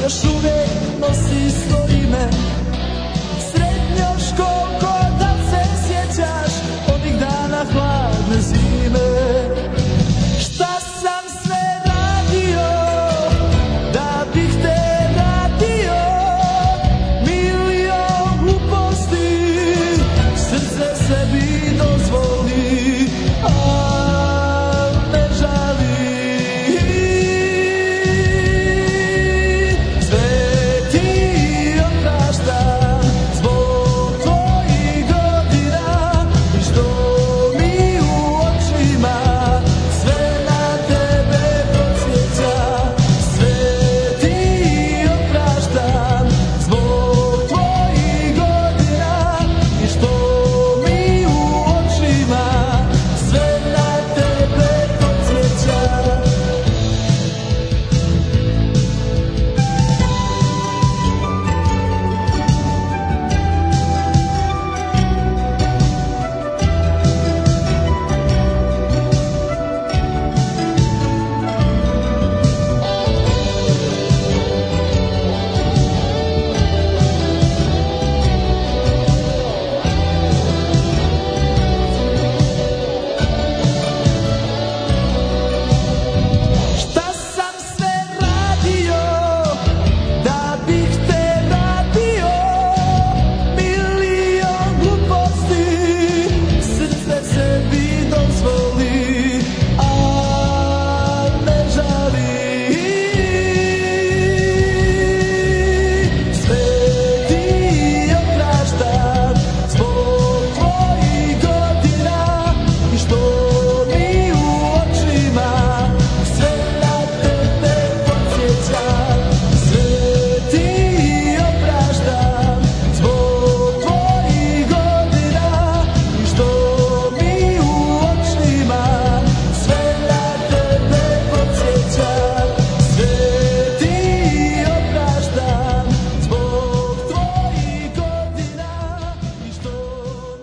još uvijek nosi svoje ime. Srednjoškolko, da se sjećaš onih dana hladne zime. Šta sam sve radio da bih te radio, milion gluposti srce sebi dozvoli, a ne žali. Sve ti opraštam zbog tvojih godina i što mi u očima sve na tebe podsjeća. Sve ti opraštam zbog tvojih godina i što mi u očima sve na tebe podsjeća. Šta sam sve radio da bih te radio, milion gluposti srce sebi dozvoli, a ne žali. Sve ti opraštam zbog tvojih godina i što mi u očima sve na tebe podsjeća. Sve ti opraštam zbog tvojih godina i što mi u očima sve na tebe podsjeća. Sve ti opraštam zbog tvojih godina i što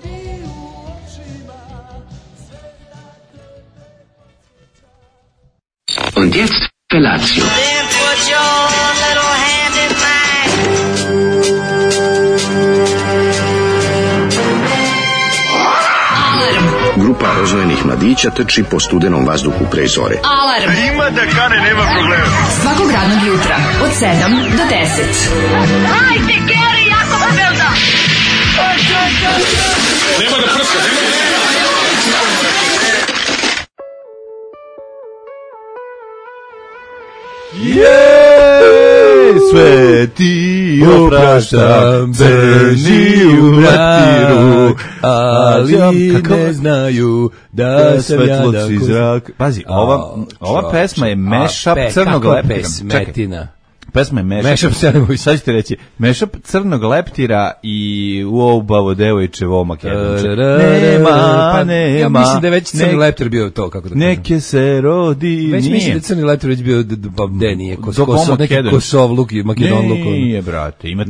mi u očima sve na tebe podsjeća. Und jetzt Felatio. Then put your little hand in mine. Grupa rozvojenih mladića trči po studenom vazduhu pre zore. Alarm. Ima da kane, nema problema. Svakog radnog jutra od 7 do 10. Hajde, Geri, jako se velda. Sve ti opraštam, crni u vratiru, ali ne znaju da sam ja zrak. Pazi, ova pesma je mashup crnog leptira. Smetina. Pesma je mashup, sad ćete reći, mashup crnog leptira i uobavo devojčevo makedonče. Nema. Ja mislim da je već crni leptir bio to, kako da kažem. Neke se rodi, već mislim da je crni leptir već bio, gde nije, neki Kosovluk i Makedonluk. Nije, brate, ima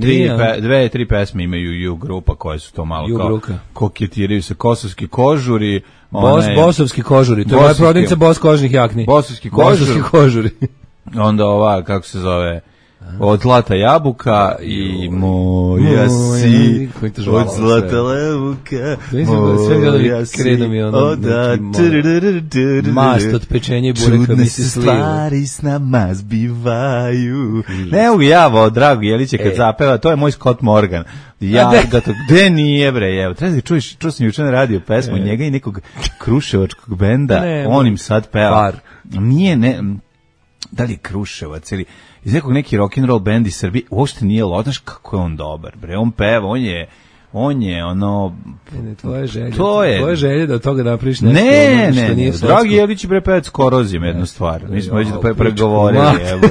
dve, tri pesme imaju U grupa koje su to malo kao koketiraju se kosovski kožuri. Bosovski kožuri, to je moja prodavnica Bos kožnih jakni. Bosovski kožuri. Onda ova, kako se zove, od zlata jabuka i moja si od zlata jabuka, moja si mast od pečenja i bureka mi se sliva. Čudne stvari s nama zbivaju. Ne mogu ja, drago Jeliće, kad zapeva, to je moj Scott Morgan. Ja ga to, gde nije bre, evo, treba da čuješ, čuo sam juče na radio pesmu njega i nekog kruševačkog benda, on im sad peva. Nije, ne, da li je Kruševac ili iz nekog neki rock'n'roll band iz Srbije, uopšte nije loš, znaš kako je on dobar, bre, on peva, on je ono... Tvoje želje da od toga napraviš nešto što nije slatsko. Dragi Jelić bre pevac Korozijom jednu stvar, mi smo već pregovorili, evo.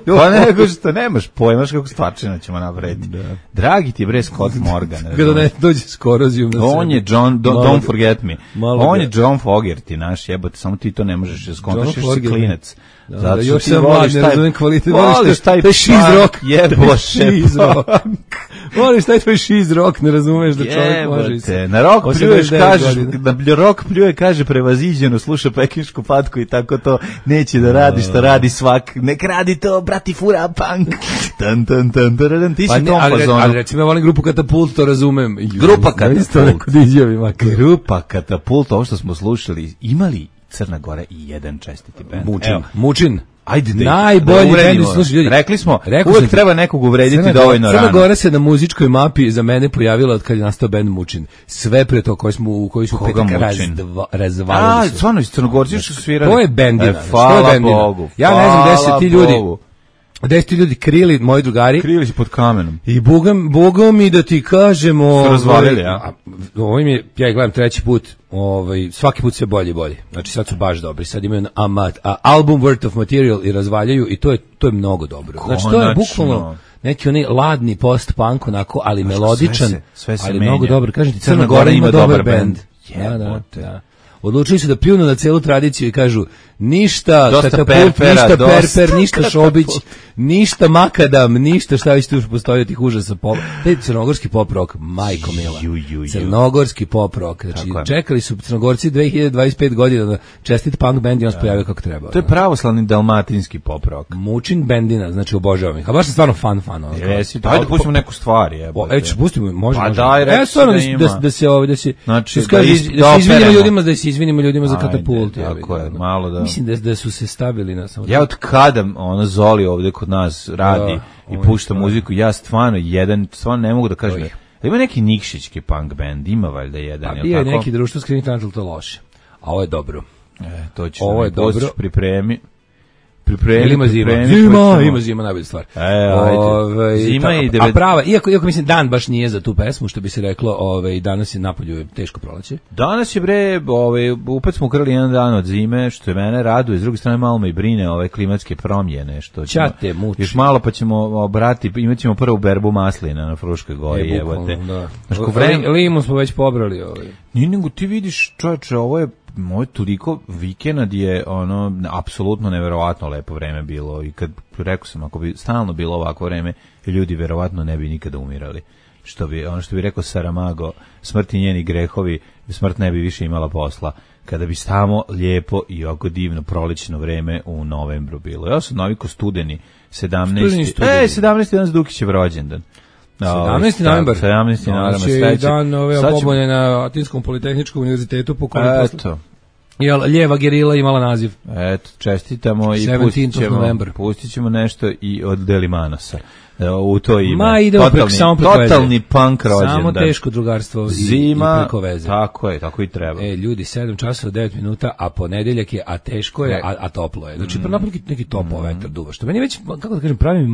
Pa nego što nemaš pojma kako stvarčina ćemo napraviti. Dragi ti bre Scott Morgan. Kada ne dođe s Korozijom. On je John, don't forget me. On je John Fogerty, naš jebote, samo ti to ne možeš, skontaš, si klinac. Zato još sam mlad, ne razumem kvalitet. Voliš taj šiz rock. Jeboše. Šiz rock. Voliš taj tvoj šiz rock, ne razumeš da čovjek može se. Na rock pljuješ, kažeš, na rock pljuje, kaže prevaziđeno, sluša pekinšku patku i tako to neće da radi što radi svak. Nek radi to, brati fura punk. Tan, tan, tan, tan, ti si tom fazonu. Ali recimo ja volim grupu Katapult, to razumem. Grupa Katapult. Grupa Katapult, ovo što smo slušali, imali Crna Gora i jedan čestiti bend. Mučin. Ajde najbolji bend, slušaj ljudi. Rekli smo, uvek treba nekog uvrediti dovoljno rano. Crna Gora se na muzičkoj mapi za mene pojavila od kad je nastao bend Mučin. Sve pre to koji su petak razvalili su. Stvarno, Crnogorci su svirali. To je bendina. Hvala Bogu. Ja ne znam gde se ti ljudi... Gde su ti ljudi krili, moji drugari? Krili se pod kamenom. I bogom mi da ti kažemo... Su razvalili, ja? Ovo im je, ja ih gledam treći put, svaki put sve bolje i bolje. Znači sad su baš dobri. Sad imaju album Worth of Material i razvaljaju i to je mnogo dobro. Znači to je bukvalno neki onaj ladni post-punk onako, ali melodičan, ali mnogo dobro. Kažem ti, Crna Gora ima dobar bend. Da. Odlučili su da pljunu na celu tradiciju i kažu ništa Katapult, ništa Perper, ništa Šobić, ništa Makadam, ništa šta već tu postoji tih užasa pop. Taj crnogorski pop rock, majko mila. Crnogorski pop rock. Znači, čekali su Crnogorci 2025 godina da čestit punk band i on se pojavio kako treba. To je pravoslavni dalmatinski pop rock. Mučin bendina, znači obožavam ih. A baš je stvarno fan. Jesi, ajde pustimo neku stvar. Pustimo, može. Pa daj, reći da se izvinimo ljudima za Katapult. Tako je, malo da... Mislim da su se stavili na samo... Ja od kada Zoli ovde kod nas radi i pušta muziku, ja stvarno ne mogu da kažem da ima neki nikšićki punk band, ima valjda jedan. Pa bio je neki društvo skrivnih talenta, to loše. A ovo je dobro. To ćeš da mi postiš, pripremi. Ima zima najbolja stvar. Zima i a prava, iako mislim dan baš nije za tu pesmu, što bi se reklo, danas je napolju teško proleće. Danas je upet smo ukrali jedan dan od zime, što je mene raduje, s druge strane malo me i brine ove klimatske promjene, što ćemo, još malo pa ćemo imat ćemo prvu berbu maslina na Fruškoj gori, limun smo već pobrali. Nije nego ti vidiš, čovječe, ovo je moj toliko vikend je apsolutno neverovatno lepo vreme bilo i kad rekao sam ako bi stalno bilo ovako vreme ljudi verovatno ne bi nikada umirali. Što bi rekao Saramago, smrt i njeni grehovi, smrt ne bi više imala posla. Kada bi stamo lijepo i ovako divno prolećno vreme u novembru bilo. Ja sam naviko studeni 17. danas Dukićev rođendan. 17. novembar. 17. novembar. Znači dan ove pobune na Atinskom politehničkom univerzitetu po kojem lijeva gerila imala naziv. Eto, čestitamo i pustit ćemo nešto i od Delimanosa. U to ime. Ma idemo totalni punk rođendan. Samo teško drugarstvo zima, i preko veze. Tako i treba. Ljudi, 7 časova 9 minuta, a ponedeljak je, a teško je, a toplo je. Znači, neki toplo vetar duva. Što meni već, kako da kažem, pravi mi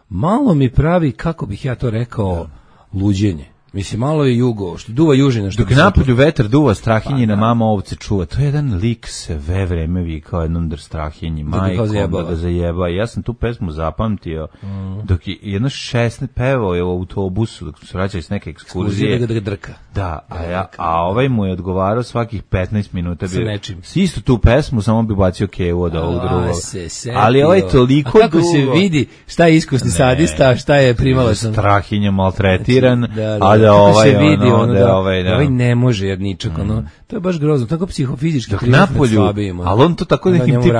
malo mi pravi, kako bih ja to rekao, luđenje. Mislim, malo je jugo, što duva južina. Dok napolju vetar duva, Strahinjina mama ovce čuva. To je jedan lik sve vreme vikao jednom Strahinji, majkom, da ga zajeba. Ja sam tu pesmu zapamtio, dok je jedno 16 pevao je u autobusu, dok se vraćali s neke ekskurzije. Da ga drka. Da, a ovaj mu je odgovarao svakih 15 minuta. Sa nečim. Istu tu pesmu, samo bi bacio kevu od ovog drugog. Ali ovaj toliko dugo. A kako se vidi šta je iskusni sadista, šta je primala sam. Strahinja maltretiran, kako se vidi ovaj ne može jer ničak to je baš grozno, tako psihofizički napolju, ali on to tako nekim tip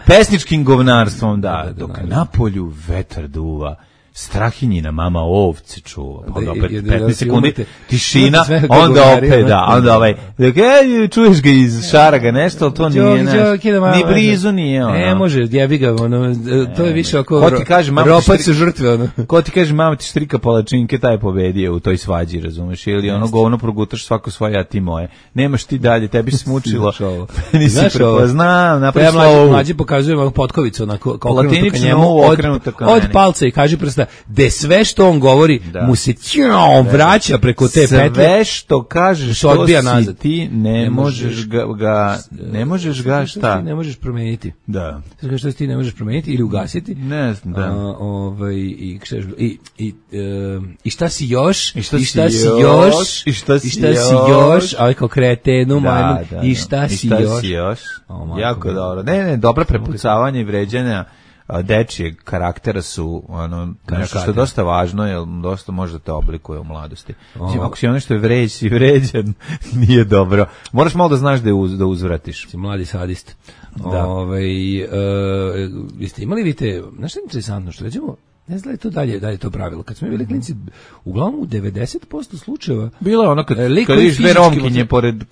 pesničkim govnarstvom dok napolju vetar duva Strahinjina mama ovce čuva. Pa onda opet 15 sekundi tišina, onda opet onda čuješ ga iz šaraga nešto, ali to nije ni blizu nije. Ne može, jebi ga, to je više oko ropac su žrtve. Ko ti kaže mama ti štrika palačinke, taj pobedio u toj svađi, razumeš, ili govno progutaš svako svoje, a ti moje. Nemaš ti dalje, tebi smučilo. Nisi prepoznao, napravi slovu. Mlađi pokazuje potkovicu, okrenutu ka njemu, od palca i kaže prsta sredstva, gde sve što on govori mu se vraća preko te petlje. Sve što kažeš što odbija nazad. Ti ne možeš ga šta? Ti ne možeš promeniti. Da. Što ti ne možeš promeniti ili ugasiti. Ne znam, da. I šta si još? I šta si još? A kao kretenu, majmun. I šta si još? Jako dobro. Ne, dobra prepucavanja i vređanja dečijeg karaktera su nešto što je dosta važno, jer dosta može da te oblikuje u mladosti. Ako si ono što je vređan, nije dobro. Moraš malo da znaš da uzvratiš. Si mladi sadist. Jeste imali vidite, znaš što je interesantno, što rećemo, ne znam da je to pravilo. Kad smo bili klinci, uglavnom u 90% slučajeva bilo je ono kad vidiš dve romkinje pored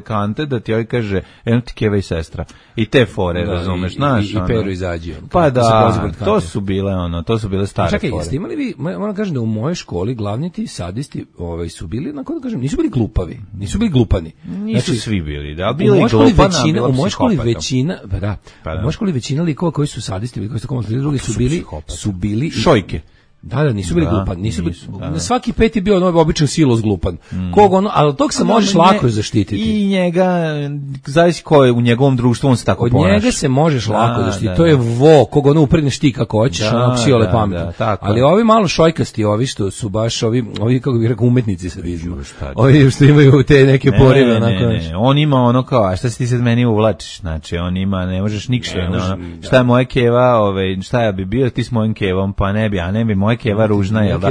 kante, da ti joj kaže eno ti keva i sestra. I te fore, razumeš, znaš. I Pero izađi. Pa da, to su bile stare fore. Čekaj, jeste imali vi, moram kažem da u mojoj školi glavni ti sadisti su bili, da kažem, nisu bili glupavi, nisu bili glupani. Nisu svi bili, da, bili i glupana, u mojoj školi većina, u mojoj školi većina likova koji su sadisti, koji su komunisli, drugi su bili šojke. Da, nisu bili glupani, nisu. Svaki peti bio ono običan silos glupan. Ali tog se možeš lako zaštititi. I njega, zavisi ko je u njegovom društvu, on se tako ponaša. Od njega se možeš lako zaštititi. To je vo, koga upregneš ti kako hoćeš, ono psiole pametno. Ali ovi malo šojkasti, ovi što su baš ovi kako bih rekao umetnici sadizma. Ovi što imaju te neke porive. On ima ono kao, a šta si ti sad meni uvlačiš? Znači, on ima, ne možeš nikšta. Šta je moja keva, šta ja bi bio, ti s mojim kevom, pa ne bi moja keva ružna, jel da?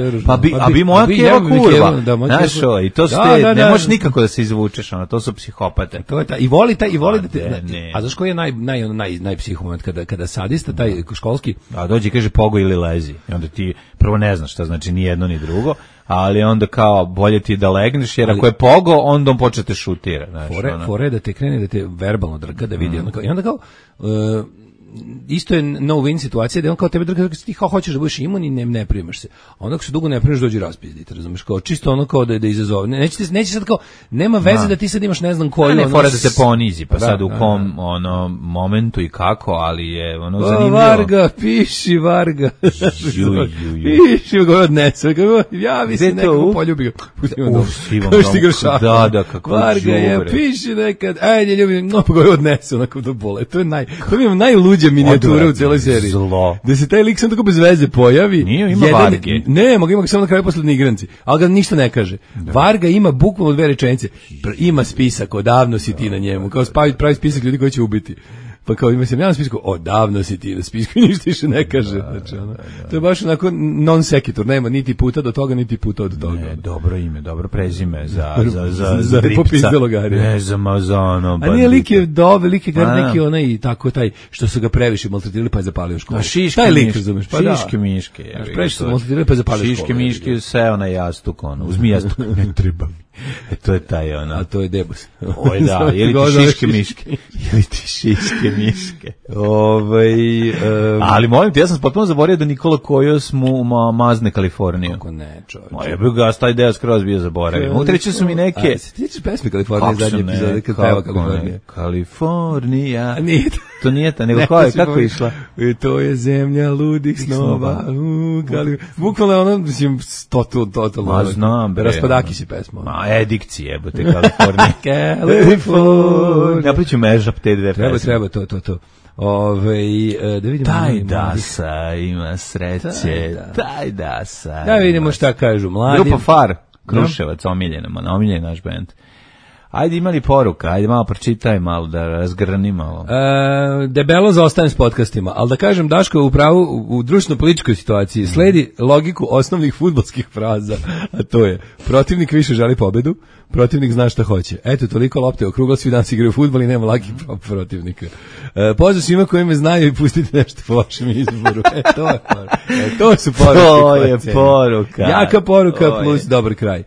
A bi moja keva kurva. Znaš, i to su te, ne možeš nikako da se izvučeš, to su psihopate. I voli da te, a znaš koji je najpsihomoment kada sadista, taj školski? A dođe i kaže pogo ili lezi. I onda ti prvo ne znaš šta znači ni jedno ni drugo, ali onda kao bolje ti da legneš, jer ako je pogo, onda on počne te šutira. Fore da te krene, da te verbalno drka, da vidi. I onda kao... isto je no-win situacija, da on kao tebe drga, ti hoćeš da budeš imun i ne primaš se. A onda ako se dugo ne primaš, dođi raspizditi, razumiješ, kao čisto ono kao da izazove. Neće sad kao, nema veze da ti sad imaš ne znam koju. Ne, fora da se ponizi, pa sad u kom momentu i kako, ali je zanimljivo. Varga, piši, Varga. Piši, ga odnesu, javi se neko poljubi ga. Da, kako Varga je, piši nekad, ajde ljubim, pa ga odnesu, onako do bole. To je najluđe minijature u cijeloj seriji. Zlo. Da se taj lik sam tako bez veze pojavi. Nije, ima Varge. Ne, ima ga samo na kraju poslednji igranci. Ali ga ništa ne kaže. Varga ima bukvalno dve rečenice. Ima spisak, odavno si ti na njemu. Kao pravi spisak ljudi koji će ubiti. Pa kao ima se na spisku, odavno si ti na spisku, ništa više ne kaže. Znači, to je baš onako non sequitur, nema niti puta do toga, niti puta od toga. Ne, dobro ime, dobro prezime za popis delogarija. Ne, za ono. A nije lik je dobe, lik je neki onaj tako taj, što su ga previše maltretirali pa je zapalio školu. Taj lik, razumeš, pa da. Šiške miške. Previše su maltretirali pa je zapalio školu. Šiške miške seo na jastuk, uzmi jastuk, ne treba mi. To je taj ono. A to je debus. Oj da, ili ti šiške miške. Ili ti šiške miške. Ali molim ti, ja sam potpuno zaboravio da Nikola Kojos mu mazne Kaliforniju. Kako ne, čovječe. Ja bih ga taj deo skroz bio zaboravio. Utreći su mi neke... Se tiče pesme Kalifornije zadnje epizode kad peva Kalifornija. Kalifornija. Nije to nije ta, nego kako je išla? To je zemlja ludih snova. Bukvalno ono, mislim, totalno. Ma znam, bre. Raspadaki si pesma. Edikci jebote, Kalifornija. Kalifornija. Napriču mežap te dve pesme. Treba, to. Da vidimo. Taj Dasa ima sreće. Taj Dasa. Da vidimo šta kažu mladi. Grupa Far, Kruševac, omiljen naš bend. Ajde, imali poruka, ajde malo pročitaj malo, da razgrani malo. Debelo zaostajem s podcastima, ali da kažem, Daško je upravo u društveno-političkoj situaciji sledi logiku osnovnih fudbalskih fraza, a to je, protivnik više želi pobedu, protivnik zna šta hoće. Eto, toliko lopte okrugla, svi danas igraju fudbal i nema lakih protivnika. Pozdrav svima koji me znaju i pustite nešto po vašem izboru. To su poruke. To je poruka. Jaka poruka plus dobar kraj.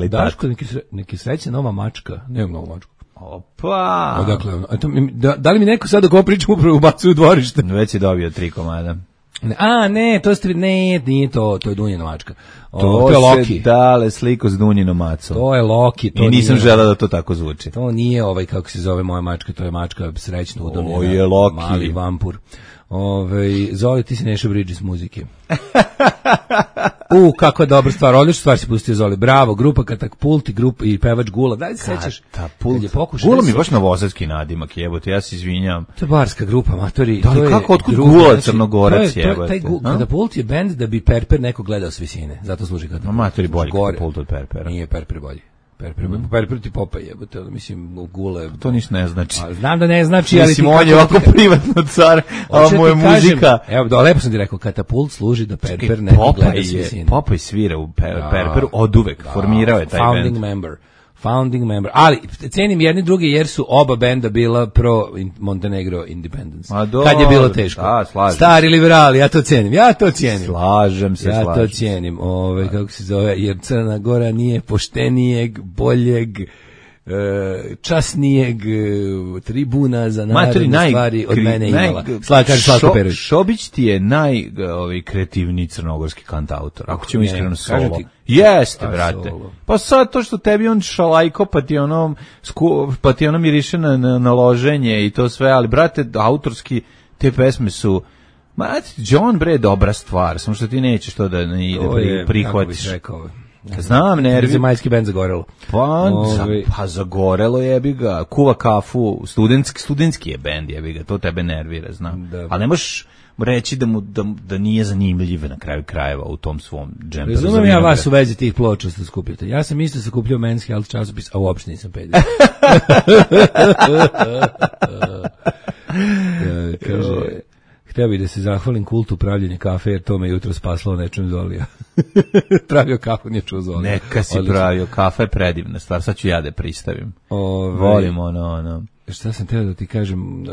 Daško, neki srećna nova mačka. Nemam novu mačku. Opa! Odakle, da li mi neko sad ako pričam upravo ubacuje u dvorište? Već je dobio 3 komada. Nije to je Dunjina mačka. To je Loki. Dale sliku s Dunjinom macom. To je Loki. I nisam želeo da to tako zvuči. To nije kako se zove moja mačka, to je mačka srećno udobljena. To je Loki. Mali vampur. Zoli, ti si Neša Bridges muzike. Kako dobra stvar, odlična stvar si pustio, Zoli. Bravo, grupa Katapult i grupa i pevač Gula. Daj se sećaš? Gula mi baš novosadski nadimak, jebote, ja se izvinjam. To je barska grupa, matori. Da, ali kako, otkud Gula, Crnogorac, jebote? Taj Katapult je bend da bi Perper neko gledao s visine. Zato služi Katapult. Matori bolji Katapult od Perpera. Nije Perper bolji. Perper ti Popaj jebote, mislim Gule. To ništa ne znači. Znam da ne znači, ali mislim on je ovako privatno car, a moja muzika. Evo, lepo sam ti rekao, Katapult služi da Perper neko gleda s visine. Popaj svira u Perperu oduvek, formirao je taj Founding member. Ali cenim jedni drugi jer su oba benda bila pro Montenegro Independence. Kad je bilo teško. Stari liberali, ja to cijenim. Slažem se. Ja to cijenim. Kako se zove, jer Crna Gora nije poštenijeg, boljeg, časnijeg tribuna za narodne stvari od mene imala. Slavko Perović. Šobić ti je najkreativniji crnogorski kantautor. Ako ćemo iskreno solo. Jeste, brate. Pa sad to što tebi on šalajko, pa ti ono miriše na loženje i to sve, ali brate, autorski te pesme su, John bre, dobra stvar, samo što ti nećeš to da ne ide, prihvatiš. Znam, nervi. Zemaljski bend Zagorelo. Pa Zagorelo jebi ga, kuva kafu, studentski je bend jebi ga, to tebe nervira, znam. Da. Ali ne možeš reći da nije zanimljiv na kraju krajeva u tom svom džemperu. Razumem ja vas u vezi tih ploča što skupljate. Ja sam isto sakupljao Men's Health časopis, a uopšte nisam peder. Kaže, htio bih da se zahvalim kultu pravljenja kafe, jer to me jutro spaslo nečem Zolija. Pravio kafu, nije čuo Zolija. Neka si pravio, kafa je predivna stvar, sad ću ja da pristavim. Volim ono. Šta sam teo da ti kažem?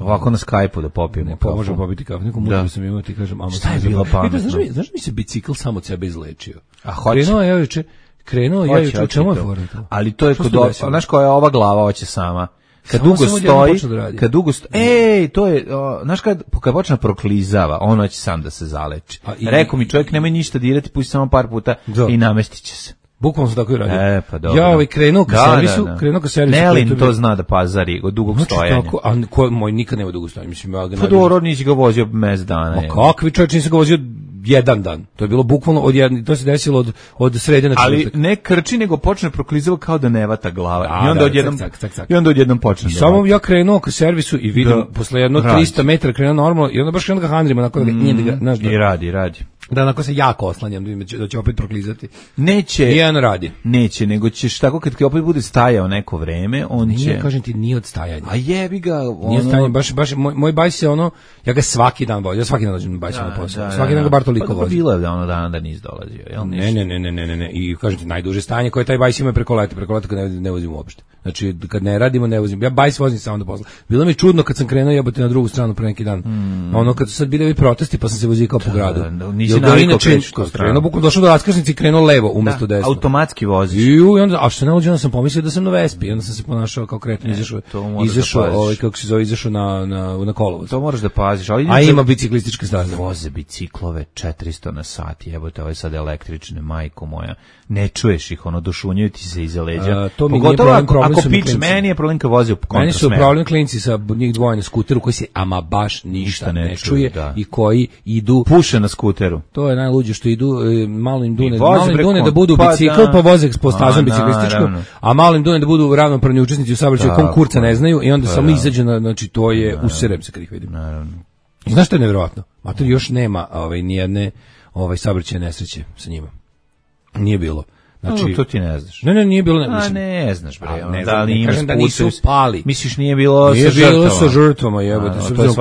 Ovako na Skype-u da popijemo kafu. Možemo popiti kafu, neku muđu sam imao, ti kažem. Šta je bilo pametno? Znaš mi se bicikl sam od sebe izlečio? A hoće? Krenuo ja juče, u čemu je fora to? Ali to je znaš koja je ova glava, hoće sama. Kad dugo stoji, to je, znaš kad počne proklizava, ono će sam da se zaleči. Rekao mi čovjek, nemoj ništa dirati, pusti samo par puta i namestit će se. Bukvalno sam tako i radio. Pa dobro. Ja krenuo ka servisu. Nelin to zna da pazari od dugog stojanja. Moj nikad nema dugo stojanja. Pa dobro, nisi ga vozio mes dana. Ma kakvi čovječ, nisi ga vozio jedan dan. To je bilo bukvalno to se desilo od srede na četvrtak. Ali ne krči, nego počne proklizava kao da ne vata glava. I onda odjednom počne. I samo ja krenuo ka servisu i vidim posle jedno 300 metara krenuo normalno i onda baš krenuo ga handrima onako i radi. Da, onako se jako oslanjam da će opet proklizati. Neće. Nijedan radi. Neće, nego ćeš tako kad opet bude stajao neko vreme, on će... Nije, kažem ti, nije od stajanja. A jebi ga, Nije stajanje, baš moj bajs je ja ga svaki dan volim, ja svaki dan dođem bajs na posao. Svaki dan ga bar toliko vozim. Pa bilo je dana da nisi dolazio, jel? Ne. I kažem ti, najduže stajanje koje taj bajs ima preko leta kad ne vozim uopšte. Znači, kad ne radimo, ne vozim. Ja bajs vozim samo do posla. Bilo mi čudno kad sam krenuo jebote na drugu stranu pre neki dan. Kad su sad bili protesti, pa sam se vozio kao po gradu. Krenuo bukvalno došao do raskrsnice i krenuo levo umesto desno. Automatski voziš. I onda, a što ne uđe, onda sam pomislio da sam na Vespi, onda sam se ponašao kao kretan, izašao na kolovoz. To moraš da paziš. A ima biciklističke staze. Voze biciklove 400 na sat, jebote, ovo je sad električne, majko moja. Ne čuješ ih, došunjaju ti se iza leđa. To mi nije problem su mi klinci. Meni je problem kad vozi u kontrasmeru. Meni su problem klinci sa njih dvoje na skuteru koji se ama baš ništa ne čuje i koji idu... Puše na skuteru. To je najluđe što idu, malo im dune da budu bicikl, pa voze po stazom biciklističkom, a malo im dune da budu ravnopravni učesnici u saobraćaju, konkurca ne znaju i onda samo izađe, znači to je, userem se kad ih vidim. Znaš što je nevjerovatno? Mater, još nema nijedne saobraćajne nesreće sa njima. Nije bilo. Znači, to ti ne znaš. Ne, nije bilo. Ne znaš, bre. Ne kažem da nisu pali. Misliš nije bilo sa žrtvama, jebote.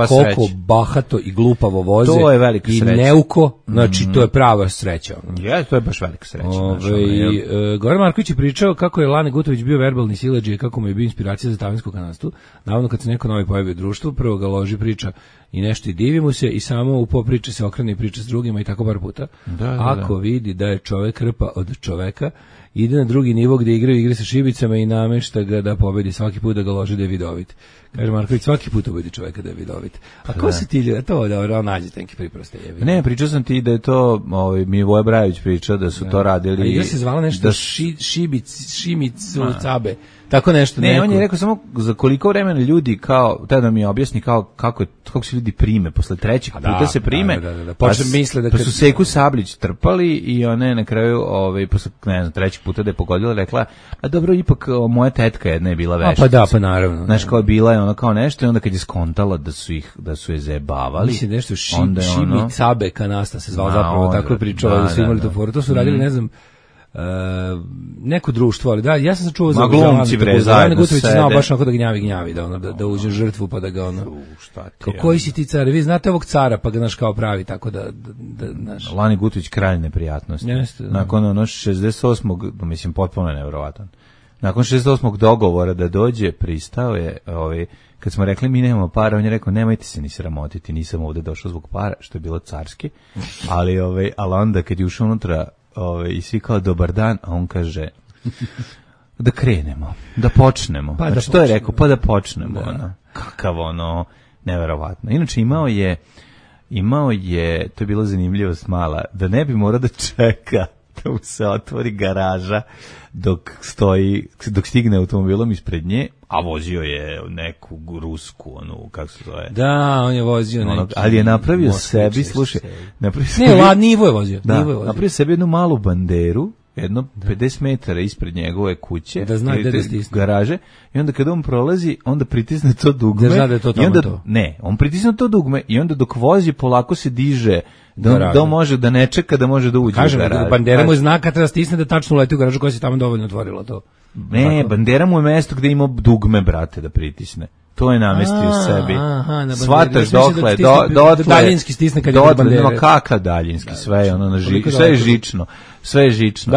Koliko bahato i glupavo voze. To je velika sreća. I neuko, znači to je prava sreća. To je baš velika sreća. Goran Marković je pričao kako je Lane Gutović bio verbalni siledžija i kako mu je bio inspiracija za tavansko kanadstvo. Navodno kad se neko novi pojavi u društvu, prvo ga loži priča i nešto i divi mu se i samo u popriče se okrene i priča s drugima i tako par puta. Ako vidi da je čovek krpa od čoveka ide na drugi nivo gde igraju igre sa šibicama i namešta ga da pobedi svaki put da ga loži da je vidovit. Kaže Marković, svaki put ubedi čoveka da je vidovit. A ko se ti ljudi, to da nađete neki priproste jevi. Ne, pričao sam ti da je to, mi Voja Brajović pričao da su to radili. A igra se zvala nešto Šimicu Cabe. Tako nešto. Ne, on je rekao samo za koliko vremena ljudi kao, tada mi objasni kako se ljudi prime posle trećeg puta se prime. Da. Počne misle da pa su Seku Sablić trpali i one na kraju posle ne znam trećeg puta da je pogodila rekla, a dobro ipak moja tetka jedna je bila vešica. Pa da, pa naravno. Znaš kao bila je ona kao nešto i onda kad je skontala da su je zajebavali. Mislim nešto Šimi Cabe Kanasta se zvao zapravo tako je pričao da su imali to foru. To su radili ne znam neko društvo, ali da, ja sam se čuo za glumci bre zajedno Gutović znao baš onako da gnjavi da uđe žrtvu pa da ga ono koji si ti car, vi znate ovog cara pa ga naš kao pravi tako da naš Lani Gutović kralj neprijatnosti nakon ono 68. mislim potpuno neverovatan nakon 68. dogovora da dođe pristao je kad smo rekli mi nemamo para, on je rekao nemojte se ni sramotiti, nisam ovde došao zbog para, što je bilo carski, ali onda kad je ušao unutra i svi kao dobar dan, a on kaže da krenemo, da počnemo. Pa znači, to je rekao, pa da počnemo. Da. Kakav neverovatno. Inače imao je, to je bila zanimljivost mala, da ne bi morao da čeka da mu se otvori garaža dok stigne automobilom ispred nje, a vozio je neku rusku, kako se zove. Da, on je vozio neki. Ali je napravio sebi, slušaj, Nivo je vozio. Napravio sebi jednu malu banderu, jedno 50 metara ispred njegove kuće, da zna gde da stisne. Garaže, i onda kada on prolazi, onda pritisne to dugme. Da zna da je to tamo to. Ne, on pritisne to dugme i onda dok vozi polako se diže da može da ne čeka da može da uđe u garažu. Kažem, bandera mu je znak kad treba stisne da tačno uleti u garažu koja se tamo dovoljno otvorila to. Ne, bandera mu je mesto gde ima dugme, brate, da pritisne. To je namestio sebi. Shvataš dokle, daljinski stisne kad je kod bandere. Kakav daljinski, sve je žično. Sve je žično,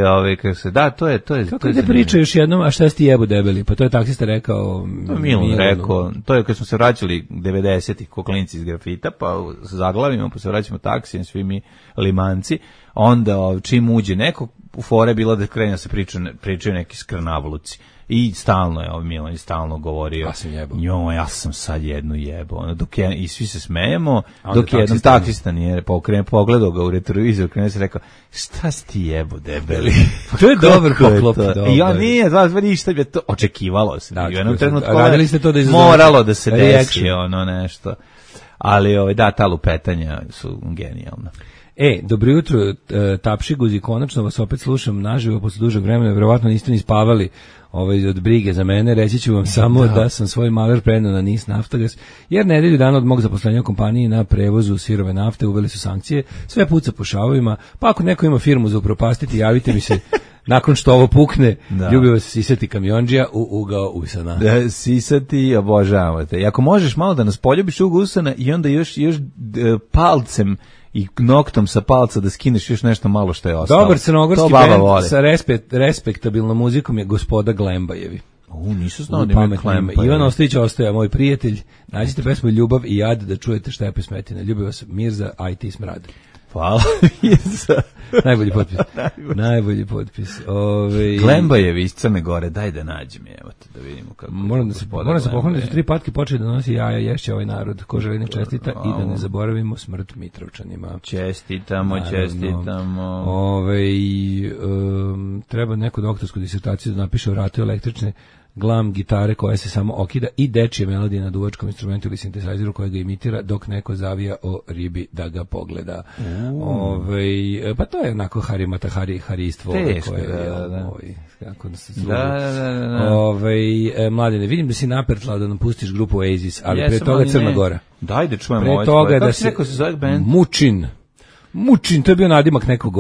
ali kako se, da, to je. Kako te priča još jednom, a šta si ti jebo debeli? Pa to je taksista rekao. Milan rekao, to je kad smo se vraćali 90-ih ko klinci iz grafita, pa zaglavimo, pa se vraćamo taksijem, svi mi limanci, onda čim uđe neko, u fore bila da krene da se pričaju neki skrnavluci. I stalno je Milan stalno govorio ja sam sad jednu jebo i svi se smejemo dok je jedan taksista nije pogledao ga u retrovizor krenuo se rekao šta si ti jebo debeli. To je dobar poklop. I on nije ništa je to očekivalo se u jednom trenutku radili ste to da moralo da se desi nešto, ali da, ta lupetanja su genijalna. Dobro jutro, Tapšiguzi, konačno vas opet slušam naživo posle dužeg vremena, verovatno niste ni spavali od brige za mene, reći ću vam samo da sam svoj maler prenao na NIS Naftagas, jer nedelju dana od mog zaposlenja u kompaniji na prevozu sirove nafte uveli su sankcije, sve puca po šavovima, pa ako neko ima firmu za upropastiti, javite mi se nakon što ovo pukne, ljubivo se sisati kamionđija u ugao usana. Da, sisati, obožavamo te. I ako možeš malo da nas poljubiš u ugao usana i onda još palcem i noktom sa palca da skineš još nešto malo što je ostalo. Dobar crnogorski bend sa respektabilnom muzikom je Gospoda Glembajevi. Nisu znao da ima Glembajevi. Ivan Ostojić ostaje, moj prijatelj. Nađite pesmu Ljubav i jad da čujete šta je pesmetina. Ljubi vas Mirza, IT Smrad. Hvala Mirza. Najbolji potpis. Glembajevi iz Crne Gore, daj da nađem, evo te da vidimo kako. Moram se pohvaliti da su 3 patke počeli da nosi jaja, ješće ovaj narod. Ko želi nek čestita i da ne zaboravimo smrt Mitrovčanima. Čestitamo. Treba neku doktorsku disertaciju da napiše o ratu električne glam gitare koja se samo okida i dečije melodije na duvačkom instrumentu ili sintesajzeru koja ga imitira dok neko zavija o ribi da ga pogleda. Pa to je onako haristvo. Teško, kako da se Mladene, vidim da si napertlao da nam pustiš grupu Oasis, ali pre toga Crna Gora. Daj da čujemo ovo. Pre toga da se zove band? Mučin, to je bio nadimak nekog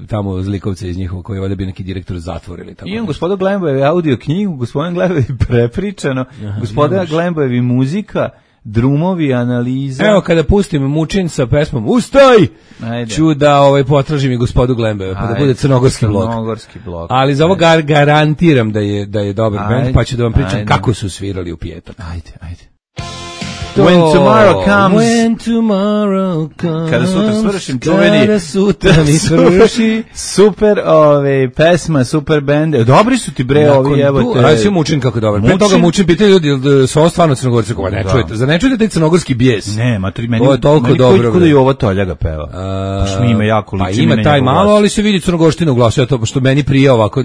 tamo zlikovca iz njihovog koji je valjda bio neki direktor zatvora ili tako. Imam gospoda Glembajevi audio knjigu, gospodin Glembajevi prepričano, gospoda Glembajevi muzika, drumovi, analiza. Evo kada pustim Mučin sa pesmom Ustaj! Ću da potražim i gospodu Glembajeva, pa da bude crnogorski blok. Ali za ovo garantiram da je dobar band, pa ću da vam pričam kako su svirali u Pijetak. Ajde. to. When tomorrow comes. When tomorrow comes. Kada sutra svršim čuveni. Kada sutra mi svrši. Super, pesma, super band. Dobri su ti bre ovi, evo te. Ajde, Mučin kako je dobar. Pre toga Mučin pitaju ljudi, su ovo stvarno Crnogorci? Ne čujete. Za ne čujete taj crnogorski bijes? Ne, meni je toliko dobro. Kod je ovo Toljaga peva. Baš mi ima jako liči. Pa ima taj malo, ali se vidi crnogorština u glasu, to što meni prija ovako.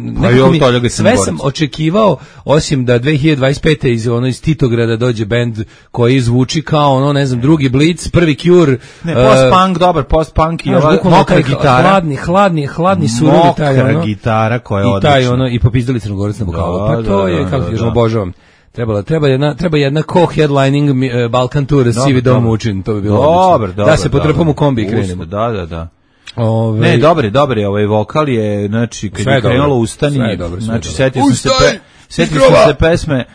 Sve sam očekivao, osim da 2025. iz Titograda dođe bend koji zvuči kao ono, ne znam, drugi Blitz, prvi Cure. Ne, post-punk, dobar, post-punk i ova mokra gitara. Hladni surovi taj ono. Mokra gitara koja je odlična. I taj ono, i popizdali Crnogorac na vokalu. Pa to je, kako kažem, obožavam. Treba jedna co-headlining Balkan tour Sivi Dom Mučin, to bi bilo odlično. Da se potrpamo u kombi i krenemo. Da. Ne, dobar je ovaj vokal je, znači, kad je krenulo Ustani, znači, setio sam se pesme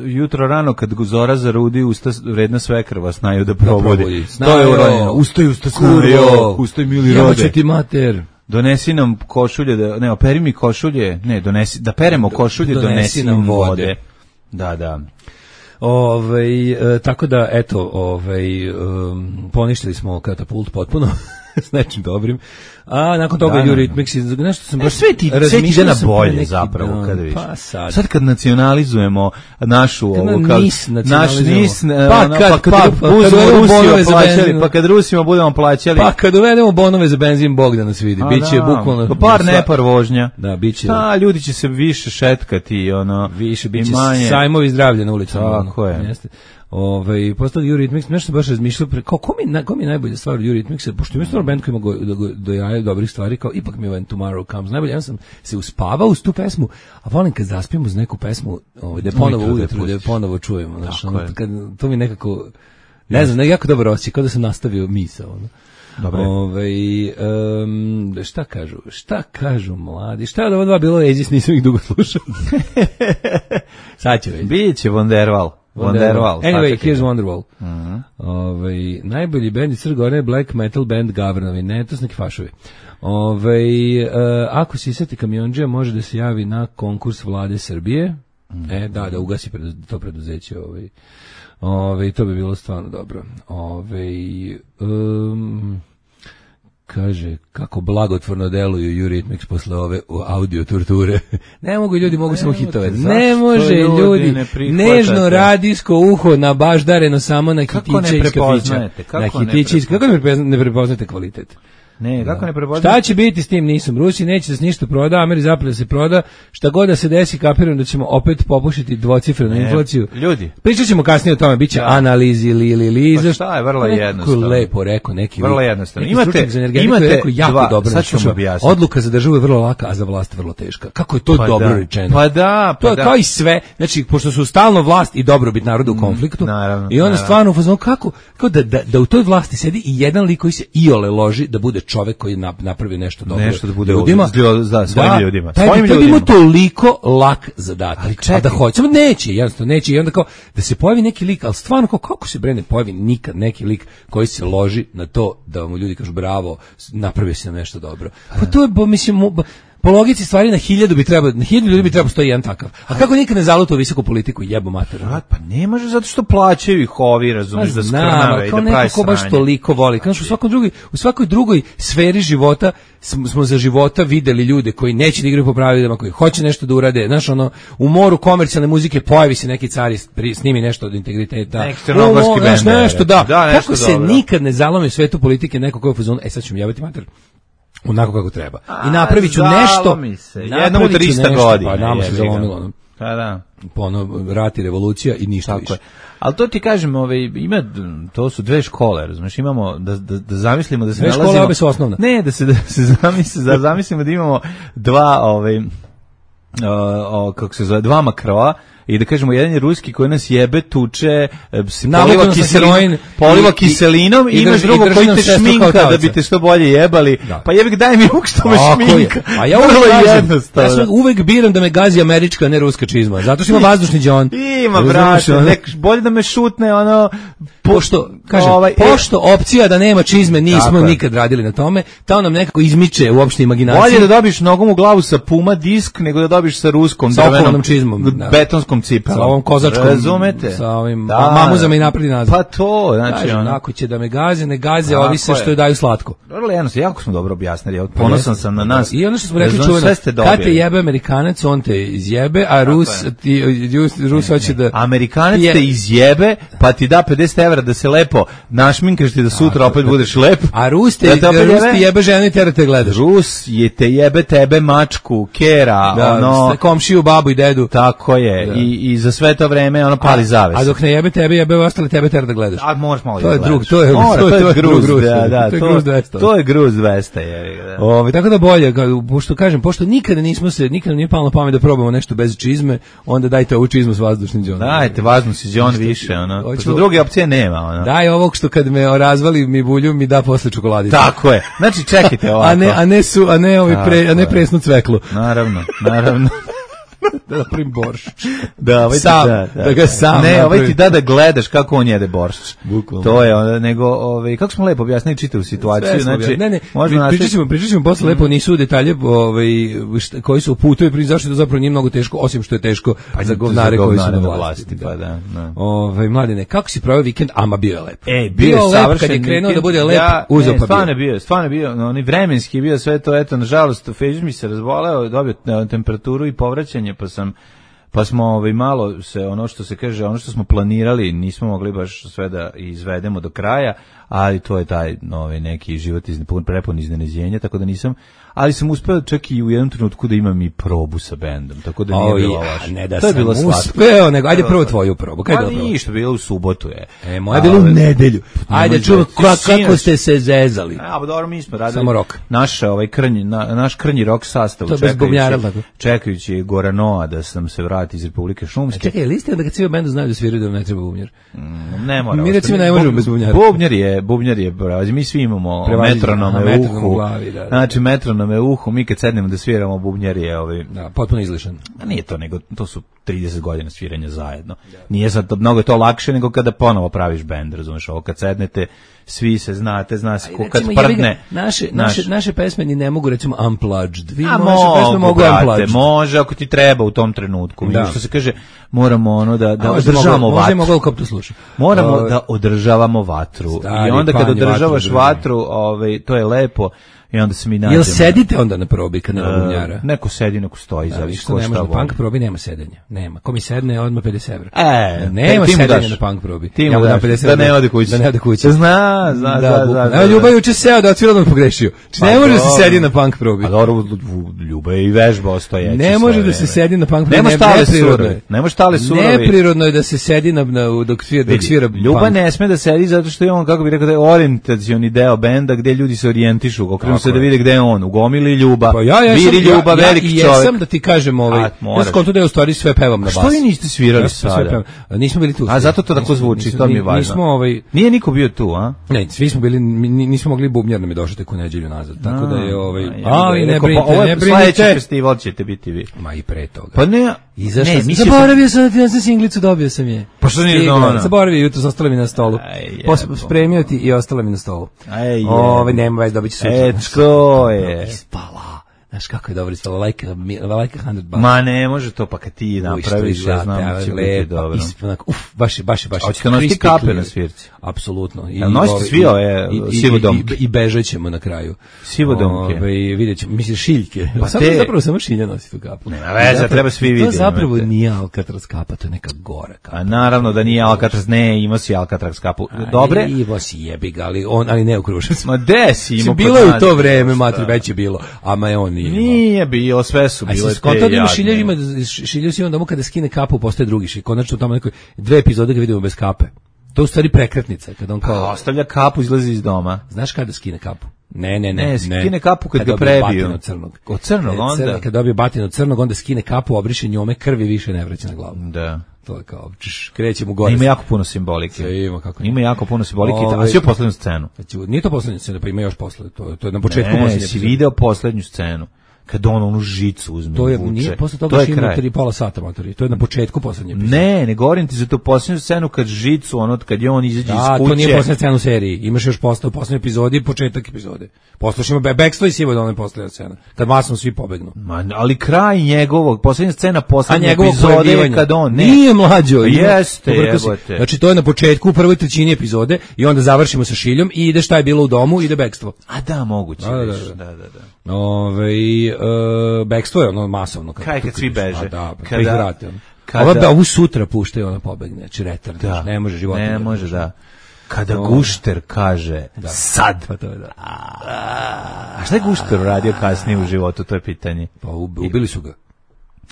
jutro rano kad zora zarudi, usta vredna svekrva vas znaju da probudi. To je uranjeno. Ustaj kurvo, ustaj mili rode. Jebaće ti mater. Donesi nam košulje, operi mi košulje, da peremo košulje, donesi nam vode. Da. Tako da, eto, poništili smo Katapult potpuno s nečim dobrim. A nakon toga Eurythmics, nešto sam baš sve ti ide na bolje zapravo kada vidiš. Pa sad kad nacionalizujemo našu naš NIS, pa kad Rusima budemo plaćali, pa kad uvedemo bonove za benzin, Bog da nas vidi. Biće bukvalno par vožnja. Da, biće. Ljudi će se više šetkati, više biće sajmovi zdravlja na ulicama. Tako je. Postali Eurythmics, nešto baš razmišljao ko mi je najbolja stvar od Eurythmicsa, pošto ima stvarno band koji ima dojaje dobrih stvari, kao ipak mi je When Tomorrow Comes najbolje. Ja sam se uspavao uz tu pesmu, a volim kad zaspim uz neku pesmu da je ponovo ujutru, da je ponovo čujemo. To mi nekako, ne znam, jako dobro osjećaj, kao da sam nastavio misao. Dobre. Šta kažu mladi? Šta je od ovo dva bilo Oasis, nisam ih dugo slušao. Sad će već. Biće Wonderwall. Anyway, here's Wonderwall. Najbolji band iz Crne Gore je black metal band Gavranovi, ne, to su neki fašovi. Ako se iseti kamionđija, može da se javi na konkurs vlade Srbije. Da ugasi to preduzeće. To bi bilo stvarno dobro. Kaže, kako blagotvorno deluju Eurythmics posle ove audio torture. Ne mogu ljudi, mogu samo hitove. Ne može ljudi, nežno radijsko uho nabaždareno samo na hitiće iz kafića. Kako ne prepoznate kvalitet? Ne, kako ne prepoznate? Šta će biti s tim nisom? Rusi neće da se ništa proda, Ameri zapred da se proda, šta god da se desi, kapiram da ćemo opet popušiti dvocifrenu inflaciju. Ljudi. Pričat ćemo kasnije o tome, bit će analizi, Pa šta je, vrlo jednostavno. Lepo rekao, vrlo jednostavno. Imate jako dobro. Sad ću vam objasniti. Odluka za državu je vrlo laka, a za vlast vrlo teška. Kako je to dobro rečeno? Pa da. To je kao i sve. Znači, pošto su stalno vlast i dobrobit naroda u konfliktu, i onda stvarno kako da u toj vlasti sedi i jedan lik koji se iole loži da bude čovek koji napravi nešto dobro. Nešto da bude ljudima. Svojim ljudima. To bi mu toliko lak zadatak. A da hoćemo, jednostavno neće. I onda kao, da se pojavi neki lik, ali stvarno kako se ne pojavi nikad neki lik koji se loži na to da mu ljudi kažu bravo, napravio si nam nešto dobro. Pa to je, mislim, po logici stvari na 1000 ljudi bi trebao stoji jedan takav. A kako nikad ne zaluta u visoku politiku, jebo mater? Pa ne može, zato što plaćaju ih ovi, razumiješ, da skrnave i da pravi sranje. Kao neko baš toliko voli. Kao u svakoj drugoj sferi života smo za života videli ljude koji neće da igraju po pravilima, koji hoće nešto da urade. Znaš, u moru komercijalne muzike pojavi se neki car i snimi nešto od integriteta. Neki crnogorski bend. Nešto, da. Kako se nikad ne zalomi u svetu politike neko koji je u fazonu, sad ćemo jebati mater. Onako kako treba. I napravit ću nešto. Jednom u 300 godina. Pa nama se zalomilo. Da. Rat i revolucija i ništa više. Ali to ti kažem, to su dve škole, razumiješ, imamo da zamislimo da se nalazimo. Dve škole, obe su osnovne. Ne, da se zamislimo da imamo dva makroa. I da kažemo, jedan je ruski koji nas jebe, tuče, poliva kiselinom, i imaš drugo koji te šminka da bi te što bolje jebali. Pa jebik, daj mi ovog što me šminka. A ja uvek biram da me gazi američka, ne ruska čizma. Zato što ima vazdušni džon. Ima, brate, bolje da me šutne, pošto opcija da nema čizme, nismo nikad radili na tome, to nam nekako izmiče u opštoj imaginaciji. Bolje da dobiš nogom u glavu sa Puma disk, nego da dobiš sa ruskom drvenom čizmom, betonskom kozarkom cipelom. Sa ovom kozačkom. Razumete? Sa ovim mamuzama i napred i nazad. Pa to, znači ono. Ako će da me gaze, ne gaze, ovi se što je daju slatko. Vrlo jednostavno, jako smo dobro objasnili. Ponosan sam na nas. I ono što smo rekli čuveno, kad te jebe Amerikanac, on te izjebe, a Rus hoće da... Amerikanac te izjebe, pa ti da 50 evra da se lepo našminkaš ti da sutra opet budeš lep. A Rus te jebe ženu i tera te gledaš. Rus je te jebe tebe, mačku, kera, komšiju, babu i dedu. Tako je. I za sve to vreme ono pali zaves. A dok ne jebe tebe, jebe ostale tebe tera da gledaš. A moraš malo to je drug, to je gruz, gruz 200. To je gruz 200, je. Tako da bolje, pošto nikada nije palo na pamet da probamo nešto bez čizme, onda dajte ovu čizmu s vazdušnim đonom. Dajte vazdušni đon više, pošto druge opcije nema, Daj ovog što kad me razvali mi bulju mi da posle čokoladice. Tako je. Znači čekajte ovako. a ne presnu cveklu. Naravno. Da napravim borš. Da ga sam. Ne, ovaj ti da gledaš kako on jede borš. Bukvalno. To je nego kako smo lepo objasnili čitavu situaciju, znači pričat ćemo posle lepo, nisu detalje koji su putovi, zašto to zapravo nije mnogo teško, osim što je teško za govnare koji su na vlasti. Pa da. Mladine, kako si proveo vikend? Ama bio je lep. Bio je lep kad je krenuo da bude lep, uzeo pa bio. Stvarno bio, oni vremenski bio sve to, eto, nažalost, Feđ mi se razboleo, dobio temperaturu i povraćanje, pa smo malo se, ono što se kaže, ono što smo planirali, nismo mogli baš sve da izvedemo do kraja, ali to je taj neki život prepun iznenađenja, tako da nisam, ali sam uspeo čak i u jednom trenutku da imam i probu sa bendom, tako da nije bilo loše. Ne da sam uspeo, nego ajde prvo tvoju probu. Pa ništa, bilo u subotu je. Moja je bilo u nedelju. Ajde čuvam kako ste se zezali. Pa dobro, mi smo radili naš krnji rok sastav, čekajući Goranoa da sam se vrati iz Republike Šumske. Čekaj, liste da kad svi u bendu znaju da sviraju da ne treba bubnjar? Ne mora. Mi recimo ne možemo bez bubnjara. Bubnjar je, mi svi imamo metronome u uhu. Znači metronome u uhu, mi kad sednemo da sviramo bubnjar je potpuno izlišan. Nije to, nego to su 30 godina sviranja zajedno. Nije sad mnogo to lakše nego kada ponovo praviš bend, razumeš, ovo kad sednete, svi se znate, zna se kad prdne. Naše pesme ni ne mogu recimo unplugged. Može ako ti treba u tom trenutku. Što se kaže, moramo da održavamo vatru. Moramo da održavamo vatru. I onda kad održavaš vatru, to je lepo. I onda se mi nađemo. Jel sedite onda na probi kad nema bubnjara? Neko sedi, neko stoji, zavisi ko šta voli. Punk probi nema sedenja. Nema. Ko mi sedne, odmah 50 evra. Nema sedenja na punk probi. Ti mu daš, da ne ode kući. Zna. Ljubav juče seo da otvira odmah pogrešio. Ne može da se sedi na punk probi. A dobro, Ljubav je i vežba ostojeći. Ne može da se sedi na punk probi. Nema štale surovi. Neprirodno je da se sedi dok svira punk. Ljubav ne sme da sedi zato što je on, kako bi rekao, da je orijentacioni deo benda gde ljudi se orijentišu, se da vide gde je on, u gomili Ljuba, Viri Ljuba, veliki čovjek. Ja jesam da ti kažem, ja skonto da je u stvari sve pevam na bas. Što vi niste svirali sada? Nismo bili tu. A zato to tako zvuči, to mi je važno. Nije niko bio tu, a? Ne, svi smo bili, nismo mogli, bubnjar nam je došao tek u nedelju nazad, tako da je i ne brinite. Sljedeći festival ćete biti vi. Ma i pre toga. Pa ne, zaboravio sam da sam singlicu, dobio sam je. Pa što nije ono? Zaboravio, jutros ostala mi na stolu. Spremio ti i ostala mi na stolu. Nema već, dobit ću sutra. To je. Ispala. Znaš kako je dobro ispala, like 100 bucks. Ma ne može to, pa kad ti napraviš, ja znam, će biti dobro. Baš. A hoćete nositi kape na svirci? Apsolutno. Nosite svi ove sivodomke? I bežat ćemo na kraju. Sivodomke? Vidjet ćemo, misliš šiljke. Zapravo samo šilja nosi tu kapu. Nema veze, treba svi vidjeti. To zapravo nije Alcatraz kapa, to je neka gora kapa. A naravno da nije Alcatraz, ne, imao si Alcatraz kapu. Dobre? Imao si jebi ga, ali ne u Kruševcu. Ma de si imao? Bilo je u to vreme, matri, već je bilo. Ama je on nije bio, sve su bile te jadne. Šilju si on domu kada skine kapu, postaje drugi šilj. Konačno tamo nekoj 2 epizode ga vidimo bez kape. To je u stvari prekretnica. Kada on kao ostavlja kapu, izlazi iz doma. Znaš kada skine kapu? Ne. Skine kapu kad ga prebiju. Od crnog onda? Kad dobije batinu crnog, onda skine kapu, obriše njome, krvi više ne vraća na glavu. Da. To je kao, krećemo gore. Ima jako puno simbolike. Ima jako puno simbolike, a svi poslednju scenu. Nije to poslednja scena, pa ima još posle. To je na početku. Si video poslednju scenu. kad on onu žicu uzme To je, vuče. nije, posle toga je šimno kraj. 3,5 sata, matori. To je na početku poslednje epizode. Ne govorim ti za tu posljednju scenu kad žicu, ono, kad je on izađe iz kuće. To nije poslednja scena u seriji. Imaš još poslednju epizodi i početak epizode. Poslušajmo Backstory sivo da ona je poslednja scena. Kad masno svi pobegnu. Ali kraj njegovog, poslednja scena poslednje njegovog epizode je pojavljivanja. kad on... Nije mlađo. Jeste, jebote. Znači to je na početku u prvoj trećini epizode i onda završimo sa Šiljom i ide šta je bilo u domu, ide bekstvo. A da, moguće. Da. Bekstvo je ono masovno. Kaj kad svi beže. Ovu sutra puštaju, ona pobegne, znači retard. Ne može život. Ne može, da. Kada Gušter kaže sad. Pa to je da. A šta je Gušter radio kasnije u životu, to je pitanje. Pa ubili su ga.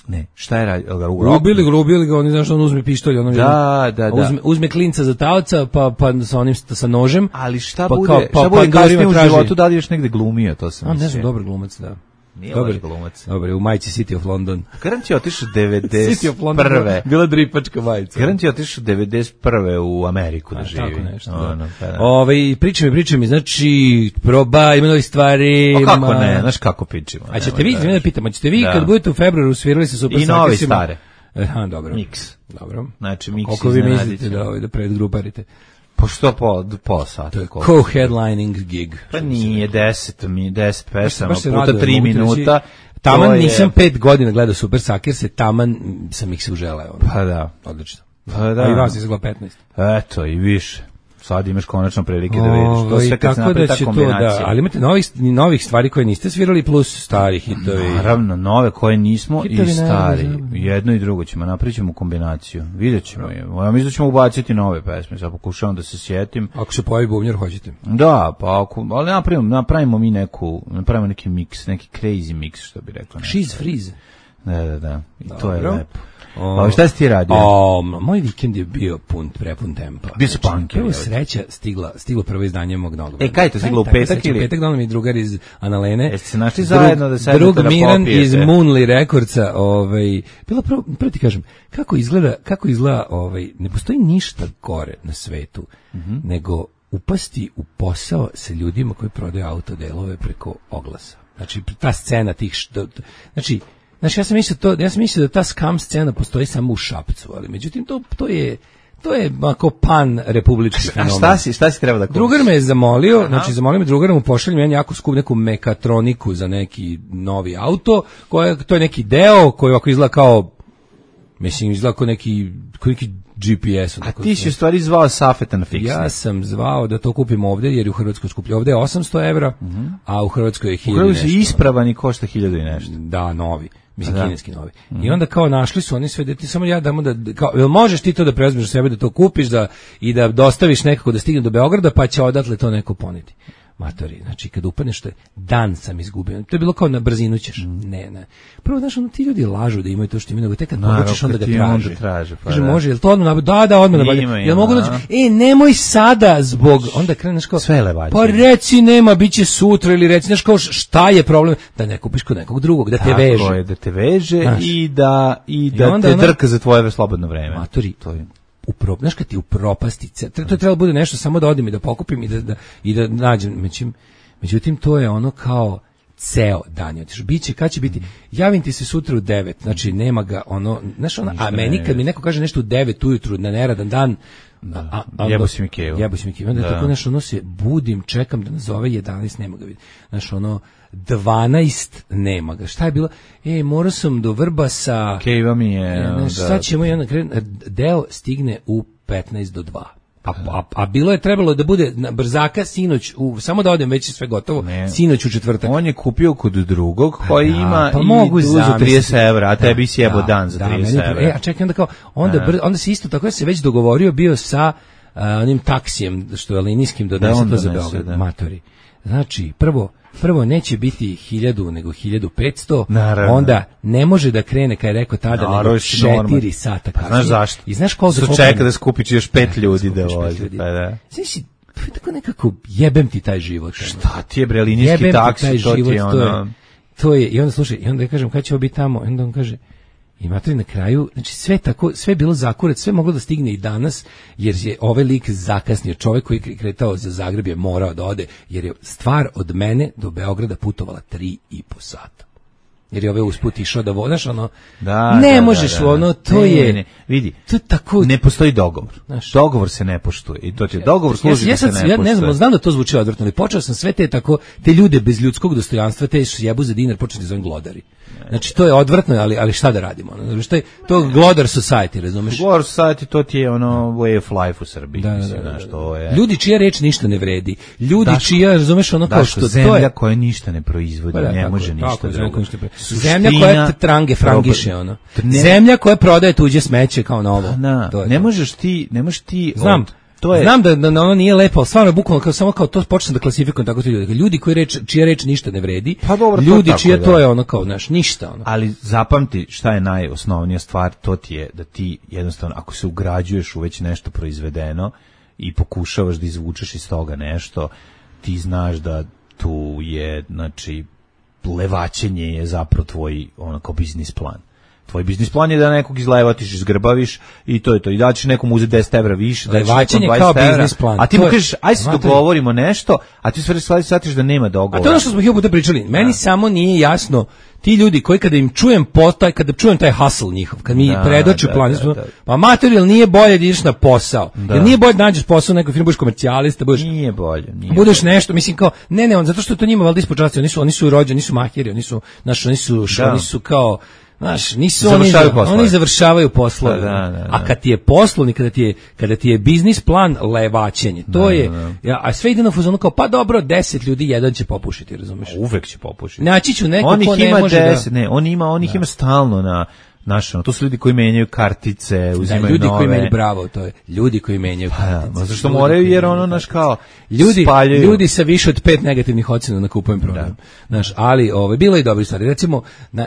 Ne, šta je radio? Ubili ga, oni znaš, on uzme pištolj, ono uzme klinca za taoca, pa sa nožem. Ali šta bude kasnije u životu, da li još negde glumio, to sam mislio. Ne znam, dobar glumac, da. Nije dobar glumac. Dobar, u majici City of London. Garant je otišao 91. City of London, bila dripačka majica. Garant je otišao 91. u Ameriku da živi. Tako nešto, Pričaj mi, znači, ima novih stvari. O kako ne, znaš kako pričamo. A ćete vi, da pitam, ćete vi kad budete u februaru svirali sa Super Sakersima? I novi stare. Dobro. Mix. Dobro. Znači, mix koliko vi mislite da predgruparite? Pa što pola sata? To je co-headlining gig. Pa nije 10 pesama puta 3 minuta. Taman nisam 5 godina gledao Super Sakerse, taman sam ih se uželeo. Pa da. Odlično. Pa da. A i vas izgleda 15. Eto, i više. Sad imaš konačno prilike da vidiš. To sve kad se napravi ta kombinacija. Ali imate novih stvari koje niste svirali plus stari hitovi. Naravno, nove koje nismo hitovi i stari. Jedno i drugo ćemo, napravit ćemo kombinaciju. Vidjet ćemo je. Ja mislim da ćemo ubaciti nove pesme. Sad pokušavam da se sjetim. Ako se pojavi bubnjar, hoćete. Da, pa ali napravimo mi napravimo neki mix, neki crazy mix, što bi rekla. She's freeze. Da. I to je lepo. Šta si ti radio? Moj vikend je bio prepun tempa. Bio su punker. Prvo sreća stiglo prvo izdanje mog novog. Kaj je to stiglo u petak ili? U petak donao mi drugar iz Analene. Jeste se našli zajedno da sedete da popijete? Drug Miran iz Moonly Recordsa. Bilo prvo ti kažem, kako izgleda, ne postoji ništa gore na svetu nego upasti u posao sa ljudima koji prodaju autodelove preko oglasa. Znači, ta scena tih... Znači, ja sam mislio da ta scam scena postoji samo u Šapcu, ali međutim to je ako pan republički fenomen. A šta si treba da kupiš? Drugar me je zamolio, zamolio me drugar mu pošaljem jedan jako skup neku mekatroniku za neki novi auto, to je neki deo koji ovako izgleda kao neki GPS. A ti si u stvari zvao Safeta na fiksni. Ja sam zvao da to kupim ovdje, jer je u Hrvatskoj skuplje. Ovdje je 800 evra, a u Hrvatskoj je 1000 nešto. U Hrvatskoj je ispravan i košta 1000 i nešto. Da, novi. Mislim, kineski novi. I onda kao našli su oni sve, da ti samo ja damo jel možeš ti to da preuzmeš za sebe, da to kupiš i da dostaviš nekako da stigne do Beograda, pa će odatle to neko poneti. Matori, znači kad upadneš, dan sam izgubio. To je bilo kao na brzinu ćeš. Ne. Prvo, znaš, ti ljudi lažu da imaju to što imaju, nego tek kad pogačeš onda ga traže. Kaže, može, jel to odmah nabaviti? Da, odmah nabaviti. Jel mogu doći? Nemoj sada zbog, onda kreneš kao, pa reci nema, bit će sutra, ili reci, znaš kao, šta je problem? Da ne kupiš kod nekog drugog, da te veže. Tako je, da te veže i da te drka za tvoje slobodno vreme. Matori, to je. Znaš kad ti upropasti, to treba bude nešto samo da odim i da pokupim i da nađem, međutim to je ono kao ceo dan, biće, kad će biti, javim ti se sutra u 9, znači nema ga ono, znaš ono, a meni kad mi neko kaže nešto u 9 ujutru na neradan dan, jebo si mi kevu, onda tako, znaš, ono se budim, čekam da nazove 11, nema ga vidi, znaš ono, 12 nema ga. Šta je bilo? Morao sam do Vrbasa. Keva mi je. Sad ćemo deo stigne u 15 do 2. A bilo je trebalo da bude na brzaka sinoć, samo da odem, već je sve gotovo, sinoć u četvrtak. On je kupio kod drugog koji ima i uzu 30 evra, a tebi si jebo dan za 30 evra. A čekaj, onda kao, onda se isto tako, ja se već dogovorio bio sa onim taksijem, što je linijskim, donese to za Beograd. Matori. Znači, prvo neće biti 1000 nego 1500. Naravno. Onda ne može da krene, kad je rekao tada, nego 4 sata kasnije. Znaš zašto? I znaš koliko su čeka da skupiš još 5 ljudi da vozi. Znači, tako nekako jebem ti taj život. Šta ti je, bre, linijski taksi, to ti je ono. To je, i onda slušaj, i onda ja kažem kad ćemo biti tamo, i onda on kaže, imate na kraju, znači sve tako, sve je bilo zakurat, sve moglo da stigne i danas, jer je ovaj lik zakasnio, čovjek koji je kretao za Zagreb je morao da ode, jer je stvar od mene do Beograda putovala 3,5 sata. jer je ove usput išao da vodaš, ono, ne možeš, ono, to je... Vidi, to je tako... Ne postoji dogovor. Dogovor se ne poštuje. I to ti dogovor služi da se ne poštuje. Ja ne znam da to zvuči odvrtno, ali počeo sam sve te ljude bez ljudskog dostojanstva, te što jebu za dinar, počeo da zovem glodari. Znači, to je odvrtno, ali šta da radimo? Šta je to glodar society, razumeš? Glodar society, to ti je ono way of life u Srbiji. Ljudi čija reč ništa ne vredi. Ljudi čija, razumeš, ono kao što... Zemlja koja ništa ne proizvodi, ne može ništa drugo. Zemlja koja frangiše, ono. Zemlja koja prodaje tuđe smeće kao novo. Ne možeš ti... Znam. Znam da ono nije lepo, ali stvarno je bukvalno samo kao to počne da klasifikujem tako ti ljudi. Ljudi čija reč ništa ne vredi, ljudi čija to je ono kao, znaš, ništa. Ono. Ali zapamti šta je najosnovnija stvar, to ti je da ti jednostavno, ako se ugrađuješ u već nešto proizvedeno i pokušavaš da izvučeš iz toga nešto, ti znaš da tu je, znači, levaćenje je zapravo tvoj onako biznis plan. Tvoj biznis plan je da nekog izlevatiš, izgrbaviš i to je to. I da ćeš nekom uzeti 10 evra više, da ćeš nekom 20 evra. A ti mu kažeš, aj se dogovorimo nešto, a ti sve shvatiš da nema dogovora. A to je ono što smo hiljadu puta pričali. Meni samo nije jasno, ti ljudi koji kada im čujem kada čujem taj hustle njihov, kad mi predoče plan, pa materijal nije bolje da ideš na posao. Jer nije bolje da nađeš posao u nekoj firmi, budeš komercijalista, nije bolje. Budeš nešto, mislim kao, ne, zato što je to njima valjda ispod časti, oni su rođeni, nisu mahiri, oni su kao nisu oni završavaju poslove. A kad ti je poslovni, kada ti je biznis plan levaćenje, to je, a sve ide na fuzonu kao, pa dobro, 10 ljudi, jedan će popušiti, razumeš? Uvek će popušiti. Naći ću neko ko ne može 10, da... On ih ima stalno na... to su ljudi koji menjaju kartice, uzimaju nove. Ljudi koji menjaju, bravo, to je. Ljudi koji menjaju kartice. Zašto moraju, jer ono, naš kao, ljudi sa više od 5 negativnih ocjena na kupujem program. Znaš, ali bilo je dobri stvari. Recimo,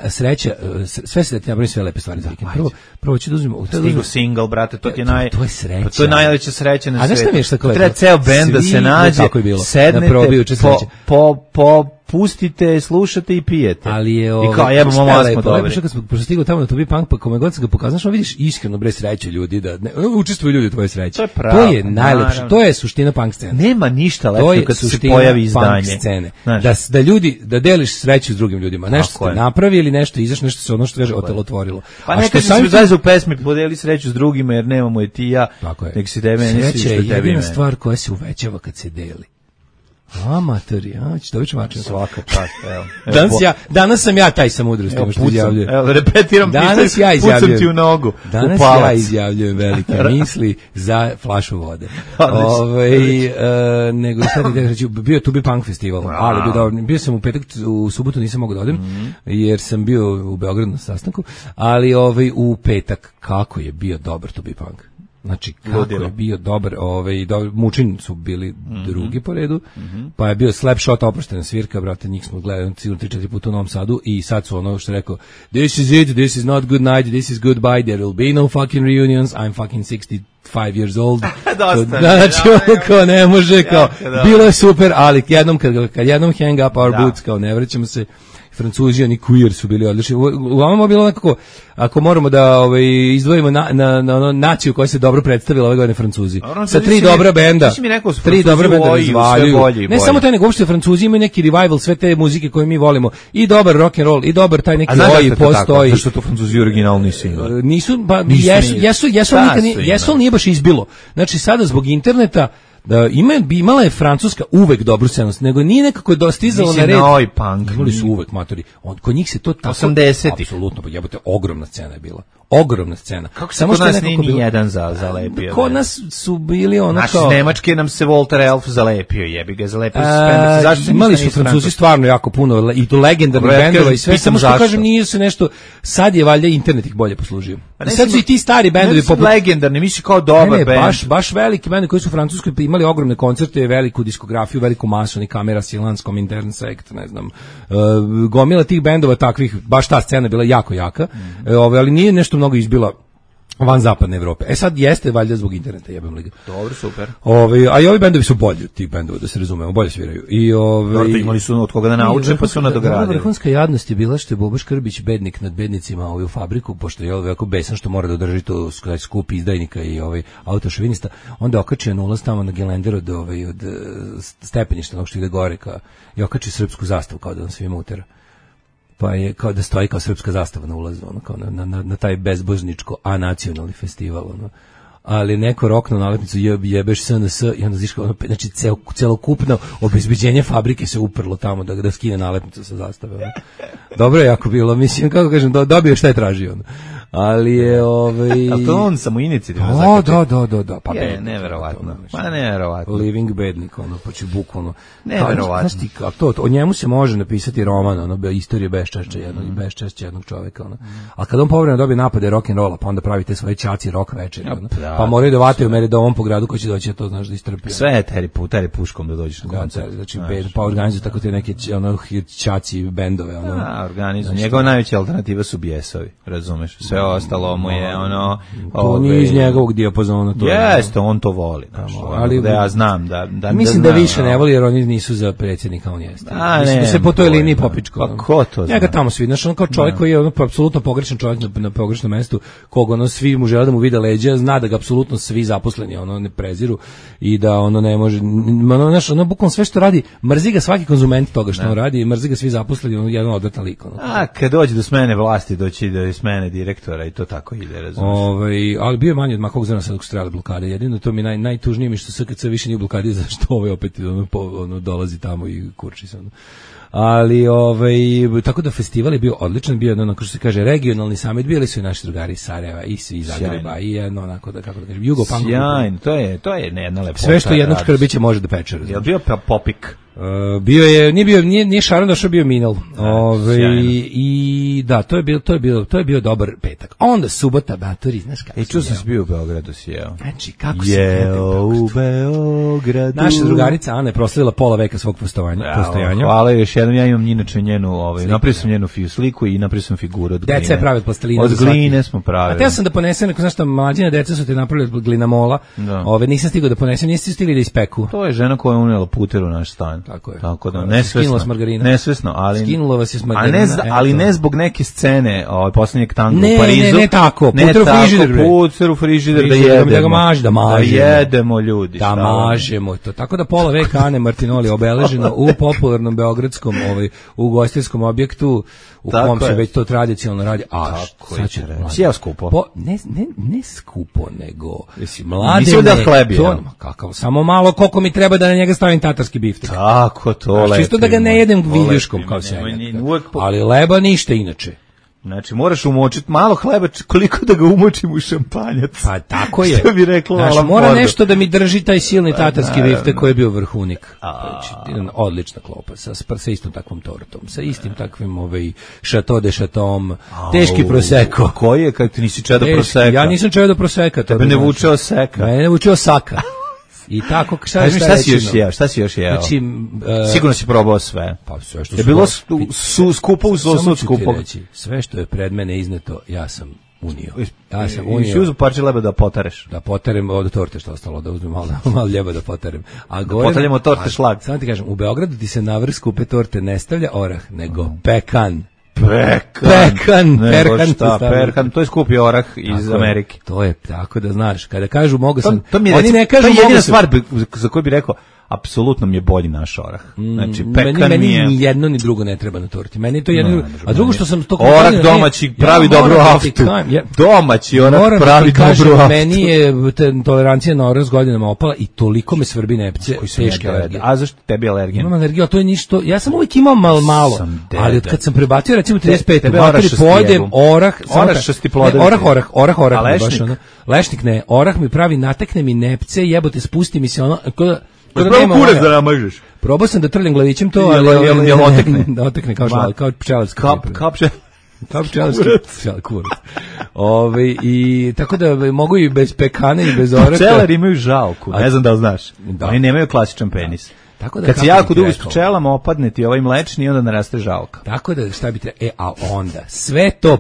sreća, sve se da ti napravim sve lepe stvari za vikend. Prvo ću da uzmemo. Stigo single, brate, to je sreća. To je najveća sreća na svijetu. A znaš šta mi je šta kao? Treba ceo bend da se nađe, sednete, pustite, slušate i pijete. Ali je i kao jebamo malo smo dobri. Kad smo stigli tamo na Tubi Punk, pa kome god se ga pokazao, što vidiš iskreno bre sreću ljudi da učestvuju ljudi u tvojoj sreći. To je najlepše. To je suština punk scene. Nema ništa lepše kad se pojavi izdanje. Da ljudi da deliš sreću s drugim ljudima. Nešto ste napravili ili nešto izašlo, nešto se ono što kaže otelotvorilo. Pa neka se zajedno u pesmi podeli sreću s drugima jer nemamo je ti ja. Nek si tebe ne si što tebi. Sreća je jedina stvar koja se uvećava kad se deli. Amatori, ćeš dobiti mačinu. Svaka čast, evo. Danas sam ja taj sa mudrostima što izjavljujem. Evo, repetiram, danas ja izjavljujem. Pucam ti u nogu, danas ja izjavljujem velike misli za flašu vode. Nego sad da reći, bio Tubi Punk festival, ali bio sam u petak, u subotu nisam mogao da odem, jer sam bio u Beogradu na sastanku, ali u petak, kako je bio dobar Tubi Punk. Znači, kako je bio dobar, Mučin su bili drugi po redu, pa je bio Slapshot, oproštena svirka, brate, njih smo gledali 3-4 puta u Novom Sadu i sad su ono što je rekao, this is it, this is not good night, this is goodbye, there will be no fucking reunions, I'm fucking 65 years old. Znači, kao ne može, kao, bilo je super, ali kad jednom hang up our boots, kao ne vraćamo se. Francuzi, oni queer su bili odlični. Uglavnom je bilo nekako, ako moramo da izdvojimo na naciju koja se dobro predstavila ove godine, Francuzi. Sa 3 dobra benda. 3 dobra benda razvaljuju. Ne samo taj, nego uopšte Francuzi imaju neki revival sve te muzike koje mi volimo. I dobar rock and roll, i dobar taj neki oj postoji. Zašto to Francuzi originalni single? Nisu, jesu, ali nije baš izbilo. Znači sada zbog interneta imala je Francuska uvek dobru scenu, nego nije nekako dostizalo na red. Imali su uvek, matori. Kod njih se to tako... 80-ih. Apsolutno, pa jebote, ogromna scena je bila. Ogromna scena. Kako se kod nas nije ni jedan zalepio? Kod nas su bili ono kao... Naš Nemačke nam se Walter Elf zalepio, jebi ga, zalepio se Spendex. Zašto se imali su Francuzi stvarno jako puno, i to legendarnih bendova i sve, samo što kažem, nije se nešto... Sad je valjda internet ih bolje poslužio. Sad su i ti stari bendovi poput... legendarni, misli kao dobar bend. Baš veliki bendovi koji su u Francuskoj imali ogromne koncerte, veliku diskografiju, veliku masu, ni Kamera, Silence, Komintern Sekt, ne znam. Gomila tih bendova takvih, baš ta scena je bila jako jaka, ali nije nešto mnogo izbila van zapadne Evrope. Sad jeste valjda zbog interneta, jebem liga. Dobro, super. A i ovi bendovi su bolji od tih bendova, da se razumemo, bolje sviraju. Dobro, imali su od koga da nauče, pa su nadogradili. Vrhunska jadnost je bila što je Bobo Škrbić bednik nad bednicima u fabriku, pošto je ovako besan što mora da održi to skup izdajnika i autošovinista, onda okačio na ulaz tamo na gelender od stepeništa, onog što ide gore, i okačio srpsku zastavu kao da on svima utera. pa je kao da stoji kao srpska zastava na ulazu, ono, kao na taj bezbožničko anacionalni festival, ono. Ali neko rokno nalepnicu jebeš SNS i onda ziška, ono, znači celokupno obezbeđenje fabrike se uprlo tamo da skine nalepnicu sa zastave. Ono. Dobro je jako bilo, mislim, kako kažem, dobio šta je tražio. Ono. Ali je Ali to on samo inicijativno. Da. Pa je, neverovatno. Pa neverovatno. Living bednik, ono, pa će bukvalno. Neverovatno. Znaš ti, o njemu se može napisati roman, ono, istorije beščašća jednog čoveka, ono. A kad on povremeno dobije napade rock'n'rolla, pa onda pravi te svoje ćaci rock večeri, ono. Pa moraju da vataju meridom po gradu ko će doći, to znaš da istrpi. Sve je teri puškom da dođeš na koncert. Znači, pa organizuju tako te neke ono, ćaci bendove, ono. Organizuju. Njegova najveća alternativa su bijesovi, razumeš? Sve ostalo mu je ono... To nije iz njegovog dijapazona. Jeste, on to voli. Ali da ja znam da... Mislim da više ne voli jer oni nisu za predsjednika, on jeste. Mislim da se po toj liniji popičko. Pa ko to zna? Njega tamo svi, znaš, on kao čovjek koji je ono apsolutno pogrešan čovjek na pogrešnom mestu, koga ono svi mu žele da mu vide leđa, zna da ga apsolutno svi zaposleni ono ne preziru i da ono ne može, ono, znaš, ono bukvalno sve što radi, mrzi ga svaki konzument toga što on radi, mrzi ga svi zaposleni, ono jedan odvratan lik. Kad dođe do smene vlasti, doći do smene direktora i to tako ide, razumiješ. Ali bio je manje od makog zrna sad dok su trebali blokade. Jedino to mi najtužnije mi što SKC više nije u blokadi, zašto opet ono dolazi tamo i kurči se. Ali tako da festival je bio odličan, bio ono, kao što se kaže, regionalni summit, bili su i naši drugari iz Sarajeva i iz Zagreba i jedno onako da, kako da kažem, Jugopunk. Sjajno, to je jedna lepota. Sve što jednog škrbića može da peče. Je li bio popik? Bio je, nije Šaron došao, bio Minel. I da, to je bio dobar petak. Onda subota, batori, znaš kako. Čuo sam se bio u Beogradu, sjeo. Znači, kako se jeo u Beogradu. Naša drugarica Ana je proslavila pola veka svog postojanja. Hvala još jednom, ja imam inače njenu, napravio sam njenu sliku i napravio sam figuru od gline. Deca je pravi od plastelina. Od gline smo pravili. A teo sam da ponesem, znaš šta, mlađine deca su te napravili od glinamola. Nisam stigao da ponesem, nisi stigli da ispeku. To je žena koja je unijela puter u naš stan. Tako da nesvesno, ali skinula vas je s margarina, ali ne zbog neke scene, poslednjeg tanga u Parizu. Ne tako, puter u frižider da jedemo. Da jedemo ljudi. Da mažemo to. Tako da pola veka Ane Martinoli obeleženo u popularnom beogradskom ugostiteljskom objektu u kom se već to tradicionalno radi. Sjeo skupo. Ne skupo, nego mlade. Mislim da hlebi. Kakav, samo malo koliko mi treba da na njega stavim tatarski biftek. Tako to lepi. Čisto da ga ne jedem viljuškom kao se. Ali leba ništa inače. Znači, moraš umočiti malo hleba, koliko da ga umočim u šampanjac. Pa tako je. Što bi rekla Alan Ford. Mora nešto da mi drži taj silni tatarski biftek koji je bio vrhunik. Odlična klopa, sa istom takvom tortom, sa istim takvim šato de šatom, teški proseko. Koji je, kako ti nisi čedo proseka? Ja nisam čedo proseka. Tebe ne vučeo seka. Mene ne vučeo saka. I tako, šta si još jeo? Znači, sigurno si probao sve. Pa sve što je bilo skupo uz skupo. Sve što je pred mene izneto, ja sam unio. I si uzeo parče leba da potareš. Da potarem od torte što ostalo, da uzmem malo ljeba da potarem. Da potarljamo torte šlag. Samo ti kažem, u Beogradu ti se na vrh skupe torte ne stavlja orah, nego pekan. Perkan, to je skupi orah iz Amerike. To je, tako da znaš, kada kažu mogu sam, oni ne kažu mogu sam. To je jedina stvar za koju bih rekao, apsolutno mi je bolji naš orah. Znači, pekan meni ni jedno ni drugo ne treba na torti. Meni to jedno, a drugo što sam to orah domaći pravi dobru aftu. Domaći orah pravi dobru aftu. Meni je tolerancija na orah s godinama opala i toliko me svrbi nepce, teške alergije. A zašto tebi alergija? Imam alergiju, a to je ništa. Ja sam uvijek imao malo, ali kad sam prebacio recimo 35, pojedem orah, orah, baš ono. Lešnik ne, orah mi pravi, natekne mi nepce, jebote, spusti mi se ono, Prvo kurac da namažeš. Probao sam da trljam glavićem to, ali jel otekne? Da otekne kao pčelarski. Kao pčelarski kurac. I tako da mogu i bez pekana i bez oraha. Pčelari imaju žalku, ne znam da li znaš. Oni nemaju klasičan penis. Kad si jako dugo s pčelama opadne ti ovaj mlečni i onda naraste žalka. Tako da šta bi a onda sve to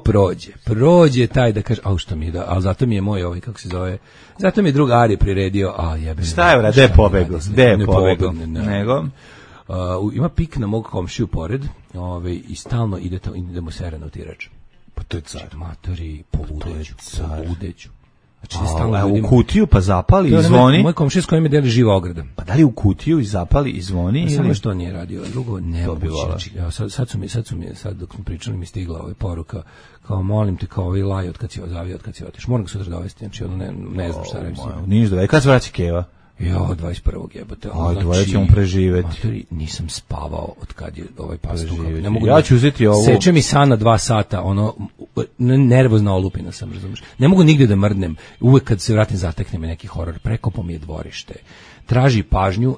prođe taj da kaže, što mi je da, ali zato mi je moj kako se zove, zato mi je drug Ari priredio, jebe. Šta je gde je pobegao? Nego ima pik na mog komšiju pored, i stalno idemo sere na utirač. Pa to je car. Matori, poludeću. U kutiju pa zapali i zvoni. Moj komšija s kojim me deli živa ograda. Pa da li u kutiju i zapali i zvoni? Pa samo što nije radio, drugo ne moguće. Sad dok smo pričali mi stigla ova poruka, kao molim te, kao ovaj laj od kad si otiš. Moram ga sutra dovesti, znači ono ne znam šta reći. Niš da, kad se vraća Keva? Jo, 21. jebote. Dvoje ćemo preživeti. Matori, nisam spavao od kad je ovaj pastuh. Ne mogu ja ću uzeti ovo. Seče mi san na 2 sata, ono, nervozna olupina sam, razumiješ. Ne mogu nigde da mrdnem. Uvek kad se vratim zatekne me neki horor. Prekopo mi je dvorište. Traži pažnju,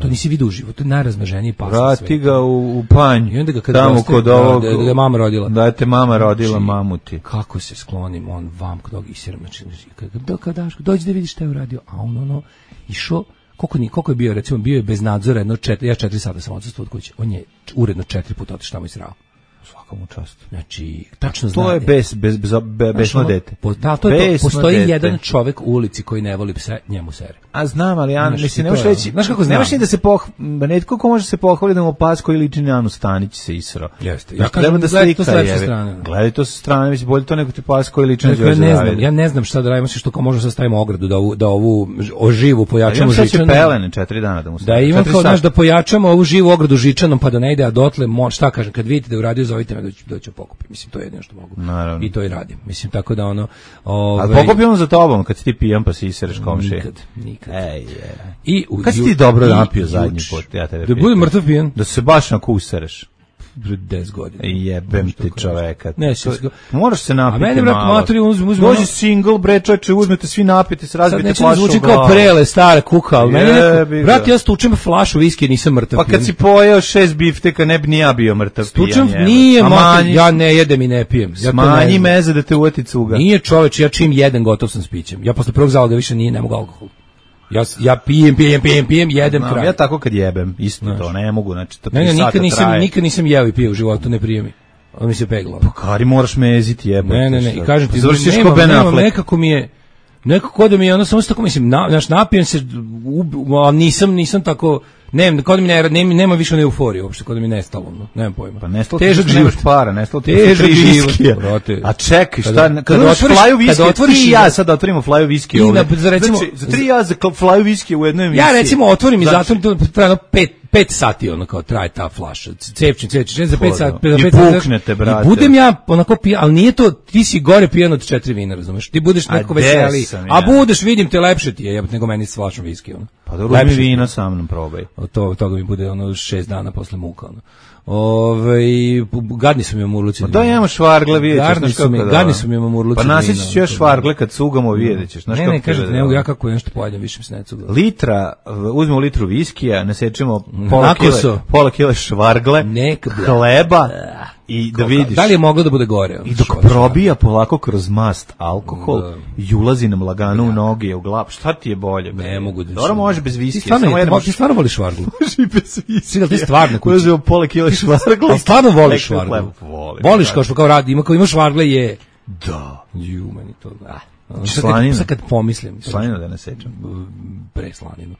to nisi vidio uživo, to je najrazmaženiji pas na svetu. Vrati ga u panj, i onda ga kad tamo kod ovog, da je mama rodila. Da je te mama rodila, mamuti. Kako se sklonim, on vam kod ovog isiram, dođi da vidiš šta je uradio, a on išao, koliko je bio, recimo, bio je bez nadzora, ja 4 sata sam odsustvo od kuće, on je uredno 4 puta otišao tamo i srao. Svakom čast. Znači, tačno zna. To je besno dete. Postoji jedan čovek u ulici koji ne voli pse, njemu sere. A znam, ali ja mislim, ne možeš reći, znaš kako znam? Ne možeš ni da se netko ko može se pohvali da mu pas koji liči na Anu Stanić se isro. Jeste. Ja kažem da slika je. Gledaj to sa strane, mislim, bolje to nego ti pas koji liči na Đorđe Davida. Ja ne znam šta da radimo, što kao možemo sastavimo ogradu da ovu živu pojačamo žičanom. Ja pelene 4 dana da mu stavimo. Da imam kao znaš da pojačamo ovu živu ogradu žičanom pa da ne ide, a dotle, šta kažem, kad vidite da je uradio, zovite me doći pokupim. Mislim, to je jedino što mogu. Naravno. I to i radim. Mislim, tako da ono... Ali pokupi on za tobom, kad si ti pijan pa si isereš komšije. Nikad. Kad si ti dobro napio zadnji put? Ja tebe da budem mrtav pijan. Da se baš nakusereš. 10 godina. Jebem ti čoveka. Ne, moraš se napiti malo. A meni, brat, maturi, dođi single, bre, čoveče, uzmete svi napijete, se razbijete flašu u glavu. Zvuči kao prele, stara kuka, ali meni brat, ja stučem flašu viski, nisam mrtav pijan. Pa kad si pojeo 6 bifteka, ne bi ni ja bio mrtav pijan. Stučem, nije, ja ne jedem i ne pijem. Smanji meze da te uvati cuga. Nije čoveč, ja čim jedan gotov sam s pićem. Ja posle prvog zaloga više ne mogu alkohol. Ja pijem, jedem kraj. Ja tako kad jebem, isto to, ne mogu, znači to 3 sata traje. Nikad nisam jeo i pio u životu, ne prije mi. On mi se peglo. Pa kari moraš meziti, jebati. Ne, i kažem ti, nemam, nekako mi je, nekako da mi je, ono samo tako mislim, napijem se, ali nisam tako, kod mi nema više na euforiju, uopšte, kod mi nestalo, nemam pojma. Pa nestalo težak život para, nestalo težak život. A čekaj, šta, kad flaju viski, ja sad otvorimo flaju viski ovdje. Znači, za 3 ja za flaju viski u jednoj emisiji. Ja recimo otvorim i zatvorim, to trajno 5 sati ono kao traje ta flaša. Cepčin, za 5 sati. I puknete, brate. I budem ja onako pijan, ali nije to, ti si gore pijan od 4 vina, razumeš? Ti budeš neko veseli, a budeš, vidim te, lepše ti je, jebate, nego meni s flašom viski, ono. Pa dobro, uzmi vina sa mnom, probaj. Od toga mi bude ono 6 dana posle muka, ono. Gadni su mi mamurluci. Pa da imamo švargle, vidjet ćeš, znaš kako da. Gadni su mi mamurluci. Pa nasjeći ću još švargle kad cugamo, vidjet ćeš. Ne, kažete, ne mogu ja kako nešto pojedem, više mi se ne cugam. Uzmemo litru viskija, nasječemo pola kile švargle, hleba i da vidiš. Da li je moglo da bude gore? I dok probija polako kroz mast alkohol i ulazi nam lagano u noge, u glavu. Šta ti je bolje? Ne mogu da. Dobro, može bez viskija. Ti stvarno voliš švarglu? Može i bez viskija. Ti stvarno kući. Uzmemo pola kile švargle. Ali stvarno voliš švarglu? Voliš kao što kao radi, ima kao ima švargle je... Da. Ju, meni to... Slaninu. Sad kad pomislim. Slaninu da ne sećam. Preslaninu.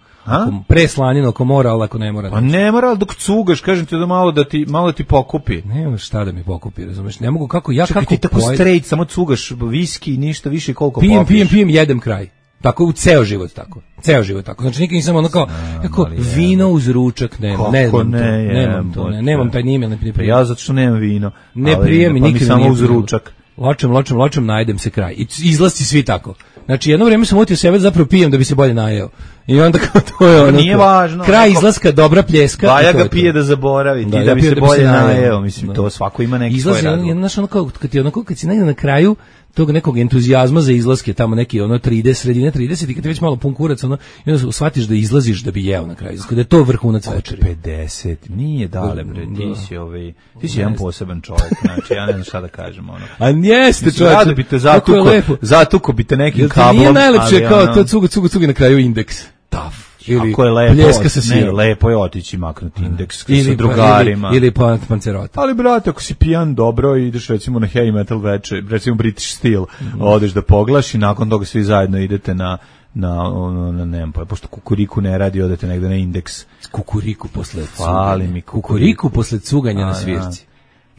Preslaninu ako mora, ali ako ne mora. Pa ne mora, ali dok cugaš, kažem ti da malo ti pokupi. Nema šta da mi pokupi, razumeš? Ne mogu kako ja čekaj, kako ti tako straight, samo cugaš viski, ništa više koliko popiješ. Pijem, jedem kraj. Tako u ceo život tako. Znači nikad nisam ono kao vino uz ručak nemam. Nemam taj nimel, ne prijem. Pa ja zato što nemam vino. Ne prijem nikad. Pa mi samo uz ručak. Ločem, najdem se kraj. I izlasti svi tako. Znači jedno vrijeme sam utio sebe, zapravo pijem da bi se bolje najeo. I onda kao to je ono. Nije važno. Kraj izlaska, dobra pljeska. Baja ga pije da zaboravi, ti da bi se bolje najeo. Mislim, to svako ima neki svoj razlog. Znaš, kad si negdje na kraju tog nekog entuzijazma za izlaske, tamo neki sredine 30 i kad ti već malo pun kurac, i onda shvatiš da izlaziš da bi jeo na kraju. Da je to vrhunac večeri. 50, nije dale, bre, ti si jedan poseban čovjek, znači ja ne znam šta da kažem. A jeste čovjek. Rado bi te zatuko bi te nekim kablom. Nije najlepše kao to cugi na kraju indeks. Taf. Ili pljeska sa sirom. Lepo je otići maknuti indeks sa drugarima. Ili pancerota. Ali, brate, ako si pijan dobro i ideš recimo na heavy metal večer, recimo British Steel, odeš da poglaš i nakon toga svi zajedno idete na nemam pojma, pošto Kukuriku ne radi, odete negde na indeks. Kukuriku posle cuganja na svirci.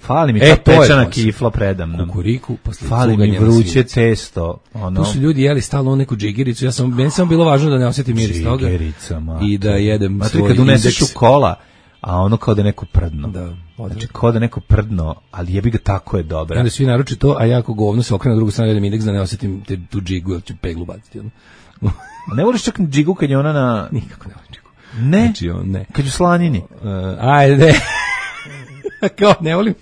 Fali mi ta pečena kifla predamnom. Kukuriku posle fali mi vruće testo. Tu su ljudi jeli stalno neku džigericu. Meni samo bilo važno da ne osjetim miris toga. I da jedem svoj kad uneseš u kola, a ono kao da neko prdno. Da. Znači kao da neko prdno, ali jebi ga, tako je dobra. Onda svi naruči to, a ja ako govno se okrenu na drugu stranu jedem indeks da ne osjetim tu džigu, ili ću peglu baciti. Ne voliš čak džigu kad je ona na... Nikako ne volim džigu. Ne? Znači, ne. Kad je slanini? Ajde. Kao, ne volim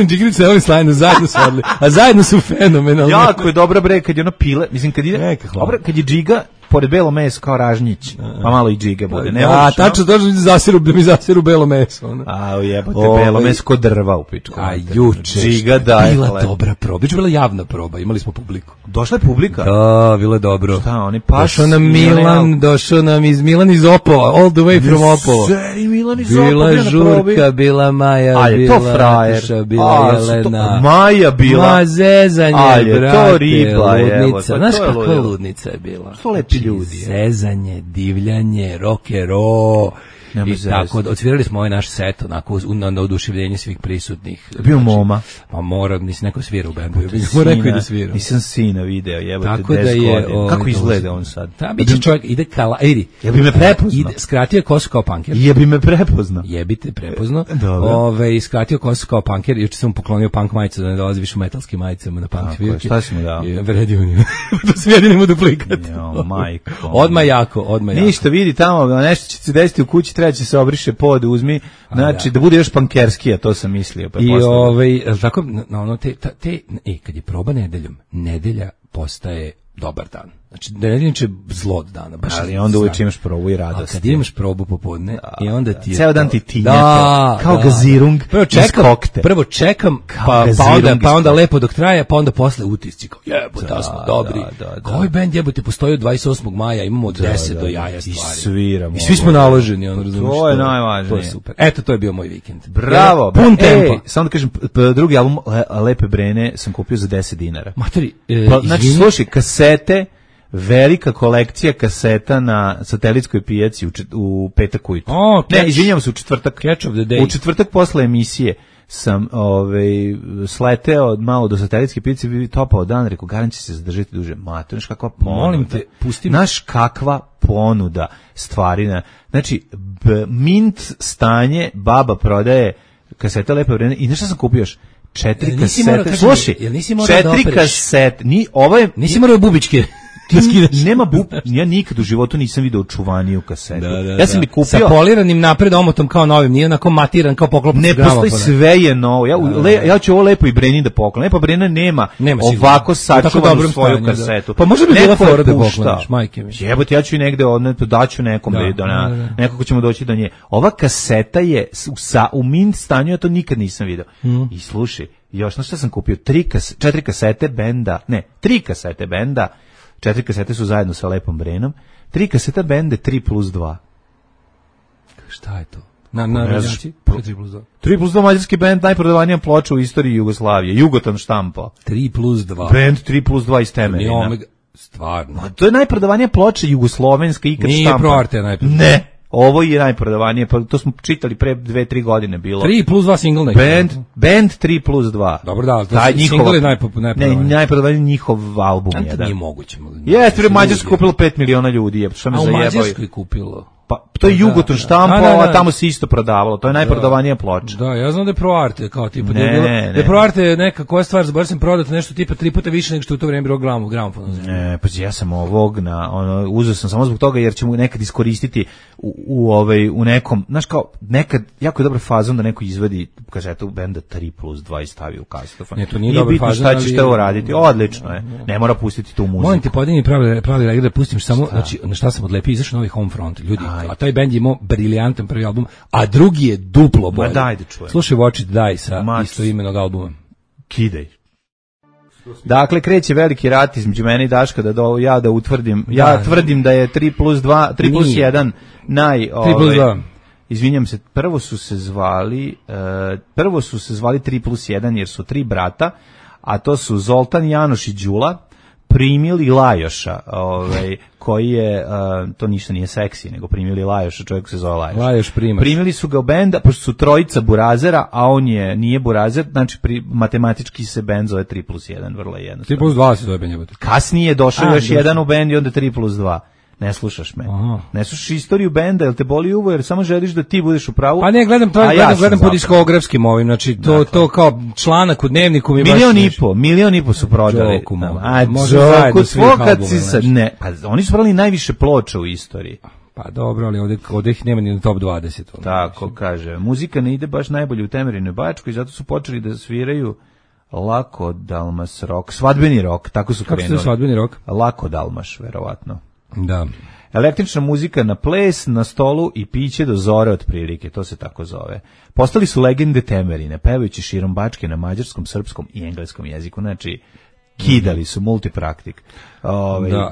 džigericu, ne volim slaninu, zajedno su odli. A zajedno su fenomenalni. Jako je dobra bre, kad je ono pile, mislim kad ide... Dobro, kad je džiga, pored belo meso kao ražnjić, pa malo i džige bude. Ne a tačno da mi zasiru belo meso. Ono. A jebote, belo meso kod drva u pičku. A juče džiga da je bila dobra proba. Juče bila javna proba, imali smo publiku. Došla je publika? Da, bilo je dobro. Šta, oni pas? Došao nam iz Milan iz Opola, all the way from Opola. Milan iz Opola. Bila Žurka, bila Maja, bila Nataša, bila Jelena. Maja bila. Ma zezanje, brate. To riba, ludnica. Znaš kakva ludnica je bila? Što lepi ljudi. Zezanje, divljanje, rock'n'roll. I tako, odsvirali smo ovaj naš set onako na oduševljenje svih prisutnih. Bio Moma. Pa mora, nisi neko svira u bendu. Mora neko i da svira. Nisam sina video, jebate, tako 10 godina. Kako izgleda on sad? Da, biće čovjek, ide ja bi me prepoznao. Skratio kosu kao punker. Jebi me prepoznao. Jebite prepoznao. Skratio kosu kao punker. Juče sam mu poklonio punk majicu da ne dolazi više u metalskim majicama na punk svirke. Šta si mu dao? Vredio mi. To se jedinimo duplikat. Majko. Odmah jako. Ništa, vidi tamo, nešto će se desiti u kući, treba će se obriše pod, uzmi, znači da bude još pankerskija, to sam mislio. Pa i tako, kad je proba nedelja postaje dobar dan. Znači, nedelja će zlo od dana. Ali onda uvijek imaš probu i radost. Kad imaš probu popodne i onda ti je... Ceo dan ti tinjate, kao gazirung iz kokte. Prvo čekam, pa onda lepo dok traje, pa onda posle utisci. Kao jebote, smo dobri. Koji bend jebote postoji od 28. maja, imamo od 10 do jaja stvari. I sviramo. I svi smo naloženi. To je najvažnije. To je super. Eto, to je bio moj vikend. Bravo. Pun tempo. Samo da kažem, drugi album Lepe Brene sam kupio za 10 dinara. Matori, znači, slušaj, kasete, velika kolekcija kaseta na satelitskoj pijaci u petak ujutru. Ne, izvinjavam se, u četvrtak. Catch of the day. U četvrtak posle emisije sam sleteo malo do satelitske pijace, bi topao dan, rekao, garant će se zadržati duže. Mato, znaš kakva ponuda. Molim te, pusti mi. Znaš kakva ponuda stvarina. Znači, mint stanje, baba prodaje kasete Lepe Vreme i nešto sam kupio još. 4 kasete. Slušaj, 4 kasete. Nisi morao bubičke. Nema ja nikad u životu nisam video očuvaniju kasetu. Ja sam kupio sa poliranim napred omotom kao novim, nije onako matiran kao poklopac. Ne postoji, sve je novo. Ja ću ovo Lepo i Breni da poklon. Lepa Brena nema ovako sačuvanu svoju kasetu. Pa može bi bila fora da pokloniš, majke mi. Jebote, ja ću i negde daću nekom nekako ćemo doći do nje. Ova kaseta je u mint stanju, ja to nikad nisam video. I slušaj, još na što sam kupio 4 kasete benda, 3 kasete benda. 4 kasete su zajedno sa Lepom Brenom, 3 kaseta bende 3+2. Šta je to? Na radnjaci? 3+2. 3+2 mađarski bend, najprodavanija ploča u istoriji Jugoslavije. Jugoton štampa. 3+2. Bend 3+2 iz Temerina. Stvarno. To je najprodavanija ploča jugoslovenska ikad štampa. Nije ProArte najprodavanija. Ne. Ovo je najprodavanije, pa to smo čitali pre 2-3 godine bilo. 3+2 single neki. Band 3+2. Dobro, da, single je najprodavaniji. Ne, najprodavaniji njihov album jedan. To nije moguće. Jeste, u Mađarskoj kupilo 5 miliona ljudi, što me zajebao. A u Mađarskoj kupilo? Pa to je Jugoton štampo, a tamo se isto prodavalo. To je najprodavanija ploča. Da, ja znam da je ProArte kao tipa da je bilo. Da je ProArte neka koja stvar, zaboravio sam prodati nešto tipa 3 puta više nego što u to vrijeme bilo gramofon. Ne, pa ja sam ovog uzeo sam samo zbog toga jer ćemo nekad iskoristiti u nekom, znaš kao nekad jako je dobar fazon da neko izvadi kazetu benda 3+2 i stavi u kasetofon. Ne, to nije dobar fazon. Šta ćeš to uraditi? Odlično je. Ne mora pustiti tu muziku. Molim te, podini pravi da pustim samo, znači na šta sam odlepio, izašao novi Homefront, ljudi. A taj bend je imao briljantan prvi album, a drugi je duplo bolji. Ma daj da čujem. Slušaj Watch It Die sa istoimenog albuma. Kidaj. Dakle, kreće veliki rat između mene i Daška da utvrdim. Ja tvrdim da je 3+2, 3+1 izvinjam se, prvo su se zvali 3+1 jer su 3 brata, a to su Zoltan, Janoš i Đula. primili Lajoša, koji je, to ništa nije seksi, nego primili Lajoša, čovjek se zove Lajoš. Lajoš Primaš. Primili su ga u benda, pošto su trojica burazera, a on nije burazer, znači matematički se bend zove 3+1, vrlo jednostavno. 3+2 se zove bend. Kasnije je došao još jedan u bend i onda 3+2. Ne slušaš me. Aha. Ne slušaš istoriju benda, jel te boli uvo, jer samo želiš da ti budeš u pravu. Pa ne, gledam po diskografskim ovim, znači to kao članak u Dnevniku mi milion i po su prodali. Može svih ne, pa oni su prodali najviše ploča u istoriji. Pa dobro, ali ovdje ih nema ni na top 20. Tako kaže. Muzika ne ide baš najbolje u Temerinoj Bačkoj, zato su počeli da sviraju Lako Dalmas rock, svadbeni rock, tako su krenuli. Kako se svadbeni rock? Lako Dalmaš, verovatno. Da. Električna muzika na ples, na stolu i piće do zore otprilike, to se tako zove. Postali su legende Temerine, pevajući širom Bačke na mađarskom, srpskom i engleskom jeziku, znači kidali su multipraktik. Da,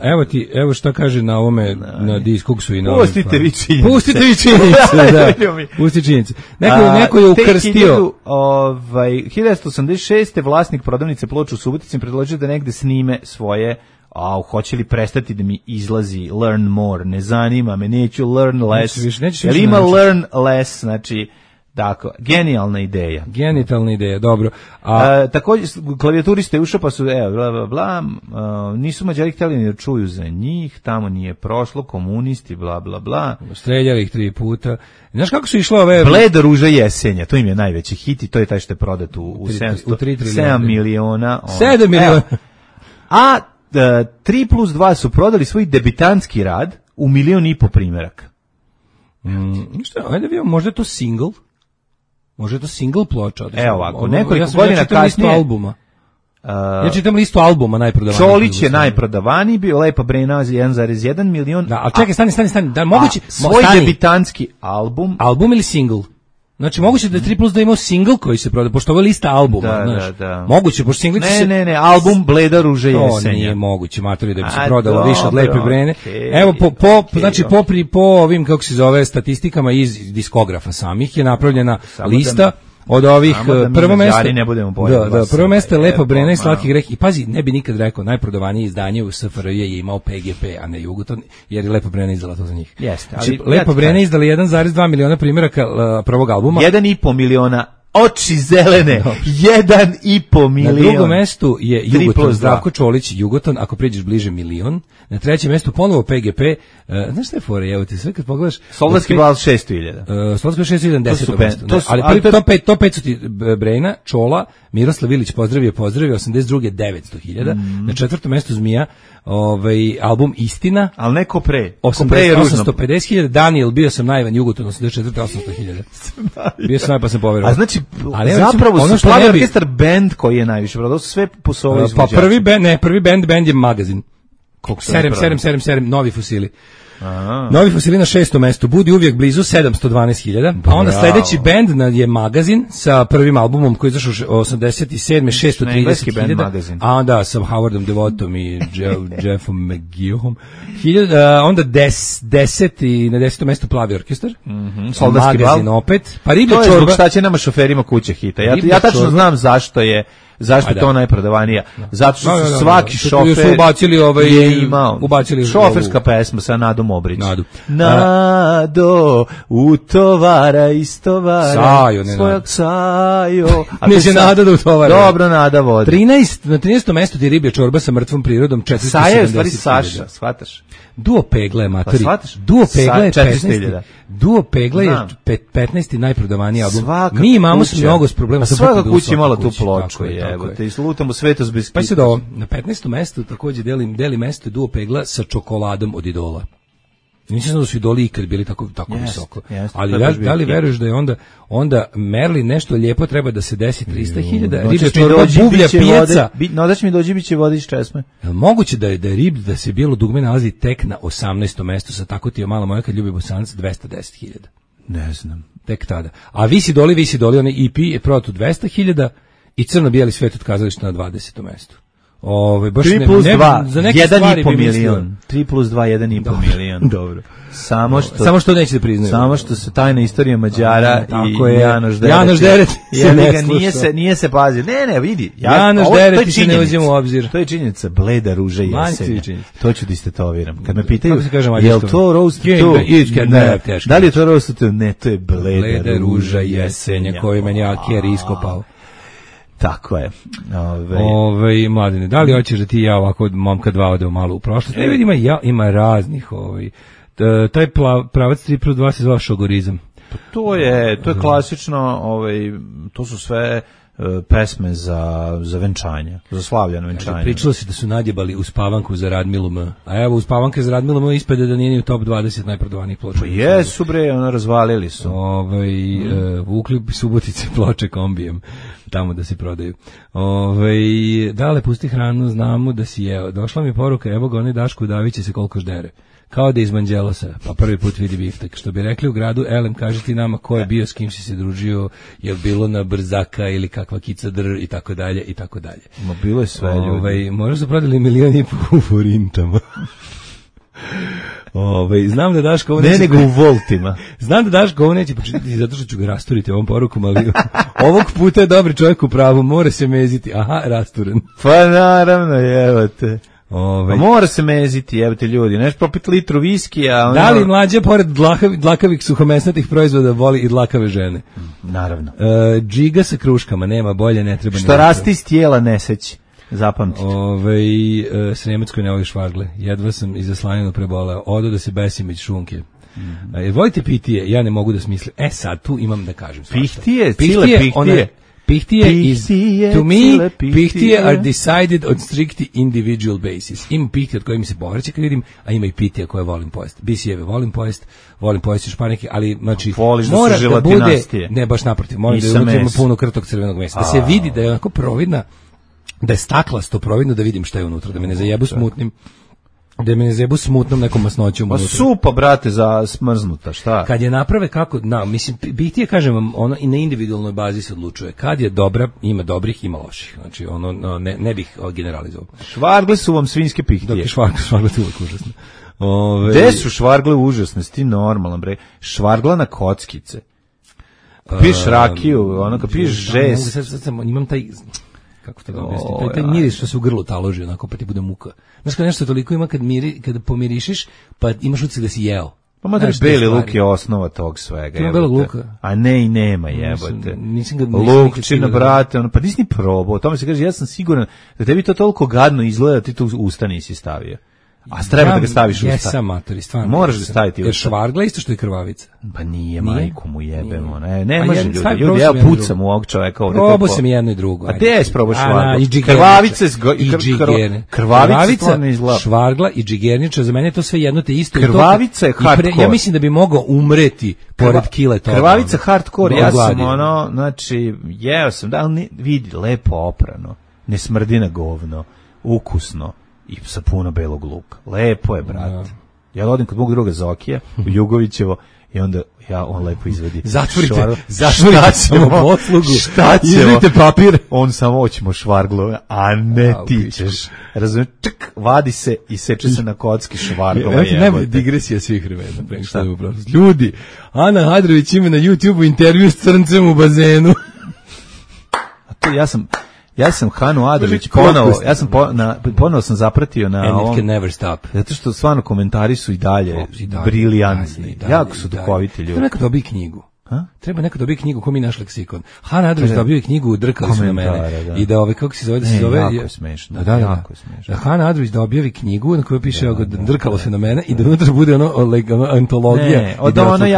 evo šta kaže na ovome, na Discogsu i na Pustite vi činjenice. Pustite vi činjenice, da. Pusti činjenice. Neko je ukrstio. 1986. vlasnik prodavnice ploča u Subotici predložio da negde snime svoje hoće li prestati da mi izlazi learn more, ne zanima me, neću learn less. Jel ima learn less, znači, tako, genijalna ideja. Genitalna ideja, dobro. Također, klavijaturiste ušao pa su, bla, bla, bla, nisu Mađari htjeli ni da čuju za njih, tamo nije prošlo, komunisti, bla, bla, bla. Streljali ih 3 puta. Znaš kako su išle ove... Bleda ruža jesenja, to im je najveći hit i to je taj što je prodat u 7 miliona. 7 miliona. A 3+2 su prodali svoj debitantski rad u 1,5 miliona primjeraka. Ajde vidimo, možda je to single? Možda je to single ploča? Evo ovako, nekoliko godina kasnije... Ja čitam listu albuma najprodavaniji. Čolić je najprodavaniji bio, Lepa Brena 1,1 milion. Da, ali čekaj, stani. Da, moguće, svoj debitantski album. Album ili single? Znači, moguće da je 3+2 imao single koji se prodaje, pošto ovo je lista albuma, znaš. Da. Moguće, pošto single će se... Ne, album Bleda ruže jesenja. To nije moguće, matori, da bi se prodalo više od Lepe Brene. Evo, po ovim, kako se zove, statistikama iz diskografa samih je napravljena lista od ovih prvo mesto je Lepa Brena i Slatki greh. I pazi, ne bi nikad rekao, najprodavanije izdanje u SFRJ je imao PGP, a ne Jugoton, jer je Lepa Brena izdala to za njih. Jeste, ali Lepa Brena izdala 1,2 miliona primjeraka prvog albuma. 1,5 miliona oči zelene, 1,5 milion. Na drugom mestu je Jugoton, Zdravko Čolić, Jugoton, ako priđeš bliže milion. Na trećem mestu ponovo PGP. Znaš šta je fora, evo ti sve kad pogledaš... Soldatski bal 600.000. Soldatski bal 600.000, 10. mesto. Ali top 5 su ti Brejna, Čola, Miroslav Ilić, pozdravio, 82. 900.000. Na četvrtom mestu Zmija, album Istina. Ali neko pre. 850.000. Daniel, bio sam najvan, Jugoton, 84. 800.000. Bio sam najvan, pa sam poverovao. A znači, zapravo su Plavi orkestar band koji je najviše prodao, sve po svojoj izvođači. Pa prvi band je Magazin. Serem, Novi fosili. Novi fosili na 6. mestu, Budi uvijek blizu 712.000, a onda sledeći band je Magazin sa prvim albumom koji je izašao 87. 630.000, a onda sa Howardom Devotom i Jeffom McGeohom. Onda 10 i na 10. mestu Plavi orkestar, Magazin opet, pa Riblja čorba. To je zbog šta će nama šoferima kuće hita. Ja tačno znam zašto je to najprodavanija. Zato što su svaki šofer je imao šoferska pesma sa Nadom Obrić. Nado, utovara, istovara svojak Sajo. Neće Nada da utovara. Dobro, Nada vodi. Na 13. mestu ti Riblja čorba sa mrtvom prirodom, 470.000. Saja je u stvari Saša, shvataš? Duo Pegla je matori. Duo Pegla je 15. Duo Pegla je 15. najprodavaniji album. Mi imamo mnogo problema sa svaka kuća imala tu ploču, evo te, i slutamo svetost bez Pa se do na 15. mestu takođe deli mesto Duo Pegla sa Čokoladom od Idola. Nisam da su Idoli ikad bili tako visoko. Ali da li veruješ da je onda Merli nešto lijepo treba da se desi 300.000, Riblja čorba, bublja pijaca. Nodaš mi dođi, biće vode iz česme. Jel moguće da je da se Bijelo dugme nalazi tek na 18. mestu sa tako ti je mala moja kad ljubi Bosanac 210.000? Ne znam. Tek tada. A Visi doli, onaj EP je prodat u 200.000 i Crno-bijeli svet od kazališta na 20. mestu. Baš 3 plus 2, za neke 1,5 milion. 3 plus 2, 1,5 milion. Dobro. Samo što neće da priznaju. Samo što se tajna istorija Mađara i Janoš Deret nije se pazio. Ne, vidi. Janoš Deret se ne uzima u obzir. To je činjenica, bleda ruža jesenja. To ću da istetoviram. Kad me pitaju, je li to roast to? Da li je to roast to? Ne, to je bleda ruža jesenja koju meni Aker iskopao. Tako je. Mladine, da li hoćeš da ti ja ovako momka dva odemo malo u prošlost? Ne vidim, ima raznih taj pravac 3 plus 2 se zove šogorizam. Pa to je klasično, to su sve pesme za venčanje, za slavljeno venčanje. Pričalo se da su nadjebali uspavanku za Radmilu M. A evo, uspavanka za Radmilu M ispade da nije ni u top 20 najprodavanijih ploča. Pa jesu bre, razvalili su. Vukli Subotice ploče kombijem tamo da se prodaju. Dale, pusti hranu, znamo da si jeo. Došla mi poruka, evo ga, onaj Daško Davić se koliko ždere. Kao da iz Manđelosa, pa prvi put vidi biftek. Što bi rekli u gradu, Elem, kaži ti nama ko je bio, s kim si se družio, je bilo na Brzaka ili kakva kica dr i tako dalje, i tako dalje. Ma bilo je sve ljudi. Možda su prodali 1,5 miliona u forintama. Znam da Daško ovo neće... Ne, nego u voltima. Znam da Daško ovo neće počitati zato što ću ga rasturiti ovom porukom, ali ovog puta je dobri čovjek u pravu, mora se meziti. Aha, rasturen. Pa naravno, jevate. Mora se meziti, jebate ljudi, neš popit litru viskija. Da li mlađe, pored dlakavih suhomesnatih proizvoda, voli i dlakave žene? Naravno. Džiga sa kruškama, nema bolje, ne treba. Što rasti iz tijela neseći, zapamtite. Sremac koji ne voli švargle, jedva sam iza slaninu preboleo, odo da se besim iz šunke. Volite pitije, ja ne mogu da smislim. Sad tu imam da kažem. Pihtije, cile pihtije. Pihtije is, to me, pihtije are decided on strictly individual basis. Ima pihtije od koje mi se povraća kad vidim, a ima i pitije koje volim pojesti. Bisijeve volim pojesti španike, ali znači mora da bude, ne baš naprotiv, mora da unutra ima puno krtog crvenog mesa. Da se vidi da je onako providna, da je staklasto providno, da vidim šta je unutra, da me ne zajebu smutnim. Da me ne zebu smutnom nekom masnoćom. Pa supa, brate, za smrznuta, šta? Kad je naprave kako, mislim, bitije, kažem vam, ono i na individualnoj bazi se odlučuje. Kad je dobra, ima dobrih, ima loših. Znači, ne bih generalizovao. Švargle su vam svinjske pihtije. Dok je švargle su uvijek užasne. Gde su švargle užasne, sti normalan, bre? Švargla na kockice. Piješ rakiju, kad piješ žes. Sad imam taj... kako to da objasnim, taj miris što se u grlu taloži, onako, pa ti bude muka. Znaš kad nešto toliko ima kad pomirišiš, pa imaš utisak da si jeo. Pa madre, beli luk je osnova tog svega. Ima belog luka? A ne i nema, jebote. Lukčina, brate, pa nisi ni probao. O tome se kaže, ja sam siguran da tebi to toliko gadno izgleda, ti to u usta nisi stavio. A treba da ga staviš u usta. Jesam, matori, stvarno. Moraš da staviti u usta. Jer švargla isto što je krvavica. Pa nije, majku mu jebemo. Ne može ljudi, ja pucam u ovog čoveka ovde. Probao sam jedno i drugo. A gde je sprobao švargla? Krvavica ne izgleda. Švargla i džigerniča, za mene je to sve jedno te isto. Krvavica je hardcore. Ja mislim da bi mogao umreti pored kile toga. Krvavica hardcore, ja sam znači, jeo sam, da li vidi, lepo oprano, ne smrdi na govno, ukusno. I sa puno belog luka. Lepo je, brate. Ja odim kod mog druga Zokija, u Jugovićevo, i onda on lepo izvedi. Zatvorite samo poslugu. Šta ćemo? Izvite papir. On samo hoćemo švarglu, a ne ti ćeš. Razumiješ, vadi se i seče se na kocki švarglova. Nema digresija svih vremena. Ljudi, Ana Hadrović ima na YouTubeu intervju s crncem u bazenu. A to ja sam Hanu Adrović ponovo sam zapratio na ovom. And it can never stop. Zato što stvarno komentari su i dalje briljantni. Jako su duhoviti ljudi. Treba neko dobije knjigu. Treba neko dobije knjigu ko mi naš leksikon. Hana Adrović dobio knjigu Drkali su na mene. I da kako se zove, jako je smešno. Jako je smešno. Hana Adrović dobio knjigu na kojoj piše Drkalo se na mene i da unutra bude ono antologija. Ne,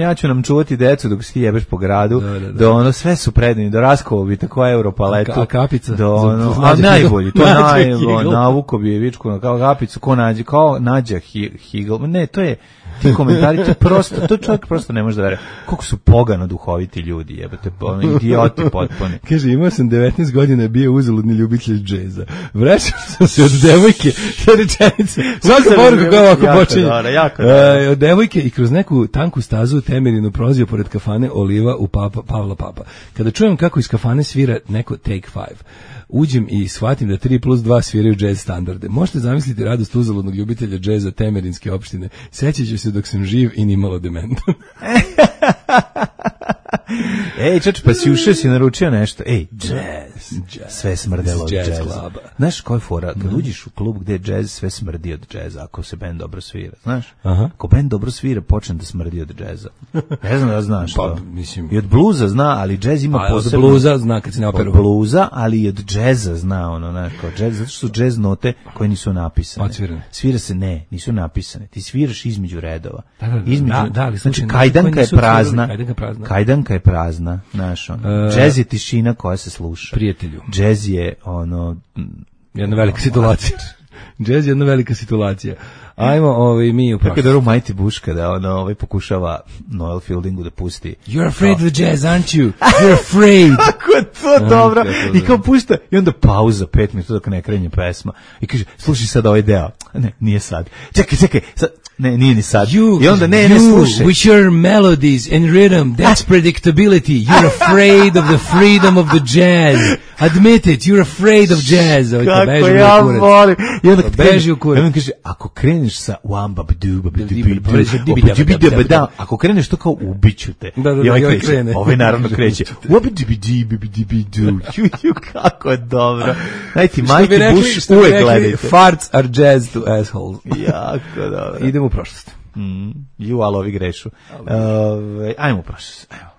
ja ću nam čuvati decu dok se ti jebeš po gradu. Da ono sve su predani, do Raskovo bi tako Europaletu. A kapica. A najbolji, to navuko bi je vičku kao kapicu, kao Nađa Higl. Ne, to je ti komentari, to čovjek prosto ne može da veruje. Koliko su pogano duhoviti ljudi, jebote, idioti potpuni. Kaže, imao sam 19 godina, bio uzaludni ljubitelj džeza. Vraćam sam se od devojke, sa rečenice. Svaka poruka koja ovako počinje. Od devojke i kroz neku tanku stazu u Temerinu prolazio pored kafane Oliva u Pavla Papa. Kada čujem kako iz kafane svira neko Take 5, uđem i shvatim da 3+2 sviraju džez standarde. Možete zamisliti radost uzaludnog ljubitelja džeza Temerinske opštine. Sećaću se dok sam živ i nimalo dementan. Ej, čač, pa si ušao, si naručio nešto. Ej, džez. Sve smrdelo od džeza. Znaš koja je fora? Kad uđeš u klub gde je džez, sve smrdi od džeza, ako se bend dobro svira. Znaš? Ako bend dobro svira, počne da smrdi od džeza. Ne znam da znaš to. I od bluza zna, ali džez ima posebno. Od bluza zna kad se ne operu. Od bluza, ali i od džeza zna, ono, znaš, kao džez, zato što su džez note koje nisu napisane. Odsvirane. Svira se, ne, nisu napisane. Ti sviraš između redova. Da, znači, kajdanka je prazna. Kajdanka je prazna, znaš, ono. Džez je tišina koja se sluša. Prijatelju. Džez je, ono... jedna velika situacija. Džez je jedna velika situacija. Ajmo mi u prošlost. Kako je dobro Mighty Bush kada ono, pokušava Noel Fieldingu da pusti. You're afraid of the jazz, aren't you? You're afraid. Kako je to dobro. I kao pušta, i onda pauza 5 minuta dok ne krenje pesma. I kaže, slušaj sad ovaj deo. Ne, nije sad. Čekaj, sad. Ne, nije ni sad. I onda ne slušaj. With your melodies and rhythm, that's predictability. You're afraid of the freedom of the jazz. Admit it, you're afraid of jazz. Kako ja volim. I onda beži u kurac. I onda kaže, ako kreneš sa ako kreneš to kao ubiću te. I ovaj kreće. Ovaj naravno kreće. Kako je dobro. Najti, Mighty Bush uvek gledajte. Farts are jazz to assholes. Jako dobro. Idemo u prošlost. Ali ovi grešu. Ajmo u prošlost. Ajmo.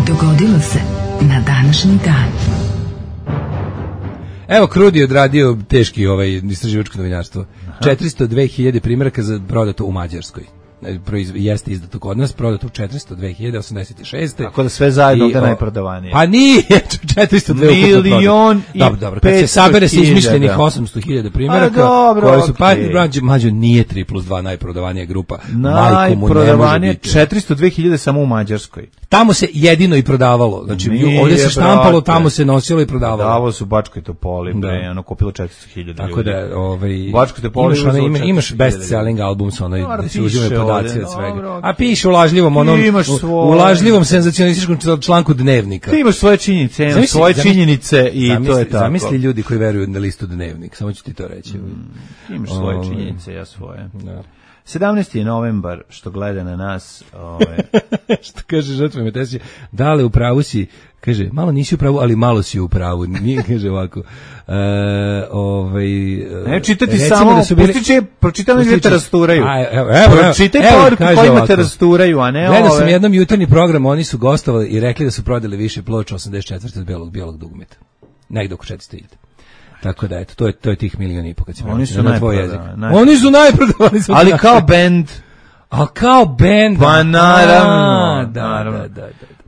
Dogodilo se na današnji dan. Evo, Krudi odradio teški istraživačko novinarstvo. 402.000 primjeraka za prodato u Mađarskoj. Jeste izdato kod nas, prodato u 402.086. Tako da sve zajedno ovdje najprodavanije. Pa nije, 402 milion i 500.000. Dobro, kad se sabere se izmišljenih 800.000 primjeraka, koji su, mađo nije 3+2 najprodavanija grupa. Najprodavanije 402.000 samo u Mađarskoj. Tamo se jedino i prodavalo. Znači, ovdje se štampalo, tamo se nosilo i prodavalo. Prodavalo su u Bačkoj Topoli, ono kupilo 400.000 ljudi. Tako da, Bačkoj Topoli imaš best-selling album sa onaj da se uzimaju podaci od svega. A piše u lažljivom senzacionalističkom članku Dnevnika. Ti imaš svoje činjenice, svoje činjenice i to je tako. Zamisli ljudi koji veruju na listu Dnevnik, samo ću ti to reći. Imaš svoje činjenice, ja svoje. 17. novembar, što gleda na nas. Što kaže žrtva Metesije, dale u pravu si, kaže, malo nisi u pravu, ali malo si u pravu. Nije, kaže ovako. Ne čitati samo, pročitam gdje te rasturaju. Pročitaj poruku kojima te rasturaju, a ne ove. Gledao sam jednom jutarnji program, oni su gostovali i rekli da su prodali više ploča 84. od bijelog dugmeta. Negdje oko 400.000. Tako da, eto, to je tih 1,5 miliona kad se prenosi na tvoj jezik. Oni su najprodavani. Ali kao bend. Pa naravno. Da.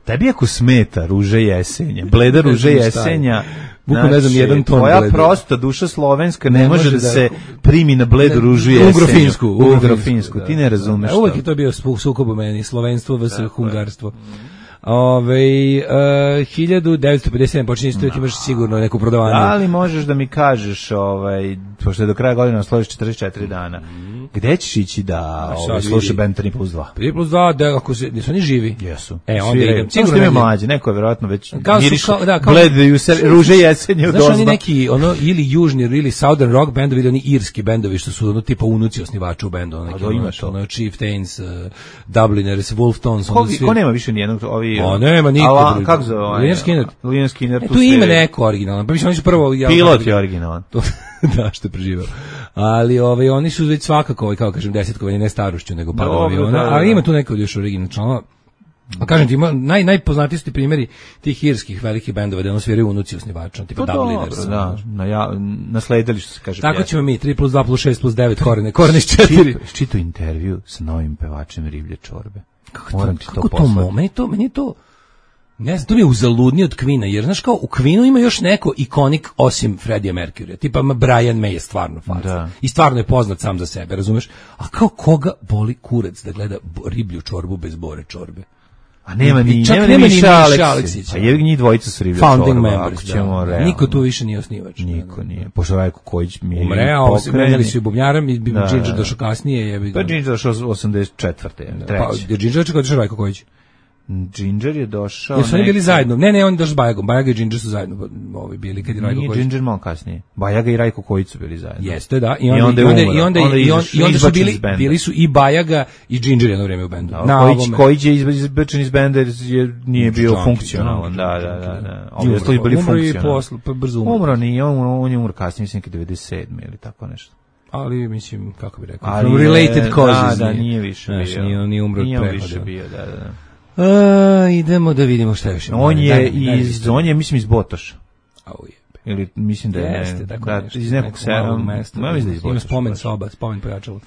Tebi ako smeta Ruže jesenja, bleda Ruže jesenja, bukvalno ne znam, jedan ton tvoja prosta duša slovenska ne može da se primi na bledu Ružu jesenju. Ugrofinsku, ti ne razumeš to. Uvijek je to bio sukob u meni, slovenstvo vs. hungarstvo. 1957 počinje istoriju, imaš sigurno neku prodavanje. Ali možeš da mi kažeš, pošto je do kraja godine složiš 44 dana, gde ćeš ići da sluša band 3+2? 3+2, da ako nisu oni živi? Jesu. Onda idem. Sigurno je mlađe, neko je vjerojatno već blede Ruže jesenje u dozba. Znaš, oni neki, ili južni, ili southern rock bendovi, ili oni irski bendovi, što su tipa unuci osnivača u bendu. Chieftains, Dubliners, Wolftones. Ko nema više nijednog nema niko. Kako zove? Leon Skinner. Tu ima neko originalan. Pa mislim, oni su prvo... Pilot je originalan. Da, što je preživao. Ali oni su već svakako, kao kažem, desetkovanje, ne starošću, nego padom aviona. Ali ima tu neko još originalno članova. A kažem ti, najpoznatiji su ti primjeri tih irskih velikih bendova, da ono sviraju unuci osnivača, tipa Dubliners. Nasledili što se kaže. Tako ćemo mi, 3+2+6+9 korene iz 4. Čito intervju sa novim pevačem Riblje čorbe. Moram ti to poslati. Meni je to... Ne znam, to mi je uzaludnije od Queena, jer znaš kao, u Queenu ima još neko ikonik osim Freddie Mercury, tipa Brian May je stvarno faca. I stvarno je poznat sam za sebe, razumeš? A kao koga boli kurac da gleda riblju čorbu bez Bore Čorbe? A nema ni Miša Aleksića. A je njih dvojica su riblja Founding čorba. members, da. Niko tu više nije osnivač. Niko nije. Pošto Rajko Kojić mi je umreo, menjali su i bubnjarom i Ginger došao kasnije. Pa Ginger došao 84. Pa Ginger čekao došao Rajko Kojić. Ginger je došao... Jesu oni bili zajedno? Ne, oni došli s Bajagom. Bajaga i Ginger su zajedno bili kad je Rajko Kojić. Nije Ginger malo kasnije. Bajaga i Rajko Kojić su bili zajedno. Jeste, da. I onda su bili su i Bajaga i Ginger jedno vreme u bendu. Kojić je izbačen iz benda jer nije bio funkcionalan. Da. Ovi ostali bili funkcionalni. Umro nije, on je umro kasnije, mislim, 97. ili tako nešto. Ali, mislim, kako bi rekao, from related causes. Da, nije više bio. Nije umro od prehoda. Nije više bio, da. Idemo da vidimo šta još ima. On je, mislim, iz Botoša. Ili, mislim da je... Jeste, tako nešto. Iz nekog mesta. Ima spomen soba, spomen pojačalo.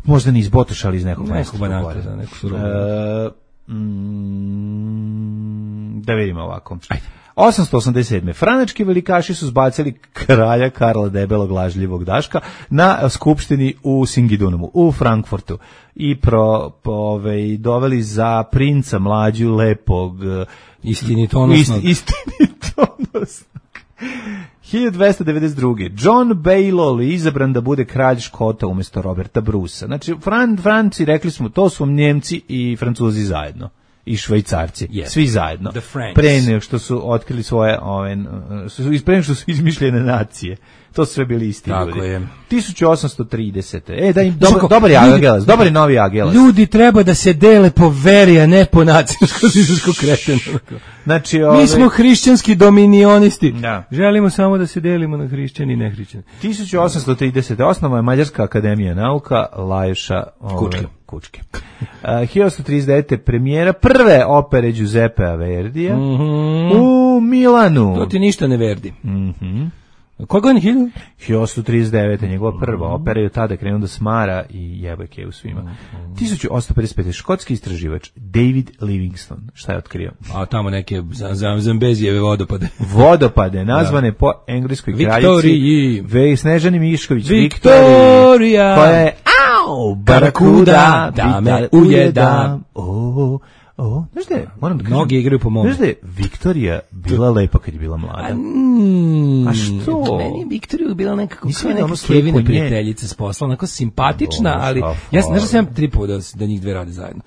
Možda ni iz Botoša, ali iz nekog mesta. Nekog banata, za neku surovu. Da vidimo ovako. Ajde. 887. Franački velikaši su zbacili kralja Karla Debelog lažljivog Daška na skupštini u Singidunumu, u Frankfurtu i doveli za princa mlađu lepog istinitonosnog 1292. John Baylol je izabran da bude kralj Škota umjesto Roberta Brusa. Znači, Franci, rekli smo, to su Njemci i Francuzi zajedno. I Švajcarci, svi zajedno. Pre nego što su otkrili svoje, pre nego što su izmišljene nacije. To su sve bili isti ljudi. Tako je. 1830. Da im dobar je Agelas, dobar je novi Agelas. Ljudi treba da se dele po veri, a ne po nacističko kretenu. Znači, mi smo hrišćanski dominionisti. Da. Želimo samo da se delimo na hrišćani i nehrišćani. 1830. Osnova je Mađarska akademija nauka Lajoša Kučke. 1939. premijera prve opere Giuseppea Verdija u Milanu. To ti ništa ne Verdi. Koja godina? 1939. njegova prva opera je tada krenuo da smara i jebake u svima. 1855. škotski istraživač David Livingstone. Šta je otkrio? A tamo neke Zambezijeve vodopade. Vodopade, nazvane po engleskoj kraljici Snežani Mišković. Viktorija! Koja je barakuda, da me ujeda. Znaš da je, moram da kažem, mnogi igraju po mom. Znaš da je Viktorija bila lepa kad je bila mlada? A što? Meni je Viktorija bila nekako kao neka Kevina prijateljica s posla, onako simpatična, ali ja znaš da sam tripao da njih dve rade zajedno.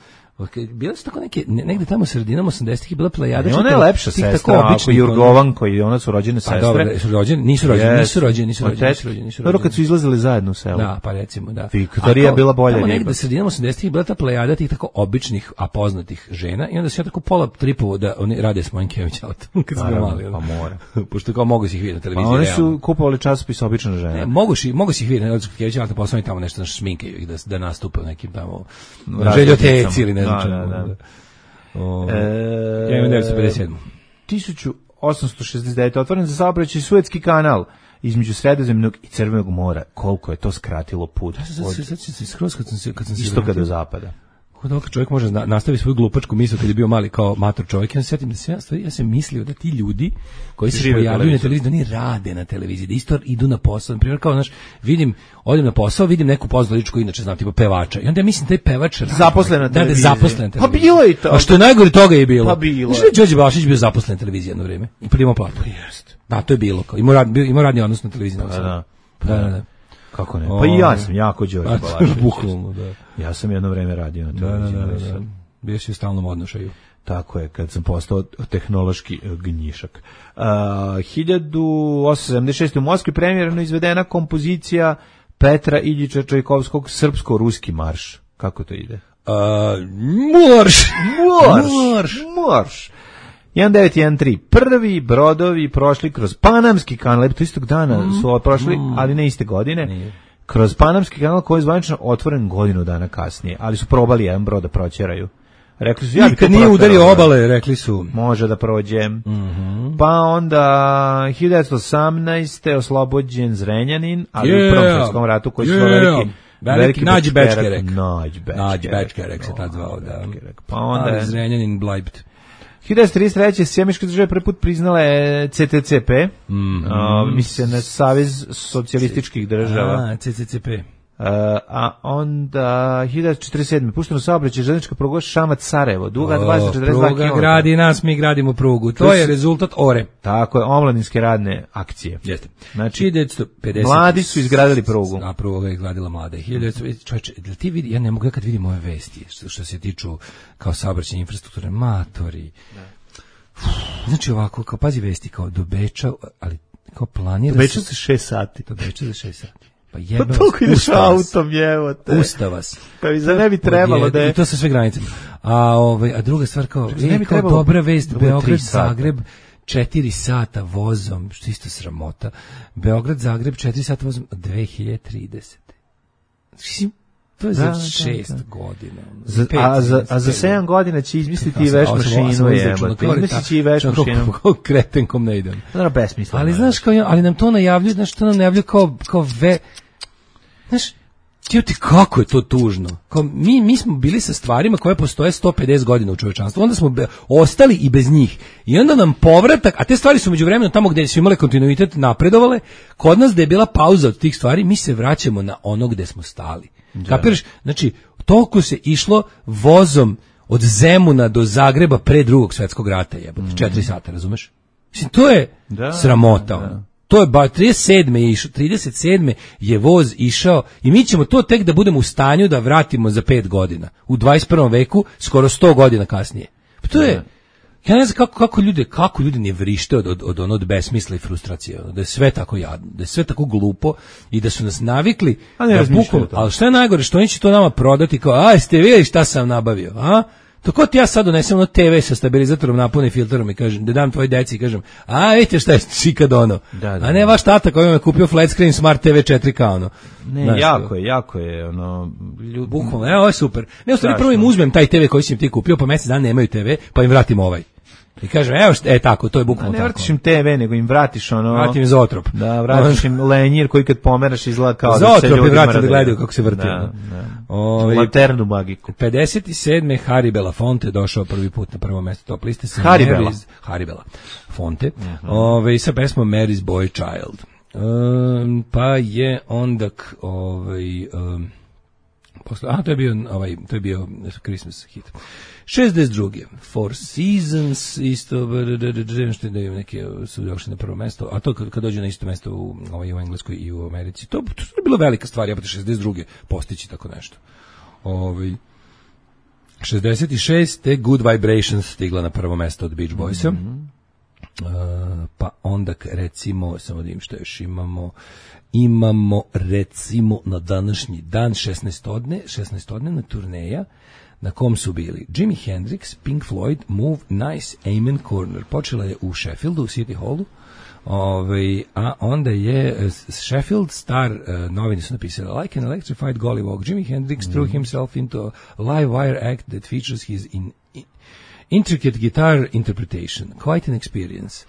Bile su tako neke, negde tamo sredinom 80-ih je bila plejada. Ona je lepša sestra, ako Jurgovanko i ona su rođene sestre. Dobro, nisu rođeni. Dobro, kad su izlazili zajedno u selu. Da, pa recimo, da. Viktorija je bila bolja. Tamo negde sredinom 80-ih je bila ta plejada tih tako običnih, a poznatih žena i onda se ja tako pola tripovo da oni rade s mojim Kević autom, kad su ga mali. Pa mora. Pošto kao mogu si ih vidjeti na televiziji. Pa oni su kupovali časopis Obična žena. Ne, mogu si ih vidjeti na Kević autom, pa tamo nešto na šminkaju ih da nastupe u nekim tamo željoteci ili ne znam čemu. Ja imam 1957. 1869. otvoren za saobraćaj Suetski kanal između Sredozemnog i Crvenog mora. Koliko je to skratilo put od istoka do zapada. Dok čovjek može nastavi svoju glupačku misao kad je bio mali kao mator čovjek, ja se sjetim da ja sam mislio da ti ljudi koji se pojavljuju na televiziji, da oni rade na televiziji, da isto idu na posao. Na primjer, kao, znaš, odem na posao, vidim neku poznatu ličku, inače znam, tipa pevača. I onda ja mislim da je pevač zaposlen na televiziji. Pa bilo je to. A što je najgore toga je bilo. Pa bilo. Znaš da je Đorđe Balašić bio zaposlen na televiziji jedno vrijeme i primao platu. Da, to je bilo. Imao radni odnos na televiziji. Da. Kako ne? Pa i ja sam jako Đorđe Balašić. Bukvalno, da. Ja sam jedno vreme radio na televiziji. Da. Bio si u stalnom odnošaju. Tako je, kad sam postao tehnološki gnjišak. 1876. u Moskvi premijerno izvedena kompozicija Petra Iljiča Čajkovskog Srpsko-ruski marš. Kako to ide? Marš. 1913. Prvi brodovi prošli kroz Panamski kanal, to istog dana su prošli, ali ne iste godine. Nije. Kroz Panamski kanal koji je zvanično otvoren godinu dana kasnije, ali su probali jedan brod da proćeraju. Rekli su, nikad nije udario obale, rekli su. Može da prođe. Pa onda 1918. oslobođen Zrenjanin, ali u Prvom svjetskom ratu koji su veliki Nađi Bečkerek. Nađi Bečkerek se tad zvao, da. Pa onda Zrenjanin Blajbt. 1933. Sjemičke države prvi put priznale CTCP, misli se na Savez socijalističkih država. CCCP. A onda 1947. pušteno saobraćaj železnička pruga Šamac-Sarajevo, duga 242 km. Pruga gradi nas, mi gradimo prugu. To je rezultat ORE. Tako je, omladinske radne akcije. Jeste. Znači, 1950. mladi su izgradili prugu. A pruga je izgradila mlade. 1900, čovječe, da ti vidi, ja ne mogu, ja kad vidim ove vesti, što se tiču kao saobraćajne infrastrukture, matori. Znači ovako, kao pazi vesti, kao do Beča, ali kao planira do Beča za 6 sati. Do Beča za 6 sati. Pa toliko ideš autom, jevote. Usta vas. Pa mi za ne bi trebalo da je... I to sa sve granice. A druga stvar kao, kao dobra vest, Beograd, Zagreb, 4 sata vozom, što isto sramota. Beograd, Zagreb, 4 sata vozom, 2030. To je za 6 godina. A za 7 godina će izmisliti veš mašinu, jebote. Izmislit će i veš mašinu. Kako kretenkom ne idem. Naravno, besmisleno. Ali znaš, ali nam to najavljuju, znaš, to nam najavljuju kao znaš, ti kako je to tužno. Kao, mi smo bili sa stvarima koje postoje 150 godina u čovečanstvu, onda smo ostali i bez njih. I onda nam povratak, a te stvari su međuvremeno tamo gdje su imale kontinuitet napredovale, kod nas da je bila pauza od tih stvari, mi se vraćamo na ono gde smo stali. Kapiraš? Znači, toliko se išlo vozom od Zemuna do Zagreba pre Drugog svjetskog rata, jebote, 4 sata, razumeš? Mislim, to je sramota, ono. To je 37. je voz išao i mi ćemo to tek da budemo u stanju da vratimo za 5 godina. U 21. veku, skoro 100 godina kasnije. Pa to je, ja ne znam kako ljudi ne vrište od besmisla i frustracije, da je sve tako jadno, da je sve tako glupo i da su nas navikli da bukom, ali što je najgore, što oni će to nama prodati kao, ste vidjeli šta sam nabavio, a? To ko ti ja sad donesem ono TV sa stabilizatorom, napunim filterom i kažem, da dam tvoj deci i kažem, vidite šta je čikad ono. A ne vaš tata koji vam je kupio flat screen smart TV 4K ono. Ne, znaš, jako je ono. Bukvalno, ovo je super. Ne, u stvari prvo im uzmem taj TV koji si im ti kupio, pa mjesec dana nemaju TV, pa im vratim ovaj. I kažem, tako, to je bukvalno tako. Ne vratiš im TV, nego im vratiš ono... Vratim im Zootrop. Da, vratiš im lenjir koji kad pomeraš izgleda kao Zootrop da se ljudima... Zootrop da gledaju kako se vrti. Laternu magiku. 57. Harry Belafonte došao prvi put na prvo mjesto top liste. Harry Belafonte. Sa pesmom Mary's Boy Child. Pa je onda... to je bio Christmas hit. 62. Four Seasons, isto, što da imam neke su došli na prvo mesto, a to kad dođe na isto mesto u Engleskoj i u Americi, to je bilo velika stvar, jebate 62. postići tako nešto. 66. Good Vibrations stigla na prvo mesto od Beach Boysa. Pa onda recimo, samo da im što još imamo recimo na današnji dan 16-odnevna turneja na kom su bili Jimi Hendrix, Pink Floyd, Move, Nice, Amen Corner. Počela je u Sheffieldu, u City Hallu, a onda je Sheffield Star novine su napisali like an electrified gollywog, Jimi Hendrix threw himself into a live wire act that features his intricate guitar interpretation, quite an experience.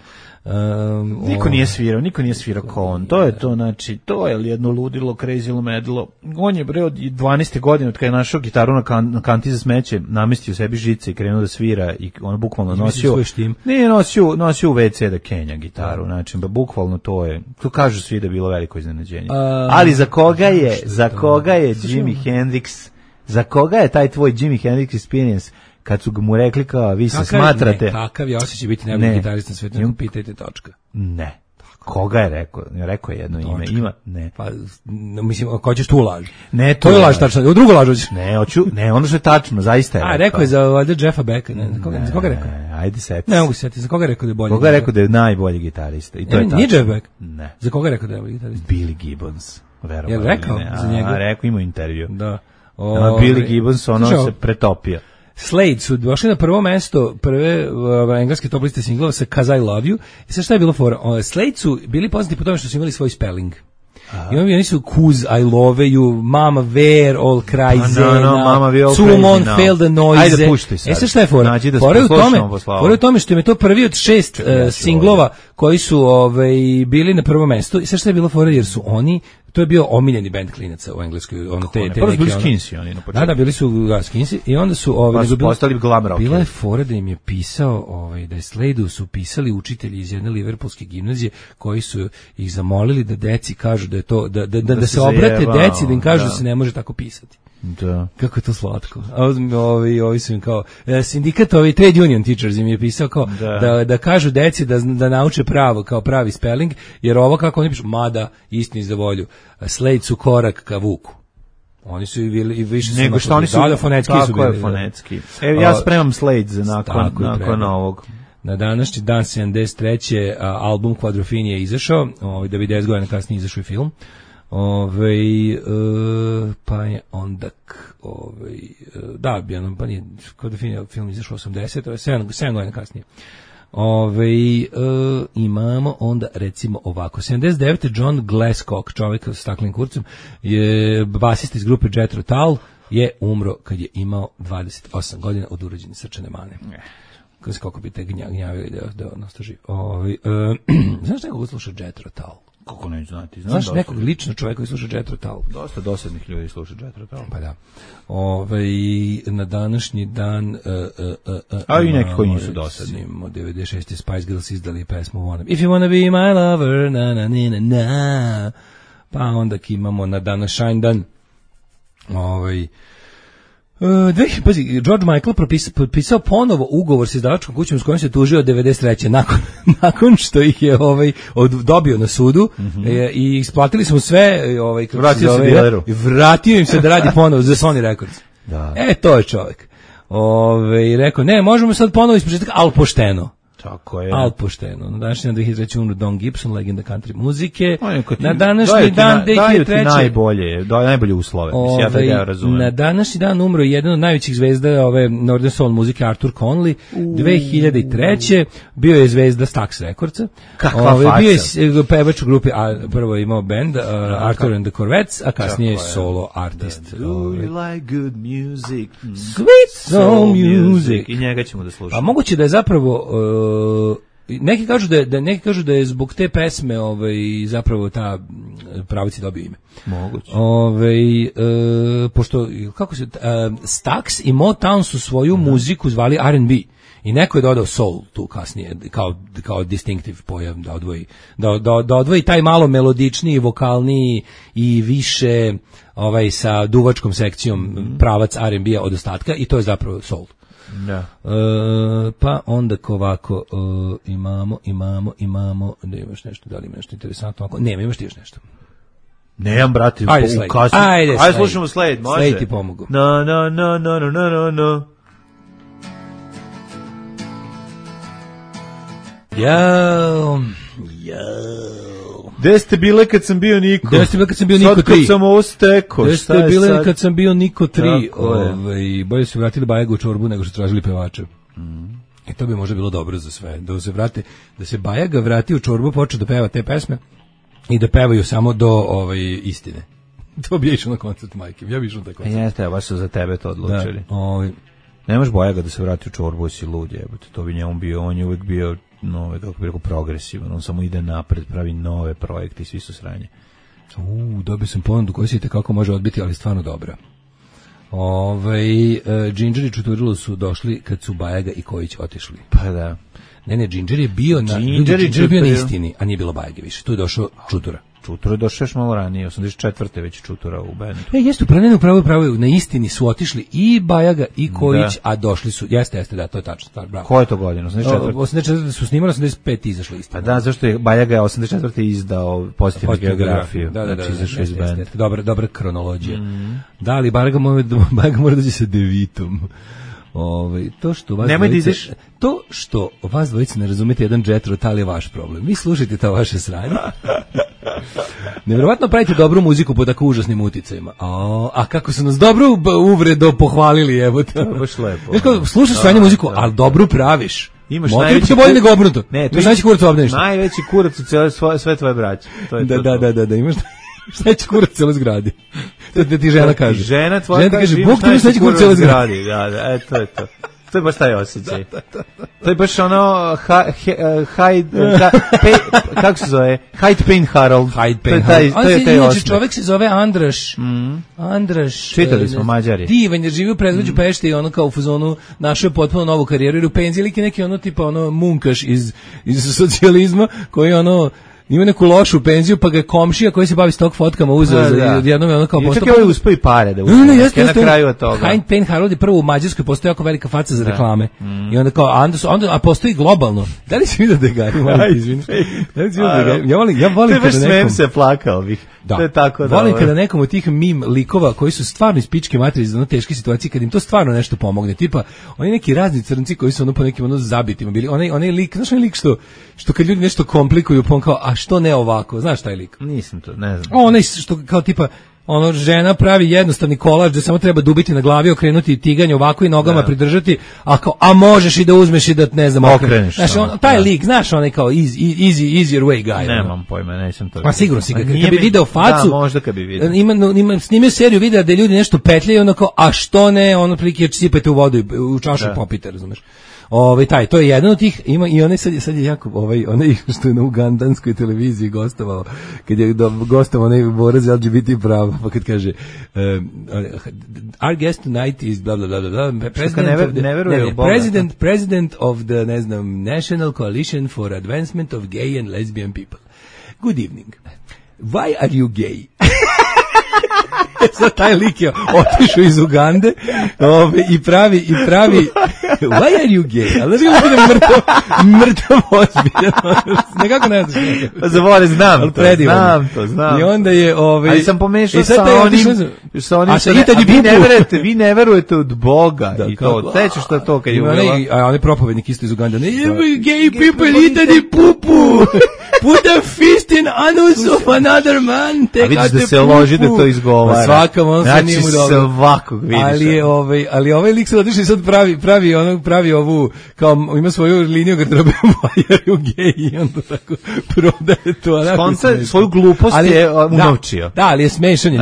Niko nije svirao kao on. To je to, znači, to je jedno ludilo, crazy medlo. On je bre od 12. godine, od kada je našao gitaru na kanti za smeće, namestio sebi žice i krenuo da svira i on bukvalno nosio. Nije nosio u WC da kenja gitaru, znači, bukvalno to je. To kažu svi da je bilo veliko iznenađenje. Ali za koga je Jimi Hendrix? Za koga je taj tvoj Jimi Hendrix experience? Kad su mu rekli kao, vi se smatrate... Kakav je osjećaj biti najbolji gitarist na svijetu, pitajte točka. Ne. Koga je rekao? Rekao je jedno ime. Ima? Ne. Pa, mislim, ko ćeš tu laži? Ne, to je laž tačno. U drugo laž hoćeš? Ne, ono što je tačno, zaista je rekao. Rekao je za Jeffa Becka. Za koga je rekao? Ajde seti. Ne mogu se setiti. Za koga je rekao da je bolji? Koga je rekao da je najbolji gitarista? I to je tačno. Nije Jeff Beck? Ne. Za koga je rekao da je bolji gitarista? Billy Gibbons. Je li rekao za njega? Rekao, imao intervju. Da. Billy Gibbons, ono se pretopio. Slade su došli na prvo mesto prve engleske top liste singlova sa 'Cause I Love You. I sad šta je bilo fora? Slade su bili poznati po tome što su imali svoj spelling. I oni su Cuz, I Love You, Mama Where, All Cry Zena, Sumon, Fail the Noise. Ajde, pušti sad. Sad šta je fora? Fora je u tome što im je to prvi od 6 singlova koji su bili na prvo mesto. I sad šta je bilo fora? Jer su oni to je bio omiljeni bend klinaca u Engleskoj, ono te neki bili Skinsi oni na početku. Da, bili su Skinsi i onda su postali glam rock. Bila je fora da im je pisao, da je Slade-u su pisali učitelji iz jedne liverpoolske gimnazije koji su ih zamolili da deci kažu da je to da se obrate deci da im kažu da se ne može tako pisati. Da. Kako je to slatko. A ovi su im kao sindikat, trade union teachers im je pisao kao da kažu deci da nauče pravo, kao pravi spelling, jer ovo kako oni pišu, mada istini za volju, Slade su korak ka Vuku. Oni su i više su nego što oni su fonetski su bili. Fonetski. Ja spremam Slade za nakon ovog. Na današnji dan 73. album Quadrophenia je izašao, da bi 10 godina kasnije izašao i film. Pa je onda pa nije Quadrophenia film izašao 80, to je 7 godina kasnije. Imamo onda recimo ovako 79. John Glasscock, čovjek sa staklenim kurcem, je basista iz grupe Jethro Tull, je umro kad je imao 28 godina od urođene srčane mane. Koliko bi te gnjavili da ostao živ. Znaš nekog sluša Jethro Tull? Kako neću znati? Znaš nekog lično čovjeka koji sluša Jethro Tull? Dosta dosadnih ljudi sluša Jethro Tull. Pa da. Na današnji dan a i neki koji nisu dosadni. Od 96. Spice Girls izdali pesmu Wanna Be. If you wanna be my lover, na na na na. Pa onda imamo na današnji dan George Michael potpisao ponovo ugovor sa izdavačkom kućom s kojom se tužio od 93. nakon što ih je dobio na sudu i isplatili smo sve vratio im se da radi ponovo za Sony Records. To je čovjek. Rekao, ne, možemo sad ponovo ispočetka, ali pošteno. Tako je. Al pošteno. Na današnji dan 2003. umro Don Gibson, legenda country muzike. Na današnji dan 2003. najbolje uslove. Mislim, ja razumem. Na današnji dan umro jedan od najvećih zvezda Northern Soul muzike, Arthur Conley. 2003. bio je zvezda Stax Recordsa. Kakva faca. Bio je pevač u grupi, prvo je imao band Arthur and the Corvettes, a kasnije je solo artist. Do you like good music? Sweet soul music. I njega ćemo da slušamo. A moguće da je zapravo neki kažu da je zbog te pesme zapravo ta pravici dobio ime. Moguće. Pošto kako se Stax i Motown su svoju muziku zvali R&B. I neko je dodao soul tu kasnije kao distinctive pojam da odvoji taj malo melodičniji, vokalniji i više sa duvačkom sekcijom pravac R&B-a od ostatka i to je zapravo soul. Da. Pa onda ovako imamo da imaš nešto, da li ima nešto interesantno ako nema, imaš ti još nešto. Nemam, brate, ajde slušamo Slade, može. Slade ti pomogu. No. Jao. Gde ste bile kad sam bio Niko? Gde ste bile kad sam bio Niko 3? Sad kad sam ovo stekao. Gde ste bile kad sam bio Niko 3? Bolje su vratili Bajaga u čorbu nego što tražili pevača. I to bi možda bilo dobro za sve. Da se Bajaga vrati u čorbu, počne da peva te pesme i da pevaju samo do istine. To bi išao na koncert majke. Ja bi išao na taj koncert. Jeste, baš su za tebe to odlučili. Nemaš Bajaga da se vrati u čorbu, si lud, jebote. To bi njemu bio, on je uvijek bio kako bi rekao, progresivan, on samo ide napred, pravi nove projekte i svi su sranje. Dobio sam ponudu koja se kako može odbiti, ali stvarno dobra. Ginger i Čuturilo su došli kad su Bajaga i Kojić otišli. Pa da. Ne, Ginger je bio na istini, a nije bilo Bajage više. Tu je došao Čutura. Čutura je došao još malo ranije, 84. već Čutura u bendu. Jeste, pravo, na istini su otišli i Bajaga i Kojić, a došli su, jeste, da, to je tačno, stvar, bravo. Koje je to godine, 84. 84. su snimali, 85. izašli istina. Pa da, zašto je Bajaga 84. izdao pozitivnu geografiju. Da, izašao iz benda. Dobra kronologija. Da, ali Bajaga mora doći sa devitom. To što vas dvojice ne razumete jedan Jethro Tull je vaš problem. Vi slušajte to vaše sranje. Nevjerovatno pravite dobru muziku po tako užasnim uticajima. A kako su nas dobro uvredo pohvalili, evo te. Baš lepo. Slušaš sranje muziku, ali dobru praviš. Imaš najveći bolje nego obrnuto. Najveći kurac u obdaništu. Najveći kurac u sve tvoje braće. Da, imaš najveći kurac u cijeloj zgradi. To ti žena kaže. Žena tvoja kaže, Bog ti imaš najveći kurac u cijeloj zgradi. Da, to je to. To je baš taj osjećaj. To je baš ono kako se zove? Hyde Payne Harold. To je taj osjećaj. Čovjek se zove Andraš. Andraš. Čitali smo Mađari. Divan je živio u predgrađu Pešte i ono kao u fazonu našao je potpuno novu karijeru jer u penziji lik je neki ono tipa ono munkaš iz socijalizma koji ono ima neku lošu penziju, pa ga je komšija koji se bavi stok fotkama uzeo za jednom je ono kao postao. Čak je uspio i pare da uzme. Na kraju od toga. Hyde Payne Harold je prvo u Mađarskoj postoji jako velika faca za reklame. I onda kao a postoji globalno. Da li si vidio da ga izvini. Ja volim kada nekom se plakao bih. Da. To je tako da. Volim kada nekom od tih mim likova koji su stvarno iz pičke materije iz ono teške situacije kad im to stvarno nešto pomogne. Tipa oni neki razni crnci koji su ono po nekim ono zabitima bili. Onaj lik, znaš onaj lik što kad ljudi nešto komplikuju, pa on kao a što ne ovako? Znaš taj lik? Nisam to, ne znam. Onaj što kao tipa ono žena pravi jednostavni kolač da samo treba dubiti na glavi, okrenuti tiganje ovako i nogama pridržati, a možeš i da uzmeš i da ne znam okreneš. Znaš, taj lik, znaš, onaj kao easier way guy. Nemam pojma, nećem to. Pa sigurno si kad bi video facu. Da, možda kad bi video. Ima snimio seriju videa da ljudi nešto petljaju, ono kao a što ne, ono prilike sipajte u vodu i u čašu popite, razumeš. To je jedan od tih, ima i onaj sad je jako, onaj što je na ugandanskoj televiziji gostovao, kad je gostovao onaj borac za LGBT prava, pa kad kaže our guest tonight is bla bla bla bla, president of the, ne znam, National Coalition for Advancement of Gay and Lesbian People. Good evening. Why are you gay? Sad taj lik je otišao iz Ugande i pravi why are you gay? Ali znaš kako bude mrtav ozbiljan. Nekako ne znaš. Zavore, znam to. I onda je ali sam pomešao sa onim vi ne verujete od Boga i to. Teče što je to kad je uvela. A on je propovednik isto iz Ugande. Gay people eat pupu. Put a fist in anus of another man. A vidiš da se loži da to izgovara. Svakam, on se nije mu dobro. Svakog vidiš. Ali ovaj lik se otišao i sad pravi ovu, kao ima svoju liniju garderobe Majeru gej i onda tako prodaje to. Skonca svoju glupost je unovčio. Da, ali je smešan je,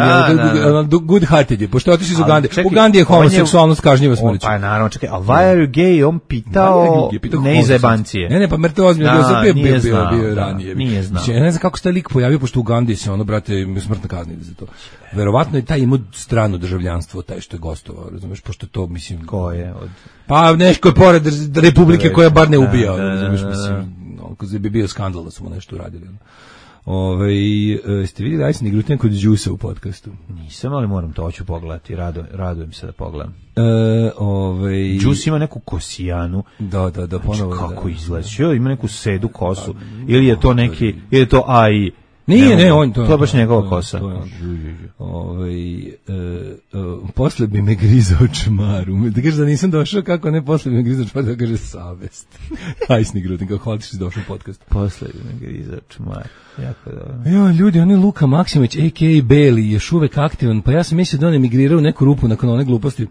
good hearted je, pošto je otišao iz Ugande. U Ugandi je homoseksualnost kažnjiva smrću. Pa naravno, čekaj, a why are you gay? On pitao ne iz jebancije. Ne, pa mrtav ozbiljno, bio ranije. Nije znao. Ja ne znam kako se taj lik pojavio, pošto u Ugandi se ono, brate, smrtno kaznili za to. Verovatno je taj imao strano državljanstvo, taj što je gostovao, razumeš, pošto to, mislim... Ko je? Pa nešto je pored Republike koja bar ne ubija, razumeš, mislim, ako bi bio skandal da su mu nešto uradili. Ste vidjeli Ajsni Grutin kod Đusa u podcastu? Nisam, ali moram to hoću pogledati, radujem se da pogledam. Đus ima neku kosijanu. Da, ponovo. Znači, kako izgleda? Ima neku sedu kosu. Ili je to neki, ili je to AI? Nije, on to. To je baš njegova kosa. Posle bi me grizao čmaru. Da kaže da nisam došao, kako ne, posle bi me grizao čmaru, da kaže savest. Ajsni Grutin, kako hvala ti si došao u podcast. Posle bi me grizao čmaru. Jako dobro. Jo, ljudi, on je Luka Maksimović, a.k.a. Beli, još uvek aktivan, pa ja sam mislio da on emigrirao u neku rupu nakon one gluposti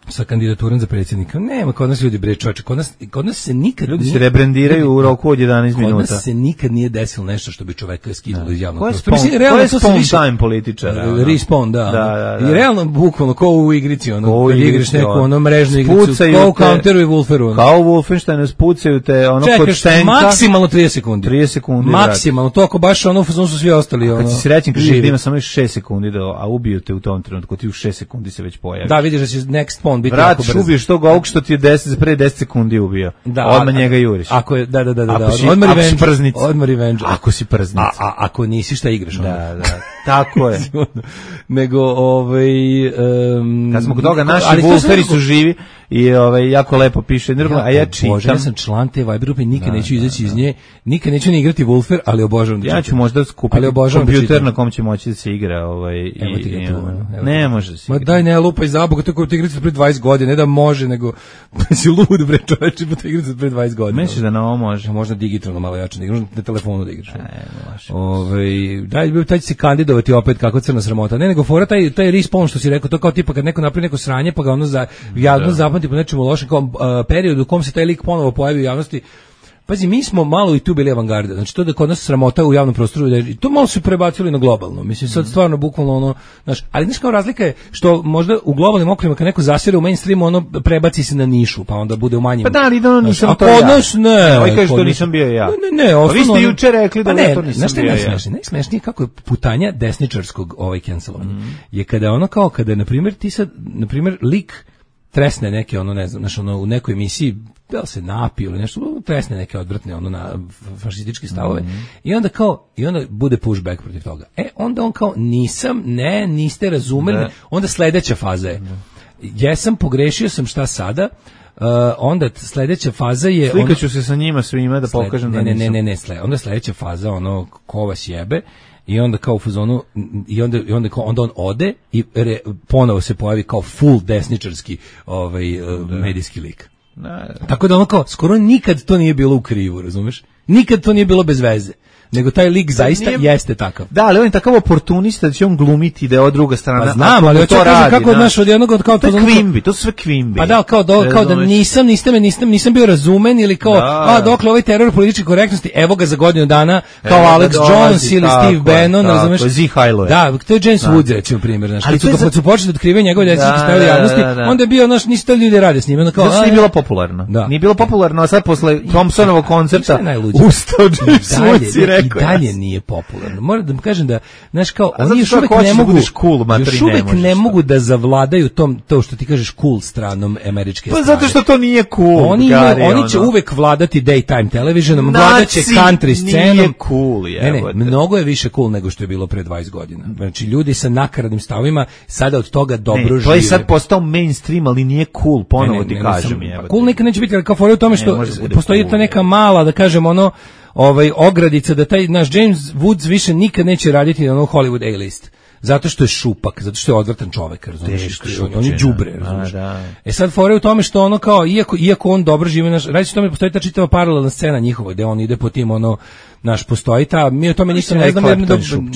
sa kandidaturom za predsjednika. Nema kod nas ljudi bre čoveče, kod nas se nikad ljudi se rebrendiraju u roku od 11 minuta. Kod nas se nikad nije desilo nešto što bi čoveka skinulo iz javnog prostora. Mislim realno to se time političara. Respawn, da. I realno bukvalno kao u igrici, ono kad igraš neku ono mrežnu igricu, kao u Counteru i Wolferu. Kao u Wolfensteinu spucaju te ono kod štenka. Maksimalno 30 sekundi. 30 sekundi. Maksimalno, to ako baš ono su svi ostali ono. Kad si srećan kažeš da ima samo 6 sekundi a ubiju te u tom trenutku, ti u 6 sekundi se već pojaviš. Da, vidiš da će next spawn biti jako brzo. Ubiješ tog ovog što ti je 10 sekundi ubio. Odmah njega juriš. Ako je, da. Ako si prznic. Odmah revenge. Ako si prznic. A ako nisi, šta igraš? Da. Tako je. Nego, kad smo kod toga, naši Wolferi su živi i jako lepo piše, a ja čitam. Bože, ja sam član te Viber grupe, nikad neću izaći iz nje, nikad neću ni igrati Wolfer, ali obožavam da čitam. Ja ću možda skupiti kompjuter na kom će moći da se igra. Ne može da se igra. Ma daj ne lupaj za Boga, tako ti igrati pre 20 godina, ne da može, nego si lud bre čoveče, pa te igrati pre 20 godina. Misliš da na ovo može? Možda digitalno malo jače, možda na telefonu da igraš. Daj će se kandidovati opet kako crna sramota. Ne, nego fora taj respawn što si rekao, to kao tipa kad neko napravi neko sranje, pa ga ono javno zapamti po nečemu lošem, kao periodu u kom se taj lik ponovo pojavi u javnosti. pazi, mi smo malo i tu bili avangarda, znači to da kod nas sramota u javnom prostoru, to malo su prebacili na globalno, mislim sad stvarno bukvalno ono, znaš, ali znaš kao razlika je što možda u globalnim okvirima kad neko zasire u mainstreamu, ono prebaci se na nišu, pa onda bude u manjim. Pa da, ali da nisam to ja. Nas, ne. Ovaj kaže što nisam bio ja. Ne, osnovno. Vi ste juče rekli da to nisam bio ja. Najsmešnije kako je putanja desničarskog cancelovanja. Je kada ono kao, kada, na primjer, ti sad, na primjer, lik tresne neke, ono, ne znam, znaš, ono, u nekoj emisiji, da li se napio ili nešto, tresne neke odvratne, ono, na fašističke stavove, i onda bude pushback protiv toga. Onda on kao, niste razumeli, onda sledeća faza je, jesam, pogrešio sam, šta sada, onda sledeća faza je... Slikaću se sa njima svima da pokažem da nisam. Ne, onda sledeća faza, ono, ko vas jebe, i onda kao u fazonu onda on ode i ponovo se pojavi kao full desničarski medijski lik. Tako da ono kao skoro nikad to nije bilo u krivu, razumeš? Nikad to nije bilo bez veze. Nego taj lik zaista jeste takav. Da, ali on je takav oportunista da će on glumiti da je od druga strana. Pa znam, ali hoće kaže kako naš od jednog kao to kvimbi, to sve kvimbi. Pa da, kao da nisam bio razumen ili kao dokle ovaj teror političke korektnosti, evo ga za godinu dana kao Alex Jones ili Steve Bannon, razumeš? Da, to je James Woods, recimo primjer, znači kad su počeli da otkrivaju njegove desničarske stavove javnosti, onda je bio nisu to ljudi rade s njim, onda kao nije bilo popularno. Nije bilo popularno, a sad posle Thompsonovog koncerta ustao James Woods i dalje nije popularno. Moram da vam kažem da, znaš, kao, oni još uvek ne mogu da zavladaju to što ti kažeš cool stranom američke strane. Pa zato što to nije cool. Oni će uvek vladati daytime televisionom, vladaće country scenom. Nije cool, Ne, mnogo je više cool nego što je bilo pre 20 godina. Znači, ljudi sa nakaradnim stavima sada od toga dobro žive. To je sad postao mainstream, ali nije cool, ponovo ti kažem. Cool nikad neće biti, ali kao fora u tome što postoji ta neka mala, da kažem, ono, ogradica da taj naš James Woods više nikad neće raditi na Hollywood A-list. Zato što je šupak, zato što je odvratan čovek, razumiješ? On je đubre, razumiješ? Sad fora je u tome što ono kao, iako on dobro živi, radi se o tome, postoji ta čitava paralelna scena njihova, gde on ide po tim, postoji ta, mi o tome ništa ne znamo jer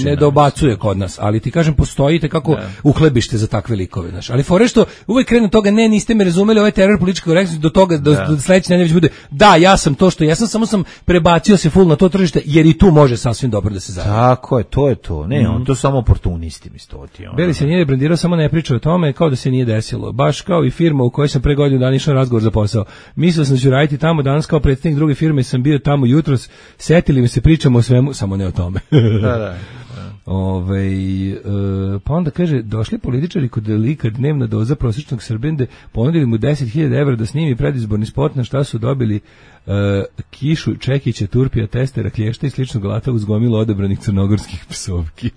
ne dobacuje kod nas, ali ti kažem, postoji kako uhlebište za takve likove, znaš. Ali fora je što uvek krenu toga, niste me razumeli, ovaj teror političke korektnosti, do toga, do sledeće nedelje bude, da, ja sam to što jesam, samo sam prebacio se full na to tržište, jer i tu može sasvim dobro da se zaradi. Tako je, to je to. Ne, on to samo oportunisti mistoti. Beli se nije brandirao, samo ne priča o tome, kao da se nije desilo. Baš kao i firma u kojoj sam pre godinu dana išao na razgovor za posao. Mislio sam da ću raditi tamo, danas kao predstavnik druge firme sam bio tamo jutros, setili mi se, pričamo o svemu, samo ne o tome. Da. Pa onda kaže, došli političari kod lika dnevna doza prosječnog Srbende, ponudili mu 10.000 evra da snimi predizborni spot, na šta su dobili kišu, čekića, turpija, testera, klješta i sličnog alata uz gomilu odabranih crnogorskih psovki.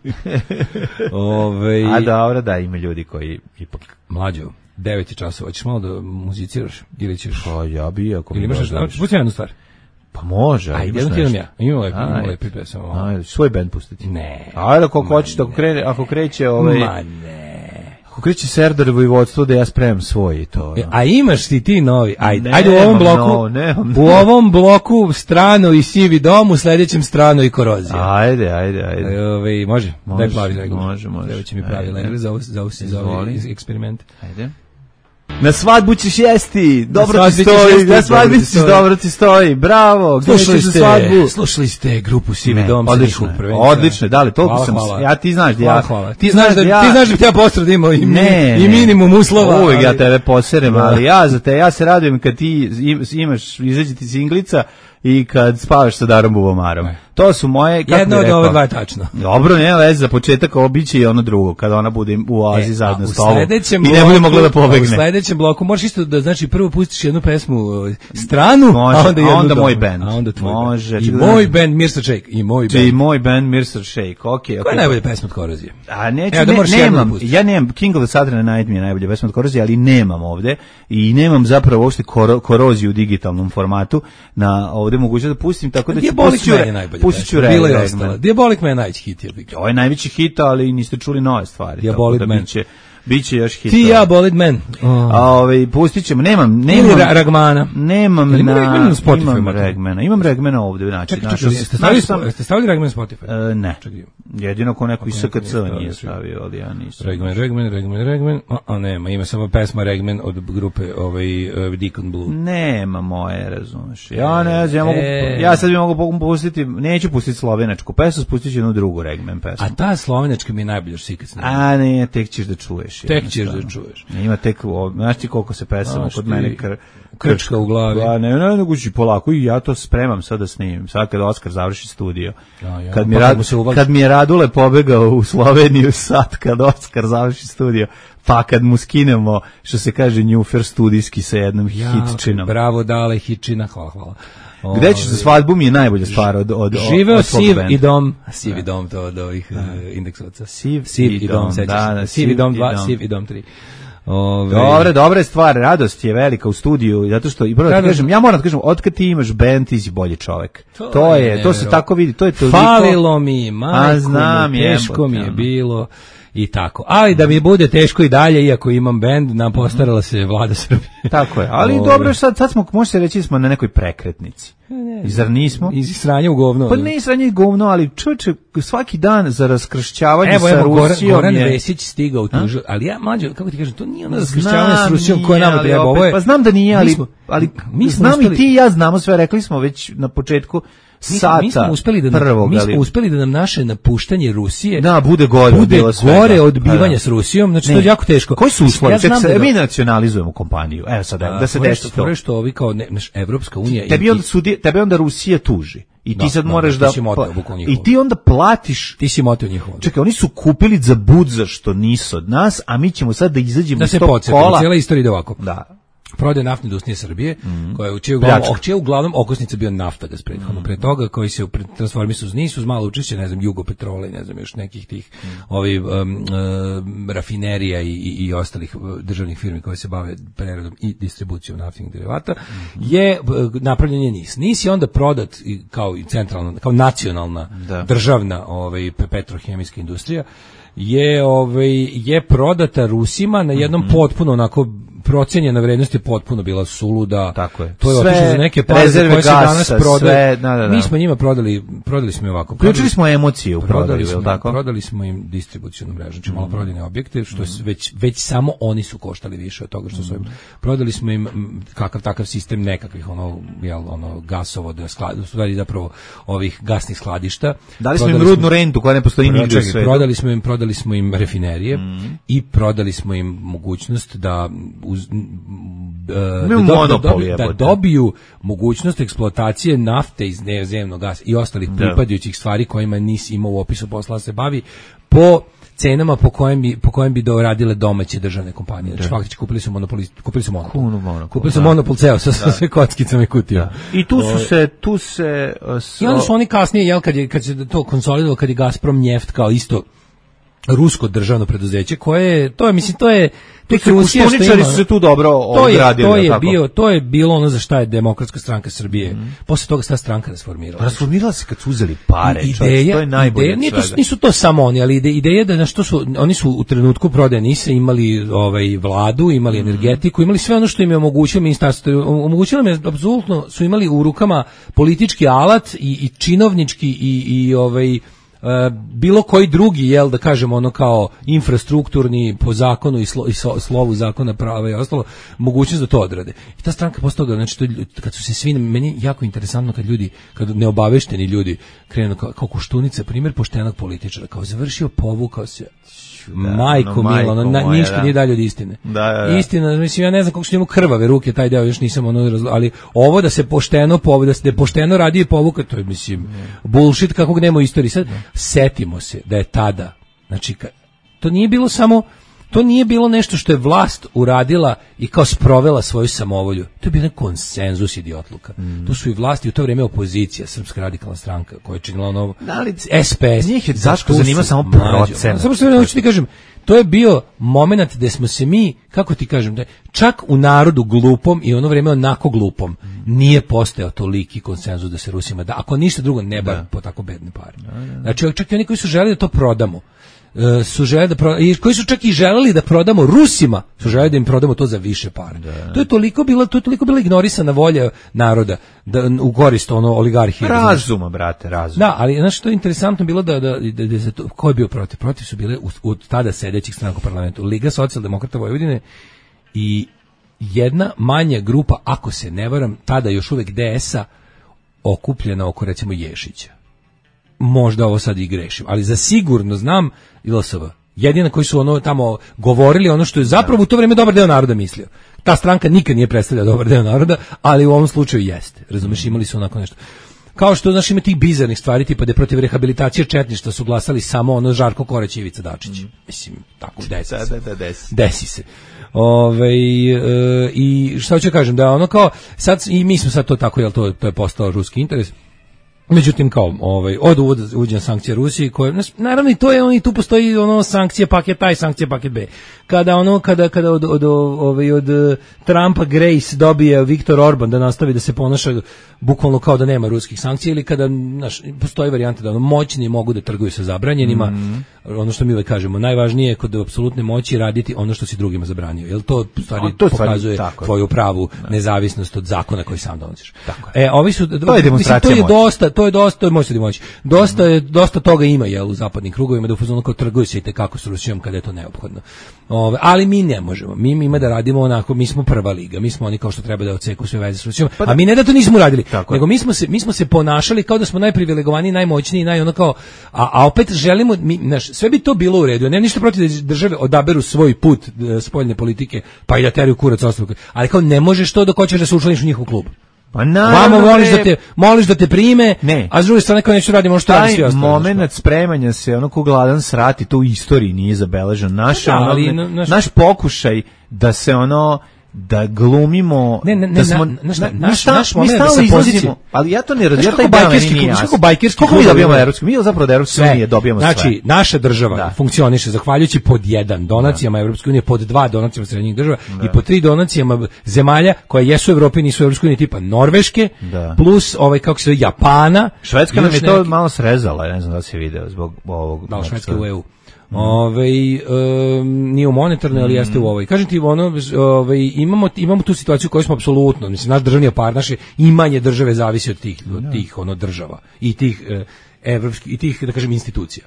A dobro, da, ima ljudi koji ipak... Mlađo, 9 časova, hoćeš malo da muziciraš ili ćeš... Pa ja bi, ako mi ili imaš pusti jednu stvar. Pa može, ajde, imaš nešto. Imamo lepi pesama. Ajde, svoj band pustiti. Ne. Ajde, ako hoćeš, ako kreće Ma ne. Ako kreće Serdar Vojvodstvo, da ja spremam svoj i to. A imaš ti novi? Ajde u ovom bloku. U ovom bloku strano i sivi dom, u sledećem strano i korozija. Ajde. Može. Daj plavi legl. Može. Evo će mi pravi legl za ovaj eksperiment. Ajde. Na svadbu ćeš jesti, dobro ti stoji, na svadbu ćeš, dobro ti stoji, bravo, slušali ste grupu Sivi dom, odlično, da li, toliko sam, ja ti znaš da ja, ti znaš da ja posred imao i minimum uslova. Uvijek ja tebe poserem, ali ja se radujem kad ti imaš, izađe ti singlica i kad spavaš sa Darom Bubomarom. To su moje, kako jedno od ove dva je tačno. Dobro, nema veze, za početak obiće i ono drugo, kada ona bude u oazi zajedno s tobom i ne bude mogla da pobegne. U sledećem bloku možeš isto da, znači, prvo pustiš jednu pesmu stranu, a onda moj band. A onda tvoj može, band. I moj band Mirsa Shake. I moj band Mirsa Shake, okej. Koja je najbolja pesma od Korozije? A ja nemam, King of the Southern Night mi je najbolja pesma od Korozije, ali nemam ovde i nemam zapravo uopšte Koroziju u digitalnom formatu na ovde mogućnost da pustim, tako da ću pustit ću Diabolik Man je najveći hit. Ovo je najveći hit, ali niste čuli nove stvari. Diabolik Man. Biće još hitova. Ti ja, Bolid Man. Pustit ćemo, nemam ili Ragmana. Nemam imam Ragmana ovde, znači. Ste stavili Ragman na Spotify? Ne. Jedino ako neko iz SKC nije stavio, ali ja nisam. Ragman. Nema, ima samo pesma Ragman od grupe Deacon Blue. Nema moje, razumeš. Ja ne znam, ja sad bi mogu pustiti, neću pustiti slovenačku pesmu, spustit ću jednu drugu Ragman pesmu. A ta slovenačka mi je najbolja što si ikad snimio. A ne, tek ćeš da čuješ. Ima tek, znaš ti koliko se pesama kod mene krčka u glavi. Ne, nego ću polako i ja to spremam sad da snimim. Sad kad Oskar završi studio. Kad mi je Radule pobegao u Sloveniju sad kad Oskar završi studio, pa kad mu skinemo, što se kaže, njufer studijski sa jednom hitčinom. Bravo, dale, hitčina, hvala. Gde ćeš za svadbu mi je najbolja stvar od živeo Siv i dom. Siv i dom, to od ovih indeksovaca. Siv i dom, Siv i dom 2, Siv i dom 3. Dobra je stvar, radost je velika u studiju, zato što, i prvo da kažem, ja moram da kažem, otkad ti imaš band, ti si bolji čovek. To se tako vidi, to je toliko. Falilo mi, majko, teško mi je bilo. I tako. Ali da mi bude teško i dalje, iako imam bend, nam postarala se Vlada Srbije. Tako je. Ali dobro, sad smo, može se reći, smo na nekoj prekretnici. Zar nismo? Iz sranja u govno. Pa ne sranje u govno, ali čovječe, svaki dan za raskršćavanje sa Rusijom Goran Vesić stigao u tužu, ali ja, mlađo, kako ti kažem, to nije ono raskršćavanje s Rusijom koje nama treba. Ovo je, pa znam da nije, ali znam i ti i ja znamo sve, rekli smo već na početku sata mi smo uspeli da nam naše napuštanje Rusije bude gore od bivanja s Rusijom, znači to je jako teško. Koji su uslovi? Mi nacionalizujemo kompaniju. Evo sad, da se desi to. Što ovi kao Evropska unija... Tebe onda Rusija tuži. I ti sad moraš da... I ti onda platiš... Ti si motio njihovo. Čekaj, oni su kupili za budza što nisu od nas, a mi ćemo sad da izađemo iz tog kola. Da se podsjetimo, cijela istorija ide ovako. Da. Prodaje naftne industrije Srbije, koja je čija uglavnom okosnica bio Naftagas prethodno. Pre toga koji se transformisao uz NIS, uz malo učešće, ne znam, Jugopetrola i ne znam još nekih tih rafinerija i ostalih državnih firmi koje se bave preradom i distribucijom naftnih derivata, je napravljen je NIS. NIS je onda prodat kao centralna, kao nacionalna državna petrohemijska industrija, je prodata Rusima na jednom potpuno onako procenjena vrednost je potpuno bila suluda. Tako je. To je otišlo za neke pare koje se danas prodaju. Mi smo njima prodali smo im ovako. Uključili smo emocije u prodaju, je li tako? Prodali smo im distribucionu mrežu, znači maloprodajne objekte, što već samo oni su koštali više od toga što su im. Prodali smo im kakav takav sistem nekakvih gasovoda, stvari zapravo ovih gasnih skladišta. Dali smo im rudnu rentu koja ne postoji nigdje u svetu. Prodali smo im rafinerije i prodali smo im mogućnost da da dobiju mogućnost eksploatacije nafte iz zemnog gasa i ostalih pripadajućih stvari kojima NIS ima u opisu posla se bavi po cenama po kojem bi doradile domaće državne kompanije. Znači faktički kupili su monopol. Kupili su monopol ceo sa sve kockicama i kutijama. I tu se i onda su oni kasnije, kad se to konsolidovalo, kad je Gazprom Njeft kao isto rusko državno preduzeće koje Koštuničari su se tu dobro odradili. To je bilo ono za šta je Demokratska stranka Srbije. Posle toga ta stranka rasformirala. Rasformirala se kad su uzeli pare. To je najbolje. Nisu to samo oni, ali ideja da oni su u trenutku prodaje NIS-a imali vladu, imali energetiku, imali sve ono što im je omogućilo ministarstvo. Omogućilo im je apsolutno, su imali u rukama politički alat i činovnički i bilo koji drugi, da kažemo ono kao infrastrukturni po zakonu i slovu zakona prava i ostalo, mogućnost da to odrade. I ta stranka posle toga, znači kad su se svi, meni je jako interesantno kad neobavešteni ljudi krenu kao Koštunica, primjer poštenog političara, kao završio, povukao se, majko milo, ništa nije dalje od istine. Istina, mislim, ja ne znam kako su njemu krvave ruke, taj deo još nisam ali ovo da se pošteno pošteno radi i povuka, to je, mislim, bullshit kakvog nema u istoriji. Sad, setimo se da je tada, znači, to nije bilo nešto što je vlast uradila i kao sprovela svoju samovolju. To je bio konsenzus idiotluka. To su i vlasti u to vrijeme opozicija, Srpska radikalna stranka, koja je činila SPS. Njih je zašto zanima samo procenat. Samo što hoću ti kažem, to je bio moment gde smo se mi, kako ti kažem, čak u narodu glupom i ono vrijeme onako glupom, nije postojao toliki konsenzus da se Rusima da, ako ništa drugo, ne bar po tako bedne pare. Znači, čak i oni koji su želeli da to prodamo, su želeli da i koji su čak i želeli da prodamo Rusima, su želeli da im prodamo to za više para. To je toliko bila ignorisana volja naroda da u korist oligarhije. Razuma, brate, razum. Da, ali znaš što je interesantno bilo da ko je bio protiv? Protiv su bile u tada sedećih stranaka u parlamentu Liga socijaldemokrata Vojvodine i jedna manja grupa, ako se ne varam, tada još uvek DS-a okupljena oko recimo Ješića. Možda ovo sad i grešim, ali za sigurno znam ILSV. Jedina koji su tamo govorili ono što je zapravo u to vrijeme dobar deo naroda mislio. Ta stranka nikad nije predstavljala dobar deo naroda, ali u ovom slučaju jeste. Razumeš, imali su onako nešto. Kao što, znaš, ima tih bizarnih stvari, tipa da je protiv rehabilitacije četništva su glasali samo Žarko Korać i Ivica Dačić. Mislim, tako, desi se. I šta hoću kažem, da kao, sad, i mi smo sad to tako, jel to je postao ruski interes. Međutim, kao, od uvođenja sankcija Rusiji, koje, naravno i to je, i tu postoji sankcije paket A i sankcije paket B. Kada od Trumpa Grace dobije Viktor Orban da nastavi da se ponaša bukvalno kao da nema ruskih sankcija, ili kada, postoji varijanta da moćni mogu da trguju sa zabranjenima, ono što mi uvek kažemo, najvažnije je kod apsolutne moći raditi ono što si drugima zabranio, jer to stvari pokazuje tvoju pravu nezavisnost od zakona koji sam donosiš. Ovi su, to je demonstracija moći. To je dosta, možete moći. Dosta toga ima u zapadnim krugovima, da u fazonu kao trguju se i tekako s Rusijom kada je to neophodno. Ali mi ne možemo. Mi ima da radimo onako, mi smo prva liga, mi smo oni kao što treba da odseku sve veze s Rusijom. A mi ne da to nismo radili, nego mi smo se ponašali kao da smo najprivilegovaniji, najmoćniji, a opet želimo, sve bi to bilo u redu. Nemam ništa protiv da države odaberu svoj put spoljne politike, pa i da teraju kurac ostavku. Ali kao ne možeš to dok hoćeš da se učlaniš u njihov klub. Pa naravno, moliš da te prime, a s druge strane kao nešto radimo što radi svi ostali. Taj moment spremanja se, ko gladan srati, to u istoriji nije zabeležen. Naš pokušaj da se da glumimo, naš moment da se pozicije, ali ja to ne razumijem, kako bajkerski mi dobijamo evropski, mi zapravo da Evropska unija dobijamo sve. Znači, naša država funkcioniše zahvaljujući pod 1 donacijama Evropske unije, pod 2 donacijama srednjih država i pod 3 donacijama zemalja koje jesu u Evropi, nisu u Evropskoj uniji, tipa Norveške, plus kako se zove Japana. Švedska nam je to malo srezala, ne znam da se video zbog ovog. Da, Švedska u EU. Nije u monetarnoj, ali jeste u ovoj. Kažem ti, imamo tu situaciju koju smo apsolutno, mislim, naš državni aparat, naše imanje države zavisi od tih država i tih evropskih i tih, da kažem, institucija.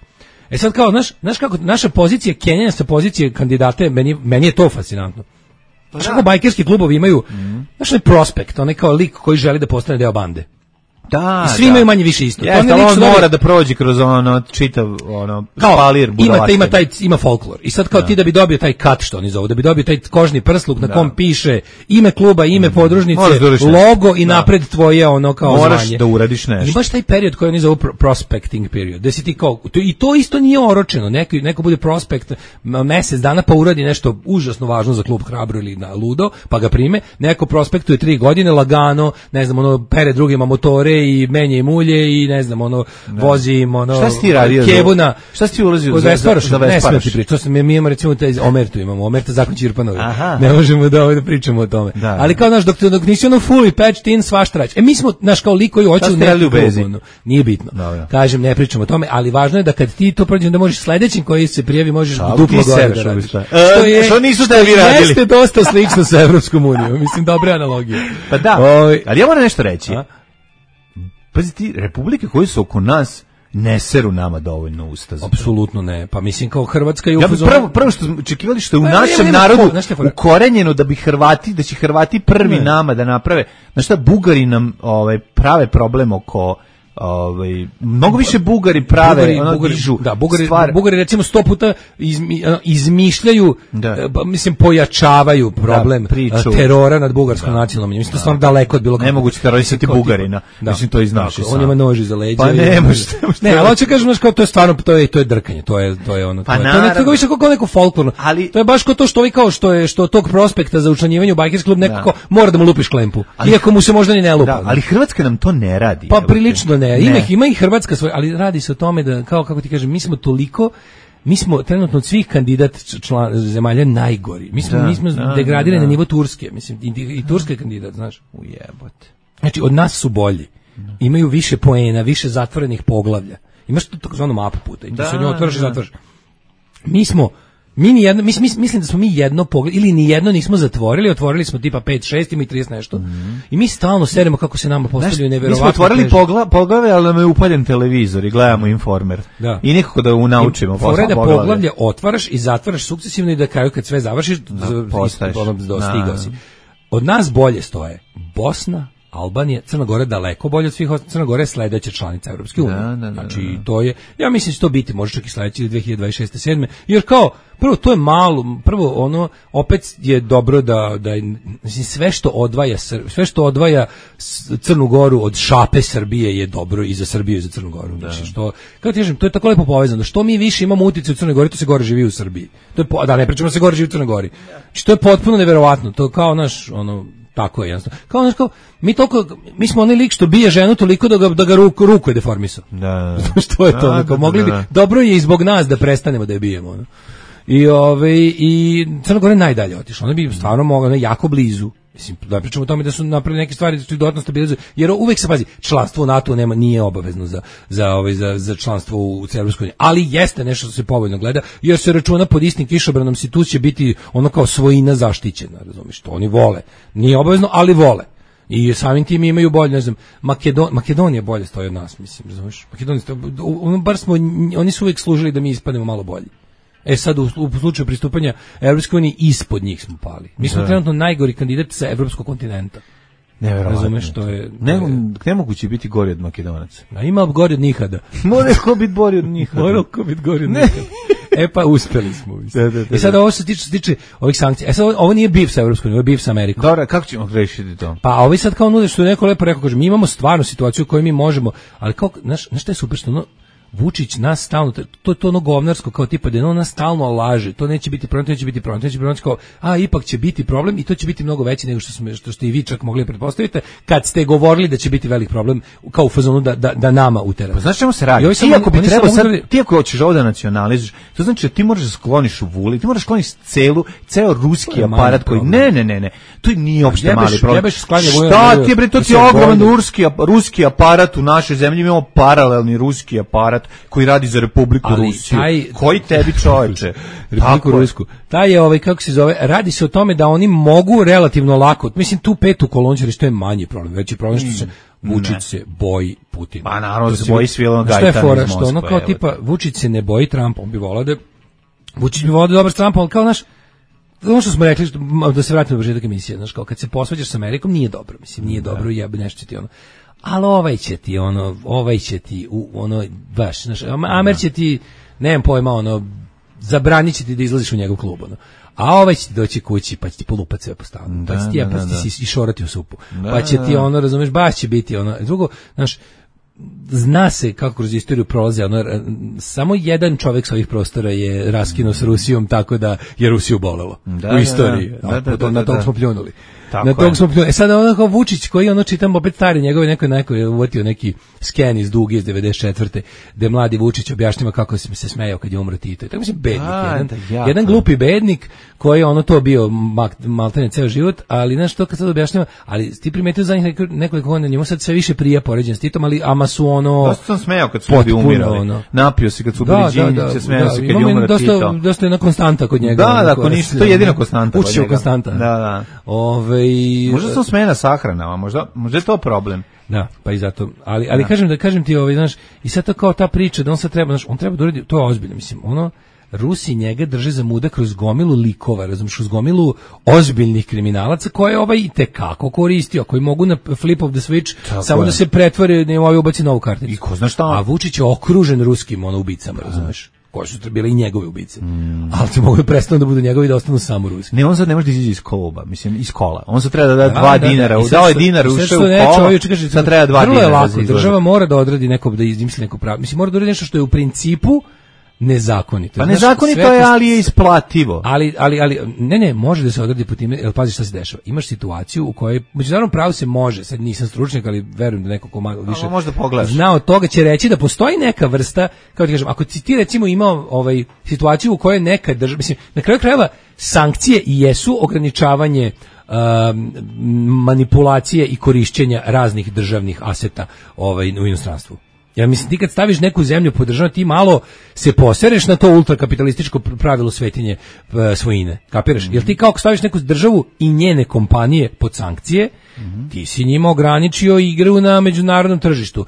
Sad kao, znaš kako naša pozicija Kenjanja sa pozicije kandidate, meni je to fascinantno. Znaš kako bajkerski klubovi imaju, znaš onaj prospekt, onaj kao lik koji želi da postane deo bande. I svi imaju manje više isto. Jeste, on mora da prođe kroz čitav špalir budalaštine. Ima folklor. I sad kao ti da bi dobio taj kat, što oni zovu, da bi dobio taj kožni prsluk na kom piše ime kluba, ime podružnice, logo i napred tvoje kao moraš zvanje. Da uradiš nešto. I baš taj period koji oni zovu prospecting period. Da si ti kao, i to isto nije oročeno. Neko bude prospekt mesec dana pa uradi nešto užasno važno za klub Hrabro ili na ludo, pa ga prime. Neko prospektuje 3 godine lagano, ne znam, pere drugima motore i menje im ulje i ne znam, vozi im šta si ti radio kebuna. Šta si ti ulazio za Vesparaš? Ne smem ti pričati. Mi imamo recimo taj Omertu, imamo Omerta Zakon Ćirpanovi. Ne možemo da pričamo o tome. Ali kao dok nisi fully patched in, svašta radiš. Mi smo, kao lik koji hoće u neku, nije bitno. Kažem, ne pričamo o tome, ali važno je da kad ti to prođeš, da možeš sledećim koji se prijavi, možeš duplo gore da radiš. Što nisu tebi radili? Jeste dosta slično sa Evropskom unijom. Mislim, dobre analogije. Pa da, ali ja moram nešto reći. Pazi ti, republike koje su oko nas ne seru nama dovoljno usta. Apsolutno ne. Pa mislim kao Hrvatska i prvo što očekivali što je u našem narodu ukorenjeno da će Hrvati prvi nama da naprave. Znaš šta, Bugari nam prave problem oko mnogo više Bugari prave Bugari recimo 100 puta izmišljaju, mislim, pojačavaju problem terora nad bugarskom nacionalnom manjinom. Mislim, to stvarno daleko od bilo kako. Nemoguće terorisati Bugarina. Mislim, to i znaš. On ima noži za leđa. Pa ne može. Ne, ali hoće kažem, to je stvarno, to je drkanje. To je nekako više kako neko folklorno. To je baš kao to što ovi kao što tog prospekta za učlanjivanje u bajkerski klub nekako mora da mu lupiš klempu. Iako mu se možda ni ne lupa. Ali Hrvatska nam to ne radi. Pa prilično ne. Ima i Hrvatska svoj, ali radi se o tome da, kako ti kažem, mi smo trenutno od svih kandidat zemalja najgori. Mi smo degradirani na nivo Turske, mislim, i Turska je kandidat, znaš. Ujebote. Znači, od nas su bolji. Imaju više poena, više zatvorenih poglavlja. Imaš takozvanu mapu puta i ti se njoj otvaraš i zatvaraš. mislim da smo mi jedno pogled, ili ni jedno nismo zatvorili, otvorili smo tipa 5, 6, ima i 30 nešto. I mi stalno seremo kako se nama postavljaju neverovatno. Mi smo otvorili poglave, ali nam je upaljen televizor i gledamo Informer. Da. I nikako da naučimo posle poglave. Poglavlje otvaraš i zatvaraš sukcesivno i da kraju kad sve završiš, dostigao si. Od nas bolje stoje Bosna, Albanija, Crna Gora daleko bolje od svih. Crna Gora je sledeća članica Evropske unije. Znači, to je, ja mislim da će to biti, može čak i sledeće ili 2026. 7. Jer kao, prvo, to je malo, prvo, ono, opet je dobro da mislim, sve što odvaja Crnu Goru od šape Srbije je dobro i za Srbiju i za Crnu Goru. Znači, što, kako ti kažem, to je tako lepo povezano. Što mi više imamo uticaj u Crnoj Gori, to se gore živi u Srbiji. To je, da, ne pričamo da se gore živi u Crnoj Gori. Znači, to je potpuno neverovatno. To kao naš, ono, tako je jednostavno. Kao mi smo onaj lik što bije ženu toliko da ga ruku je deformisao. Da. Što je to? Mogli bi, dobro je i zbog nas da prestanemo da je bijemo. No? I Crna Gora je najdalje otišla. Ona bi stvarno mogla, jako blizu. Mislim, da pričamo o tome da su napravili neke stvari da su dodatno stabilizuju, jer uvek se pazi, članstvo u NATO nije obavezno za članstvo u Europskoj uniji, ali jeste nešto što se povoljno gleda, jer se računa pod istim kišobranom institut će biti ono kao svojina zaštićena, razumiješ, to oni vole. Nije obavezno, ali vole. I samim tim imaju bolje, ne znam, Makedonija bolje stoji od nas, mislim, razumiješ. Oni su uvek služili da mi ispadnemo malo bolji. Sad u slučaju pristupanja Evropskoj uniji ispod njih smo pali. Mi smo trenutno najgori kandidat sa evropskog kontinenta. Neverovatno. Razumeš, to je nemoguće biti gori od Makedonaca. A ima gori od Nihada. Mora ko biti gori od Nihada. Mora ko biti gori od Nihada. Pa uspeli smo. I sad ovo se tiče ovih sankcija. Sad ovo nije bif sa Evropskom unijom, ovo je bif sa Amerikom. Dobro, kako ćemo rešiti to? Pa ovi sad kao nude što je neko lepo rekao, kaže, mi imamo stvarnu situaciju u kojoj mi možemo, ali kao, znaš šta je super, što Vučić nas stalno, to je to ono govnarsko kao tipa da on nas stalno laže, to neće biti problem, to neće biti problem, kao, ipak će biti problem i to će biti mnogo veći nego što ste i vi čak mogli pretpostaviti kad ste govorili da će biti velik problem kao u fazonu da nama utera. Pa znaš čemu se radi? Ti ako hoćeš ovo da nacionalizuješ, to znači da ti moraš da skloniš u vuli, ti moraš skloniš ceo ruski aparat koji, ne, to nije uopšte mali problem. Šta ti je bre, to ti je ogroman ruski aparat u našoj zemlji, imamo paralelni ruski aparat koji radi za Republiku Rusiju. Koji tebi čoveče? Republiku Rusku. Taj je kako se zove, radi se o tome da oni mogu relativno lako, mislim tu petu kolonu što je manji problem, veći problem što se Vučić se boji Putina. Pa naravno se boji Svilano Gajtan iz Moskve. Što ono kao tipa Vučić se ne boji Trumpa, on bi volao da Vučić bi volao da dobar s Trumpom, ali kao naš ono što smo rekli, da se vratimo na početak emisije, znaš, kao kad se posvađaš s Amerikom nije dobro, mislim, nije dobro, jebe nešto ti ono. Ali ovaj će ti, baš, znaš, Amer će ti, nemam pojma, zabranit će ti da izlaziš u njegov klub, a ovaj će ti doći kući, pa će ti polupat sve po stanu, pa će ti jebati i šorati u supu, pa će ti razumeš, baš će biti drugo, znaš, zna se kako kroz istoriju prolaze, samo jedan čovjek sa ovih prostora je raskinuo s Rusijom tako da je Rusiju bolelo u istoriji, na tog smo pljunuli. Sad kao Vučić koji čitam opet stari njegove neko je uvotio neki sken iz Duge iz 94. gde mladi Vučić objašnjava kako se smejao kad je umro Tito. Tako mislim bednik, jedan glupi bednik koji je to bio maltene ceo život, ali znaš to kad sad objašnjava, ali ti primetio za njih nekoliko godina njemu sad sve više prija poređen s Titom, ali ama su dosta sam smejao kad su ljudi umirali. Napio se kad su bili džinjice, smejao se kad je umro Tito. Dosta jedna konstanta kod njega. Da, to je jedina konstanta. Učio konstanta. Da. Možda sam smejena sahranama, možda je to problem. Da, pa i zato. Ali kažem ti, znaš, i sad to kao ta priča da on sad treba, znaš, on treba da uradi, to je ozbiljno, mislim, Rusi njega drže za muda kroz gomilu likova, razumiješ, kroz gomilu ozbiljnih kriminalaca koje je itekako koristio, koji mogu na flip of the switch samo da se pretvore, ubaci novu karticu. I ko zna šta? A Vučić je okružen ruskim ubicama, razumiješ, koje su bile i njegove ubice. Ali se mogu da prestanu da budu njegovi da ostanu samo ruski. Ne, on sad ne može da izađe iz kluba, mislim, iz kola. On sad treba da da 2 dinara, dao je dinar, ušao u kola, sad treba 2 dinara. Lako, država mora da odradi da izmisli neko pravo. Mislim, mora da uradi nešto što je u principu nezakonito. Pa nezakonito je, ali je isplativo. Ali ne, može da se odradi po time, jer pazi šta se dešava. Imaš situaciju u kojoj međunarodno pravo se može, sad nisam stručnjak, ali verujem da neko ko malo više zna od toga će reći da postoji neka vrsta, kao ti kažem, ako ti recimo imao situaciju u kojoj neka država, mislim, na kraju krajeva sankcije i jesu ograničavanje manipulacije i korišćenja raznih državnih aseta u inostranstvu. Ja mislim, ti kad staviš neku zemlju pod državu, ti malo se posereš na to ultrakapitalističko pravilo svetinje svojine. Kapiraš? Jer ti kao staviš neku državu i njene kompanije pod sankcije, ti si njima ograničio igru na međunarodnom tržištu.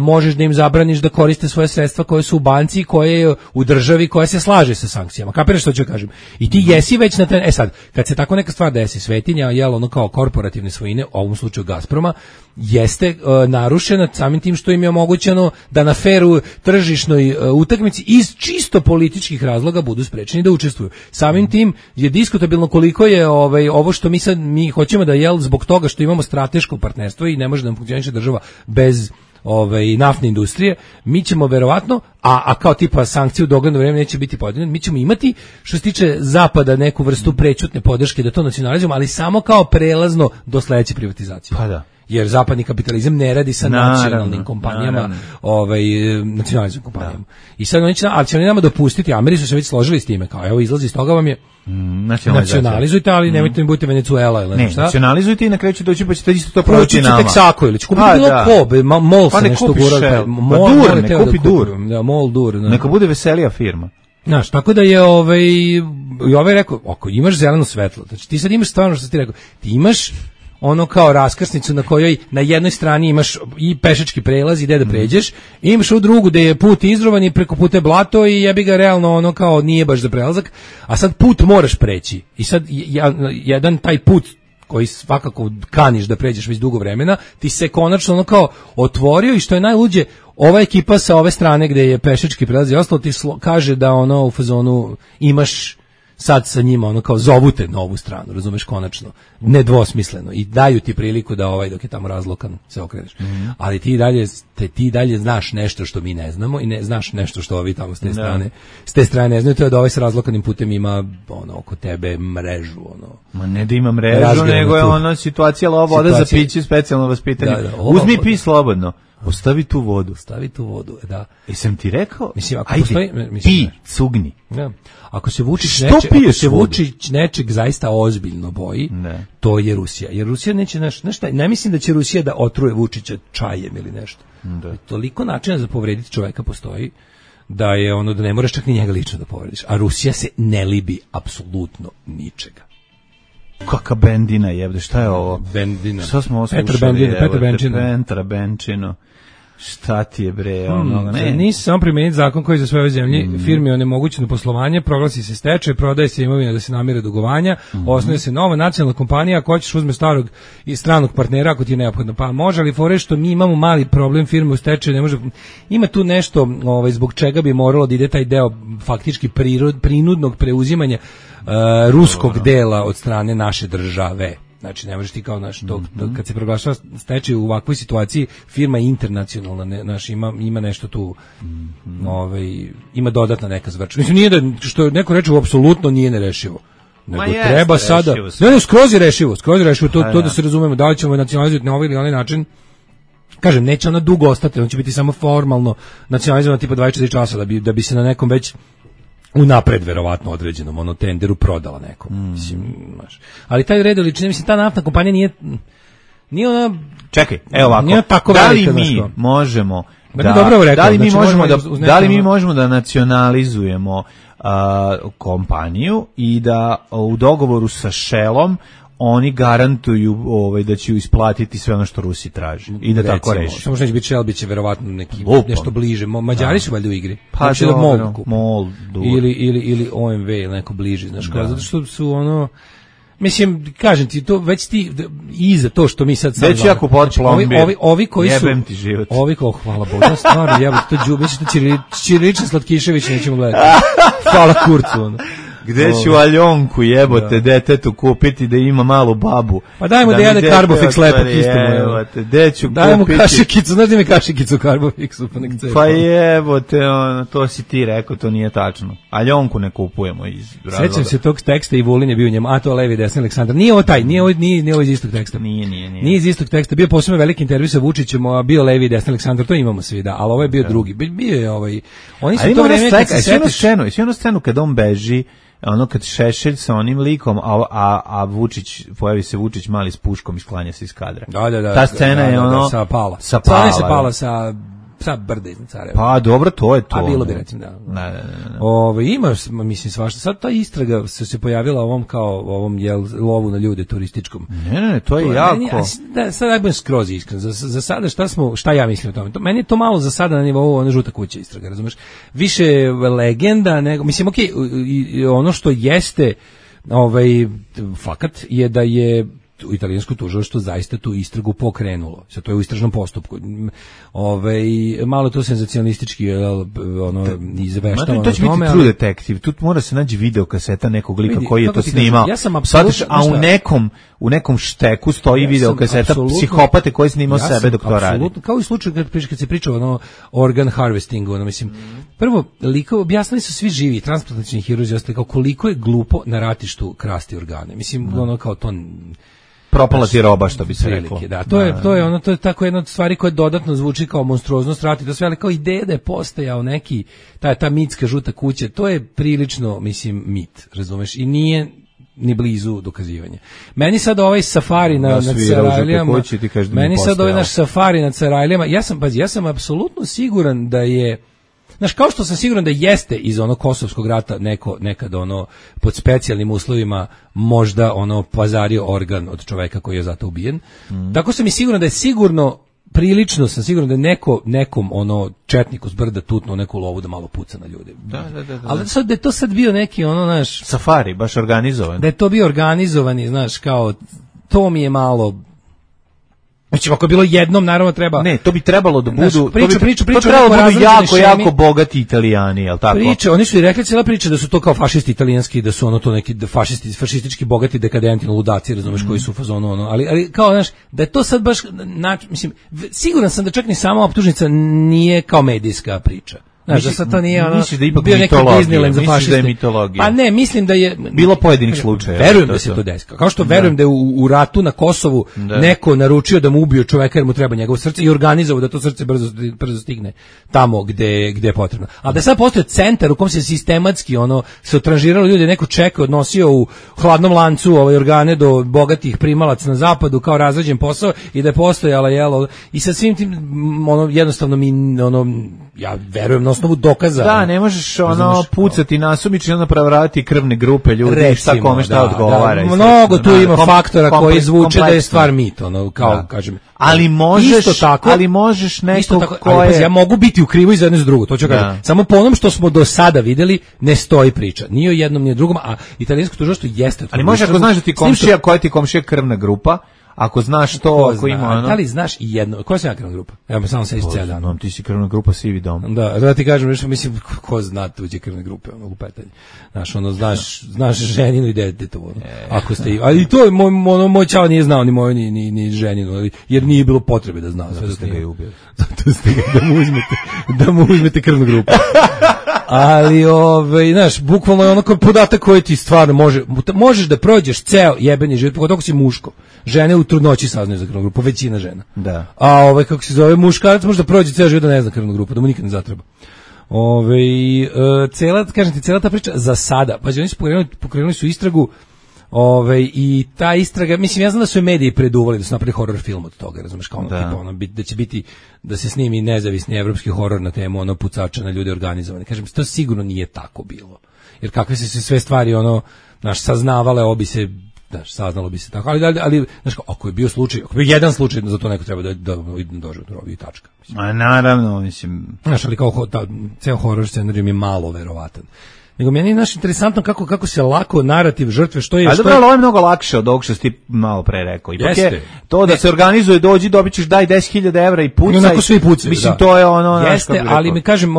Možeš da im zabraniš da koriste svoje sredstva koje su u banci i koje je u državi koja se slaže sa sankcijama. Kapiraš što ću kažem? I ti jesi već na ten... sad, kad se tako neka stvar desi, svetinja, ono kao korporativne svojine, u ovom slučaju Gazproma, jeste narušena samim tim što im je omogućeno da na feru tržišnoj utakmici iz čisto političkih razloga budu sprečeni da učestvuju. Samim tim je diskutabilno koliko je ovo što mi hoćemo da zbog toga što imamo strateško partnerstvo i ne može da nam funkcioniše država bez naftne industrije, mi ćemo verovatno, a kao tipa sankcije u dogledno vreme neće biti podijeljene, mi ćemo imati, što se tiče Zapada, neku vrstu prećutne podrške da to nacionalizujemo, ali samo kao prelazno do sledeće privatizacije. Pa da. Jer zapadni kapitalizam ne radi sa nacionalnim kompanijama, nacionalizam kompanijama. I sad ali će oni nama dopustiti, Ameri su se već složili s time, kao evo izlazi iz toga vam je nacionalizujte, ali nemojte mi budite Venezuela ili nešto. Nacionalizujte i na kraju će doći pa ćete isto to prodati nama. Ćete Texaco ili će kupiti bilo ko, MOL se nešto gura. Ne kupi Dur. MOL Dur. Neka bude veselija firma. Znaš, tako da je i rekao, ako imaš zeleno svetlo, znači ti sad imaš stvarno što ti rekao, ti imaš ono kao raskrsnicu na kojoj na jednoj strani imaš i pešački prelaz i gde da pređeš, i imaš u drugu gde je put izrovan i preko puta je blato i jebi ga realno ono kao nije baš za prelazak, a sad put moraš preći. I sad jedan taj put koji svakako kaniš da pređeš već dugo vremena, ti se konačno ono kao otvorio i što je najluđe, ova ekipa sa ove strane gde je pešački prelaz i ostalo ti kaže da ono u fazonu imaš sad sa njima ono kao zovute na ovu stranu, razumeš, konačno, nedvosmisleno i daju ti priliku da dok je tamo razlokan se okreneš. Ali ti dalje znaš nešto što mi ne znamo i ne znaš nešto što ovi tamo s te strane ne znaju, to je da sa razlokanim putem ima oko tebe mrežu. Ma ne da ima mrežu, nego je situacija voda za piće, specijalno vaspitanje. Uzmi pi slobodno. Ostavi tu vodu. Da. Jesam ti rekao? Mislim, ako ajde, pi, cugni. Ja. Ako se Vučić nečeg zaista ozbiljno boji, to je Rusija. Jer Rusija neće, ne mislim da će Rusija da otruje Vučića čajem ili nešto. Toliko načina za povrediti čoveka postoji, da je da ne moraš čak ni njega lično da povrediš. A Rusija se ne libi apsolutno ničega. Kaka Bendina jebde, šta je ovo? Bendina. Šta smo oslušali? Petra Benčino. Šta ti je bre? Nisi samo primijeniti zakon koji za sve ove zemlje firmi onemogućeno poslovanje, proglasi se stečaj, prodaje se imovina da se namire dugovanja, osnuje se nova nacionalna kompanija, ako hoćeš uzme starog i stranog partnera ako ti je neophodno. Pa može, ali fore što mi imamo mali problem, firme u stečaju ne može. Ima tu nešto zbog čega bi moralo da ide taj deo faktički prinudnog preuzimanja ruskog dela od strane naše države. Znači, ne možeš ti kao kad se proglašava stečaj u ovakvoj situaciji, firma je internacionalna, ima nešto tu, ima dodatna neka zvrča. Mislim, nije da, što neko reče, apsolutno nije nerešivo. Nego treba sada, skroz je rešivo, to da se razumemo, da li ćemo nacionalizovati na ovaj ili onaj način. Kažem, neće ona dugo ostati, on će biti samo formalno nacionalizovan tipa 24 časa, da bi se na nekom već unapred verovatno određenom tenderu prodala nekom. Mislim, ali taj red liči, mislim, ta naftna kompanija nije ona. Čekaj, evo ovako. Da li mi možemo da li mi možemo da nacionalizujemo kompaniju i da u dogovoru sa Shellom oni garantuju da će isplatiti sve ono što Rusi traži i da tako reši. Samo što neće biti Shell, biće verovatno nešto bliže. Mađari su valjda u igri. Pa znači MOL ili OMV ili neko bliže, znaš, zato što su mislim, kažem ti, to već ti i za to što mi sad već jako potplombir. Ovi koji su jebem ti život. Hvala Bogu, stvarno jebem to đubre, što Ćiriličan Slatkišević nećemo gledati. Hvala Kurcu. Gde ću Aljonku jebote detetu kupiti da ima malu babu? Pa dajmo da jede Carbofix lepo istimo. Gde ću kupiti? Dajmo kašikicu, znaš da mi kašikicu Carbofixu pa nek cepa. Pa jebote, to si ti rekao, to nije tačno. Aljonku ne kupujemo iz razloga. Sećam se tog teksta i Vulin je bio u njemu, a to levi desni Aleksandar. Nije ovo taj, nije ovo iz istog teksta. Nije iz istog teksta, bio posebno veliki intervju sa Vučićem, a bio levi desni Aleksandar, to imamo svi, da, ali ovo je bio drugi. Bio je oni su to vreme kad se setiš. Jednu scenu kad on beži, kad Šešelj sa onim likom, a Vučić, pojavi se Vučić mali s puškom i sklanja se iz kadra. Da. Ta scena je sa pala. Sa psa brda iznad Sarajeva. Pa dobro, to je to. A bilo bi recimo da. Ima, mislim, svašta. Sad ta istraga se pojavila ovom lovu na ljude turističkom. Ne, to je jako. Sad ja budem skroz iskren. Za sada šta ja mislim o tome? Meni je to malo za sada na nivou ona žuta kuća istraga, razumeš? Više legenda nego, mislim, okej, ono što jeste fakat je da je u italijansko tužilaštvo zaista tu istragu pokrenulo. Sad to je u istražnom postupku. Malo to senzacionalistički izveštavano. To će biti True Detective. Tu mora se naći video kaseta nekog lika koji je to snimao. U nekom šteku stoji video kaseta psihopate koji je snimao sebe dok to radi. Apsolutno, kao i slučaj kad se priča o organ harvestingu, mislim. Prvo, objasnili su svi živi transplantacioni hirurzi ostali kao koliko je glupo na ratištu krasti organe. Mislim, kao to propala ti roba, što bi se reklo. Da, to je tako jedna od stvari koja dodatno zvuči kao monstruoznost rata i to sve, ali kao ideja da je postojao neki ta mitska žuta kuća, to je prilično, mislim, mit, razumeš, i nije ni blizu dokazivanja. Meni sad ovaj safari na Carajlijama, naš safari na Carajlijama, ja sam apsolutno siguran da je, znaš, kao što sam siguran da jeste iz onog kosovskog rata nekad pod specijalnim uslovima možda pazario organ od čoveka koji je zato ubijen. Tako sam i siguran da je prilično sam siguran da je nekom četniku s brda tutnuo neku lovu da malo puca na ljude. Da. Ali da je to sad bio neki naš safari, baš organizovan. Da je to bio organizovani, znaš, kao to mi je malo. Znači, ako je bilo jednom, naravno treba. Ne, to bi trebalo da budu. To trebalo da budu jako bogati Italijani, jel tako? Oni su i rekli cijela priča da su to kao fašisti italijanski, da su to neki fašistički bogati dekadenti, ludaci, razumeš, koji su u fazonu ali kao, znaš, da je to sad baš, mislim, siguran sam da čak ni sama optužnica nije kao medijska priča. Znaš, da sad to nije bio neki Disneyland za fašiste. Pa ne, mislim da je bilo pojedinih slučajeva. Verujem da se to desilo. Kao što verujem da je u ratu na Kosovu neko naručio da mu ubiju čoveka jer mu treba njegovo srce i organizovao da to srce brzo stigne tamo gde je potrebno. A da sad postoji centar u kom se sistematski se otranžiralo ljudi, neko čeka, odnosio u hladnom lancu organe do bogatih primalaca na zapadu kao razrađen posao i da je postojala i sa svim tim jednostavno ja verujem na osnovu dokaza. Da, ne možeš pucati nasumično i onda prevaravati krvne grupe ljudi, recimo, šta kome šta odgovara. Mnogo tu ima faktora koji zvuče da je stvar mit, kao kažem. Ali možeš neko ko je... Ja mogu biti u krivu i za jedno za drugo, to ću kažem. Samo po onom što smo do sada videli, ne stoji priča. Ni o jednom, ni o drugom, a italijansko tužilaštvo jeste... Ali može ako znaš da ti komšija, koja ti komšija krvna grupa, ako znaš to, ako ima Da li znaš i jedno, koja sam ja krvna grupa? Evo me samo se cijeli dan. Ti si krvna grupa Sivi dom. Da ti kažem nešto, mislim, ko zna tuđe krvne grupe, lupetanje. Znaš ženinu i detetovo. Ako ste, ali to moj čao nije znao ni moju ni ženinu, jer nije bilo potrebe da zna. Zato ste ga i ubili. Zato ste ga da mu uzmete krvnu grupu. Ali, znaš, bukvalno je ono podatak koji ti stvarno možeš da prođeš ceo jebeni život, pogotovo ako si muško. Žene u trudnoći saznaju za krvnu grupu, većina žena. Da. A kako se zove, muškarac može da prođe ceo život da ne zna krvnu grupu, da mu nikad ne zatreba. Cela ta priča za sada, pa oni su pokrenuli su istragu, i ta istraga, mislim, ja znam da su je mediji preduvali da su napravili horror film od toga, razumeš, kao da će biti, da se snimi nezavisni evropski horor na temu pucača na ljude organizovane. Kažem, to sigurno nije tako bilo. Jer kakve se sve stvari, saznavale, saznalo bi se tako, ali znaš, ako je bio jedan slučaj, za to neko treba da dođe do rovi i tačka. A naravno, mislim... Znaš, ali kao ceo horror scenarij je malo verovatan. Nego meni je interesantno kako se lako narativ žrtve, što je... Ali dobro, ovo je mnogo lakše od ovog što si ti malo pre rekao. Ipak je to da se organizuje, dobit ćeš, daj 10.000 evra i pucaj. Onako svi pucaju, mislim, to je Jeste, ali mi kažem,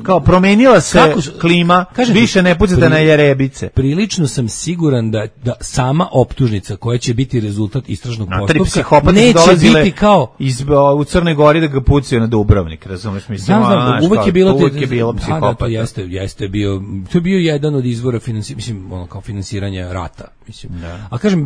kao promenila se klima, više ne pucate na jerebice. Prilično sam siguran da sama optužnica koja će biti rezultat istražnog postupka neće biti kao... u Crnoj Gori da ga pucaju na Dubrovnik, razumeš? Znam, uvek je bilo psihopata. Jeste bio, to je bio jedan od izvora finansiranja rata, mislim. A kažem,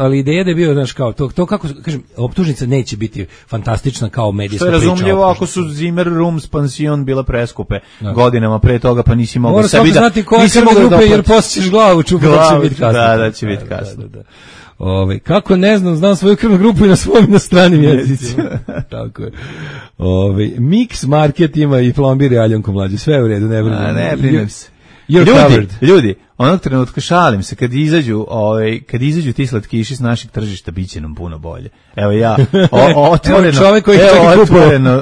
ali ideja da je bio, znaš, kao to kako kažem, optužnica neće biti fantastična kao medijska priča. Što je razumljivo ako su Zimmer Rooms pansion bile preskupe godinama pre toga, pa nisi mogao sebi da... Znati koja krvna grupe, jer posjećeš glavu, čupa da će biti kasno. Da će biti kasno. Kako ne znam svoju krvnu grupu i na svojim i na stranim jezicima. Tako je. Mix Market ima i plombir i aljanku mlađe. Sve je u redu, ne brinem. Ne brinem se. You're Ljudi, onog trenutka šalim se, kad izađu ti slatkiši s naših tržišta, bit će nam puno bolje. Evo ja,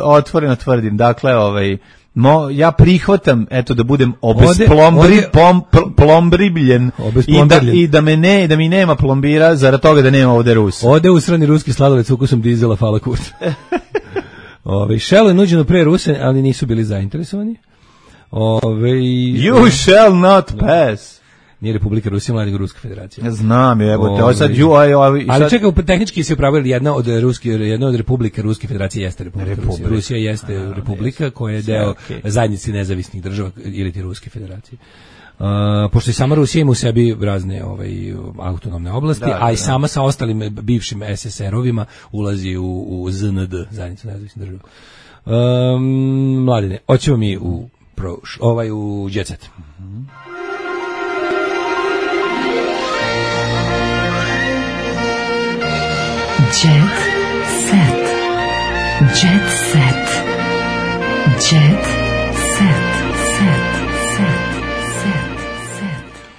otvoreno tvrdim, dakle, ja prihvatam, eto, da budem plombribljen i da mi nema plombira zarad toga da nema ovde Rusa. Ode usrani ruski sladoled s ukusom dizela, hvala kurt. Shell je nuđeno pre Ruse, ali nisu bili zainteresovani. You shall not pass. Nije Republika Rusija, nego Ruska federacija. Znam, jebote, sad ali čekaj, tehnički se upravili jedna od republika Ruske federacije jeste Republika Rusija. Rusija jeste republika koja je deo zajednice nezavisnih država ili ti Ruske federacije. Pošto i sama Rusija ima u sebi razne autonomne oblasti, a i sama sa ostalim bivšim SSR-ovima ulazi u ZND, zajednicu nezavisnih država. Mladine, hoćemo mi u Jet Set. Jet Set. Jet Set. Jet Set.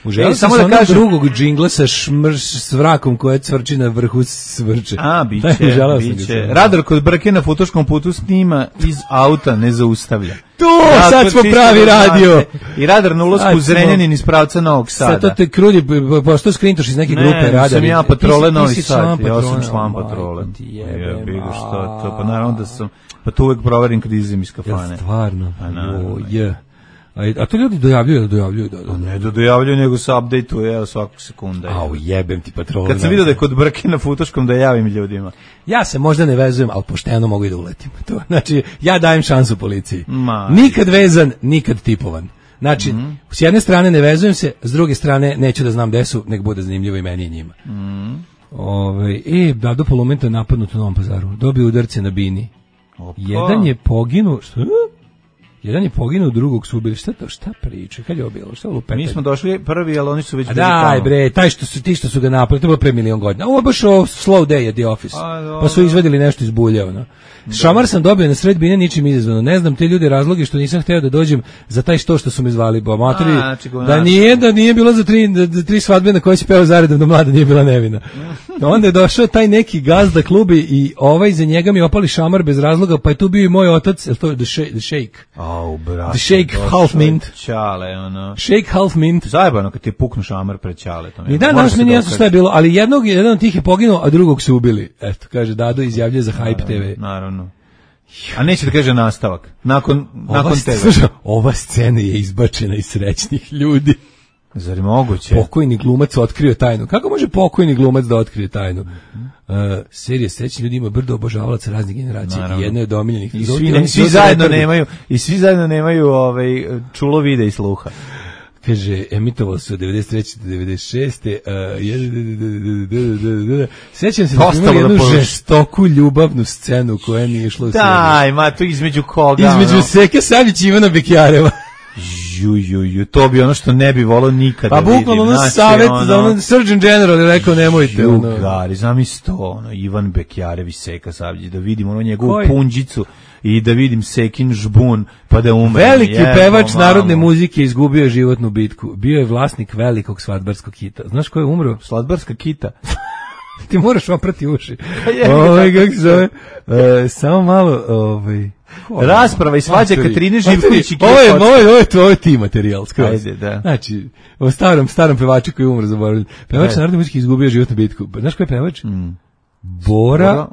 Uželio samo da kažem drugog džingla sa s vrakom koja cvrči na vrhu svrče. Biće. Radar kod brke na futoškom putu snima iz auta, ne zaustavlja. Sad smo pravi radio. I radar na ulasku u Zrenjanin iz pravca Novog Sada. Sad to te krudi, pošto skrintoš iz neke grupe radar. Ne, sam ja patrole Novi Sad. Ja sam član patrole. Pa naravno da sam, pa to uvek proverim kad izim iz kafane. Stvarno? A to ljudi dojavljuju? Ne dojavljuju, nego se update-uje svakog sekunda. Jebem ti patrole. Kad sam vidio da je kod brke na futoškom da javim ljudima. Ja se možda ne vezujem, ali pošteno mogu i da uletim. Znači, ja dajem šansu policiji. Nikad vezan, nikad tipovan. Znači, s jedne strane ne vezujem se, s druge strane neću da znam gde su, nek bude zanimljivo i meni i njima. Dado Polumenta je napadnut u Novom Pazaru. Dobio udarce na bini. Jedan je poginuo... Jedan je poginuo, drugog su ubili. Šta priča? Kad je bilo? Šta lupete? Mi smo došli prvi, ali oni su već bili tamo. Daj bre, ti što su ga napali, to je bilo pre milion godina. Ovo je baš slow day at the office. Pa su izvedili nešto iz bulja. Šamar sam dobio na sred bine, ničim izazvano. Ne znam te ljude razloge što nisam hteo da dođem za taj što su me zvali. Da nije bilo za tri svadbe na koje si peo zaredom da mlada nije bila nevina. Onda je došao taj neki gazda klubi i za njega mi opali šamar bez razloga, pa je tu bio i moj otac, je to je The Shake. The Shake Half Mint. Shake Half Mint. Zajebano kad ti je puknu šamar pred Ćaletom. I danas mi nije jasno šta je bilo, ali jedan od tih je poginuo, a drugog su ubili. Eto, kaže Dado, izjavljuje za Hype TV. Naravno. A neće da kaže nastavak. Nakon TV. Ova scena je izbačena iz srećnih ljudi. Zar je moguće? Pokojni glumac otkrio tajnu. Kako može pokojni glumac da otkrije tajnu? Serija Srećni ljudi ima brdo obožavalaca raznih generacija. I jedno je od omiljenih. I svi zajedno nemaju čulo vide i sluha. Kaže, emitovalo se od 93. do 96. Sećam se da smo imali jednu žestoku ljubavnu scenu koja nije išla u seriju. Daj, ma, to između koga? Između Seke Savić i Ivana Bekjareva. To bi ono što ne bi volao nikada da vidim. Pa bukvalno ono savjet za Surgeon General je rekao nemojte. Jugari, zamisli to, Ivan Bekjarev i Seka Savić, da vidim njegovu punđicu i da vidim Sekin žbun, pa da umre. Veliki pevač narodne muzike izgubio je životnu bitku. Bio je vlasnik velikog svadbarskog kita. Znaš ko je umro? Svadbarska kita. Ti moraš oprati uši. Kako se zove? Samo malo, rasprava i svađa Katarine Živković i Ovo je ti materijal skroz. Ajde, da. Znači, o starom pevaču koji je umro, zaboravljen. Pevač narodne muzike izgubio životnu bitku. Znaš ko je pevač? Bora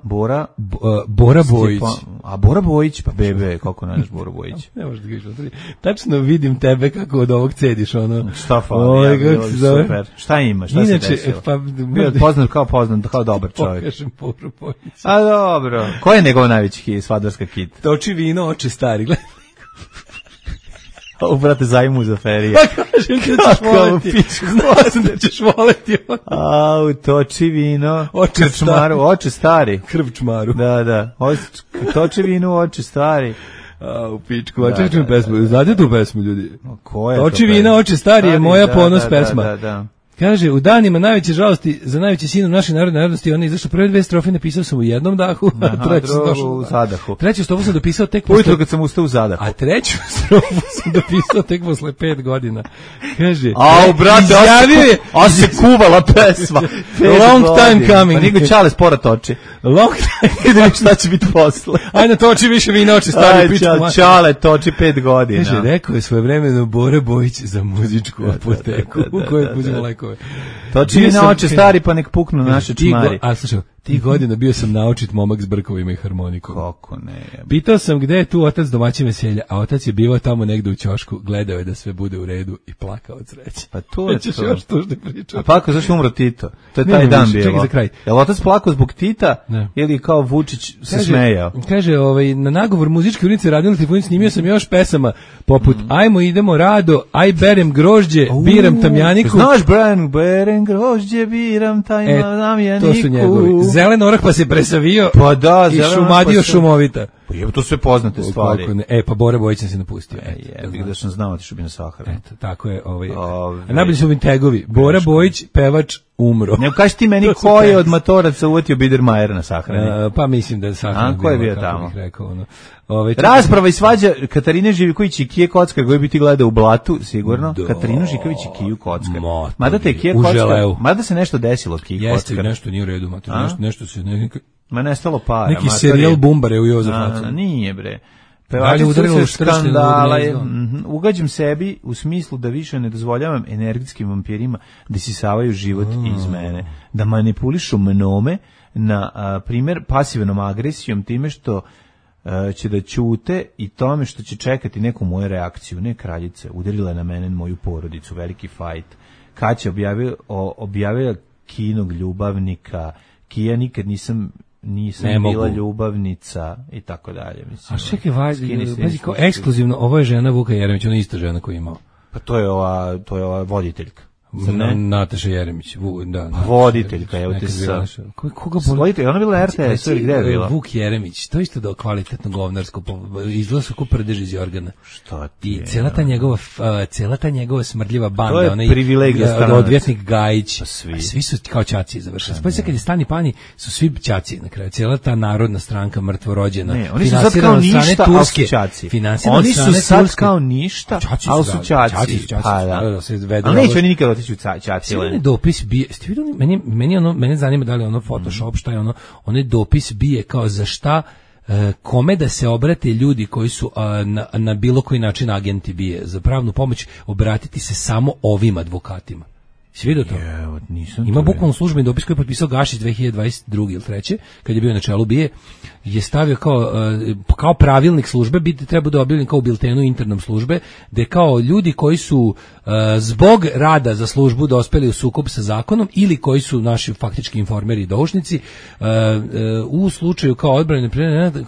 Bojić. A Bora Bojić, pa bebe, kako ne znaš Bora Bojić? Ne možeš da gaš, tačno vidim tebe kako od ovog cediš, Šta fali, super. Šta ima, šta se desilo? Bio poznat kao dobar čovjek. Pokažem Boru Bojić. A dobro, ko je njegov najveći svadbarska hit? Toči vino, oče stari, gledaj. Ovo, brate, zajmu za ferije. Pa kažem ti da ćeš voleti. Znam da ćeš voleti. Toči vino. Oče stari. Krvčmaru. Da. Toči vino, oče stari. U pičku, čekaj čujem pesmu. Znate tu pesmu, ljudi? Ko je to? Toči vino, oče stari je moja ponos pesma. Da. Kaže, u danima najveće žalosti za najveći sinom naše narodne narodnosti, on je izašao prve 2 strofe, napisao sam u jednom dahu, a u zadahu. Treću strofu sam dopisao tek ujutro kad sam ustao u zadahu. A treću strofu sam dopisao tek posle 5 godina. Kaže, brate, a se kuvala pesma. Long time coming. Pa nigo Čale spora toči. Long time. Idemo šta će biti posle. Ajde, toči više vina oči, stari pičku. Čale toči 5 godina. Kaže, rekao je svojevremeno Bora Bojić za muzičku apoteku u kojoj uzimo lekove. Toči vina oči, stari, pa nek puknu naše čmari. A slušaj, tih godina bio sam naučit momak s brkovima i harmonikom. Kako ne. Pitao sam gde je tu otac domaćin veselja, a otac je bivao tamo negde u ćošku, gledao je da sve bude u redu i plakao od sreće. Pa to je to. Još tužne priče. A plakao zašto umro Tito? To je taj dan bio. Čekaj za kraj. Jel otac plakao zbog Tita ili kao Vučić se smejao? Kaže, na nagovor muzičke ulice Radila Trifunin snimio sam još pesama poput Ajmo idemo rado, aj berem grožđe, biram tamjaniku. Znaš, berem grožđe, biram tamjaniku. To su njegovi. Zelen orah pa se presavio i šumadio šumovita. Pa je to sve poznate stvari. Pa Bora Bojić se napustio. Da sam znao ti što bi na Saharu. Eto, tako je. Najbolji su mi tegovi. Bora Bojić, pevač, umro. Ne kaži ti meni ko je od matoraca uvatio Biedermajera na sahrani. Pa mislim da je sahrani. Ko je bio tamo? Rekao, rasprava i svađa Katarine Živković i Kije Kockar, koji bi ti gledao u blatu, sigurno. Katarinu Živković i Kiju Kockar. Mada te Kije Kockar, mada se nešto desilo od Kije Kockar. Jeste, nešto nije u redu, nešto se... Ma nestalo para. Neki serijal bumbare u Jozefacu. Nije bre. Pevačica se skandala. Ugađam sebi u smislu da više ne dozvoljavam energetskim vampirima da sisavaju život iz mene. Da manipulišu mnome na primjer pasivnom agresijom time što će da ćute i tome što će čekati neku moju reakciju. Ne, kraljice, udarila na mene moju porodicu, veliki fajt. Kad će objavila Kinog ljubavnika, Kija nikad nisam bila ljubavnica i tako dalje. Mislim, a čekaj, pazi, kao ekskluzivno, ovo je žena Vuka Jeremića, ona je ista žena koju imao. Pa to je ova voditeljka. Nataša Jeremić, voditeljka, evo te sa... Koga boli? Ona bila RTS, ili gde je bila? Vuk Jeremić, to isto da kvalitetno govnarsko, izgleda su ko prdež iz Jorgana. Šta ti je? I cijela ta njegova smrdljiva banda, to je privilegija stranac. Odvjetnik Gajić, svi su kao ćaci završili. Spojite kad je Stani Pani, su svi ćaci na kraju, cijela ta narodna stranka mrtvorođena. Ne, oni su sad kao ništa, ali su ćaci. Oni su sad kao ništa, ali su ćaci. Ali neće oni nikad otići u ćaci. Onaj dopis bije, ste vidjeli, mene zanima da li ono Photoshop, šta je ono, onaj dopis bije kao za šta, kome da se obrate ljudi koji su na bilo koji način agenti bije, za pravnu pomoć obratiti se samo ovim advokatima. Si vidio to? Ima bukvalno službeni dopis koji je potpisao Gašić 2022. ili 3. kad je bio na čelu BIA, je stavio kao pravilnik službe, treba da objavljen kao u biltenu internom službe, gde kao ljudi koji su zbog rada za službu dospeli u sukob sa zakonom ili koji su naši faktički informeri i doušnici, u slučaju kao odbrane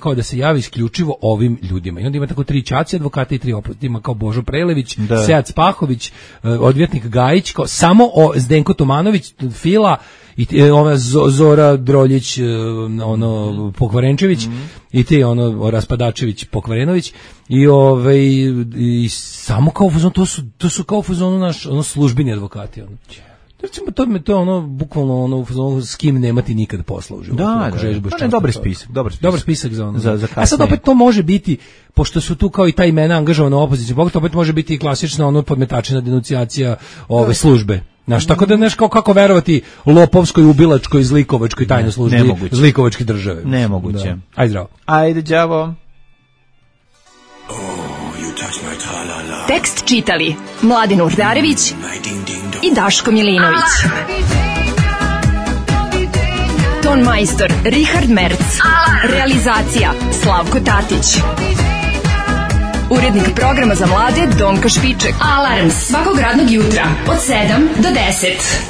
kao da se javi isključivo ovim ljudima. I onda ima tako 3 ćaci advokata i 3 oprosti, ima kao Božo Prelević, Sead Spahović, odvjetnik Gajić, kao samo Zdenko Tomanović, Fila i ova Zora Droljić, Pokvarenčević i ti Raspadačević, Pokvarenović i samo kao fuzon, to su kao fuzonu naš službeni advokati. Recimo, to je bukvalno s kim nemati nikad posla u životu. Da, dobar spisak za kasnije. A sad opet to može biti, pošto su tu kao i ta imena angažovana opozicija, opet može biti i klasična podmetačina denuncijacija službe. Znaš, tako da znaš kako verovati lopovskoj, ubilačkoj, zlikovačkoj tajnoj službi, zlikovačke države. Nemoguće. Ajde, zdravo. Ajde, đavo. Tekst čitali Mladin Urdarević i Daško Milinović. Ton majstor Richard Merc. Realizacija Slavko Tatić. Urednik programa za mlade Donka Špiček. Alarms svakog radnog jutra od 7 do 10.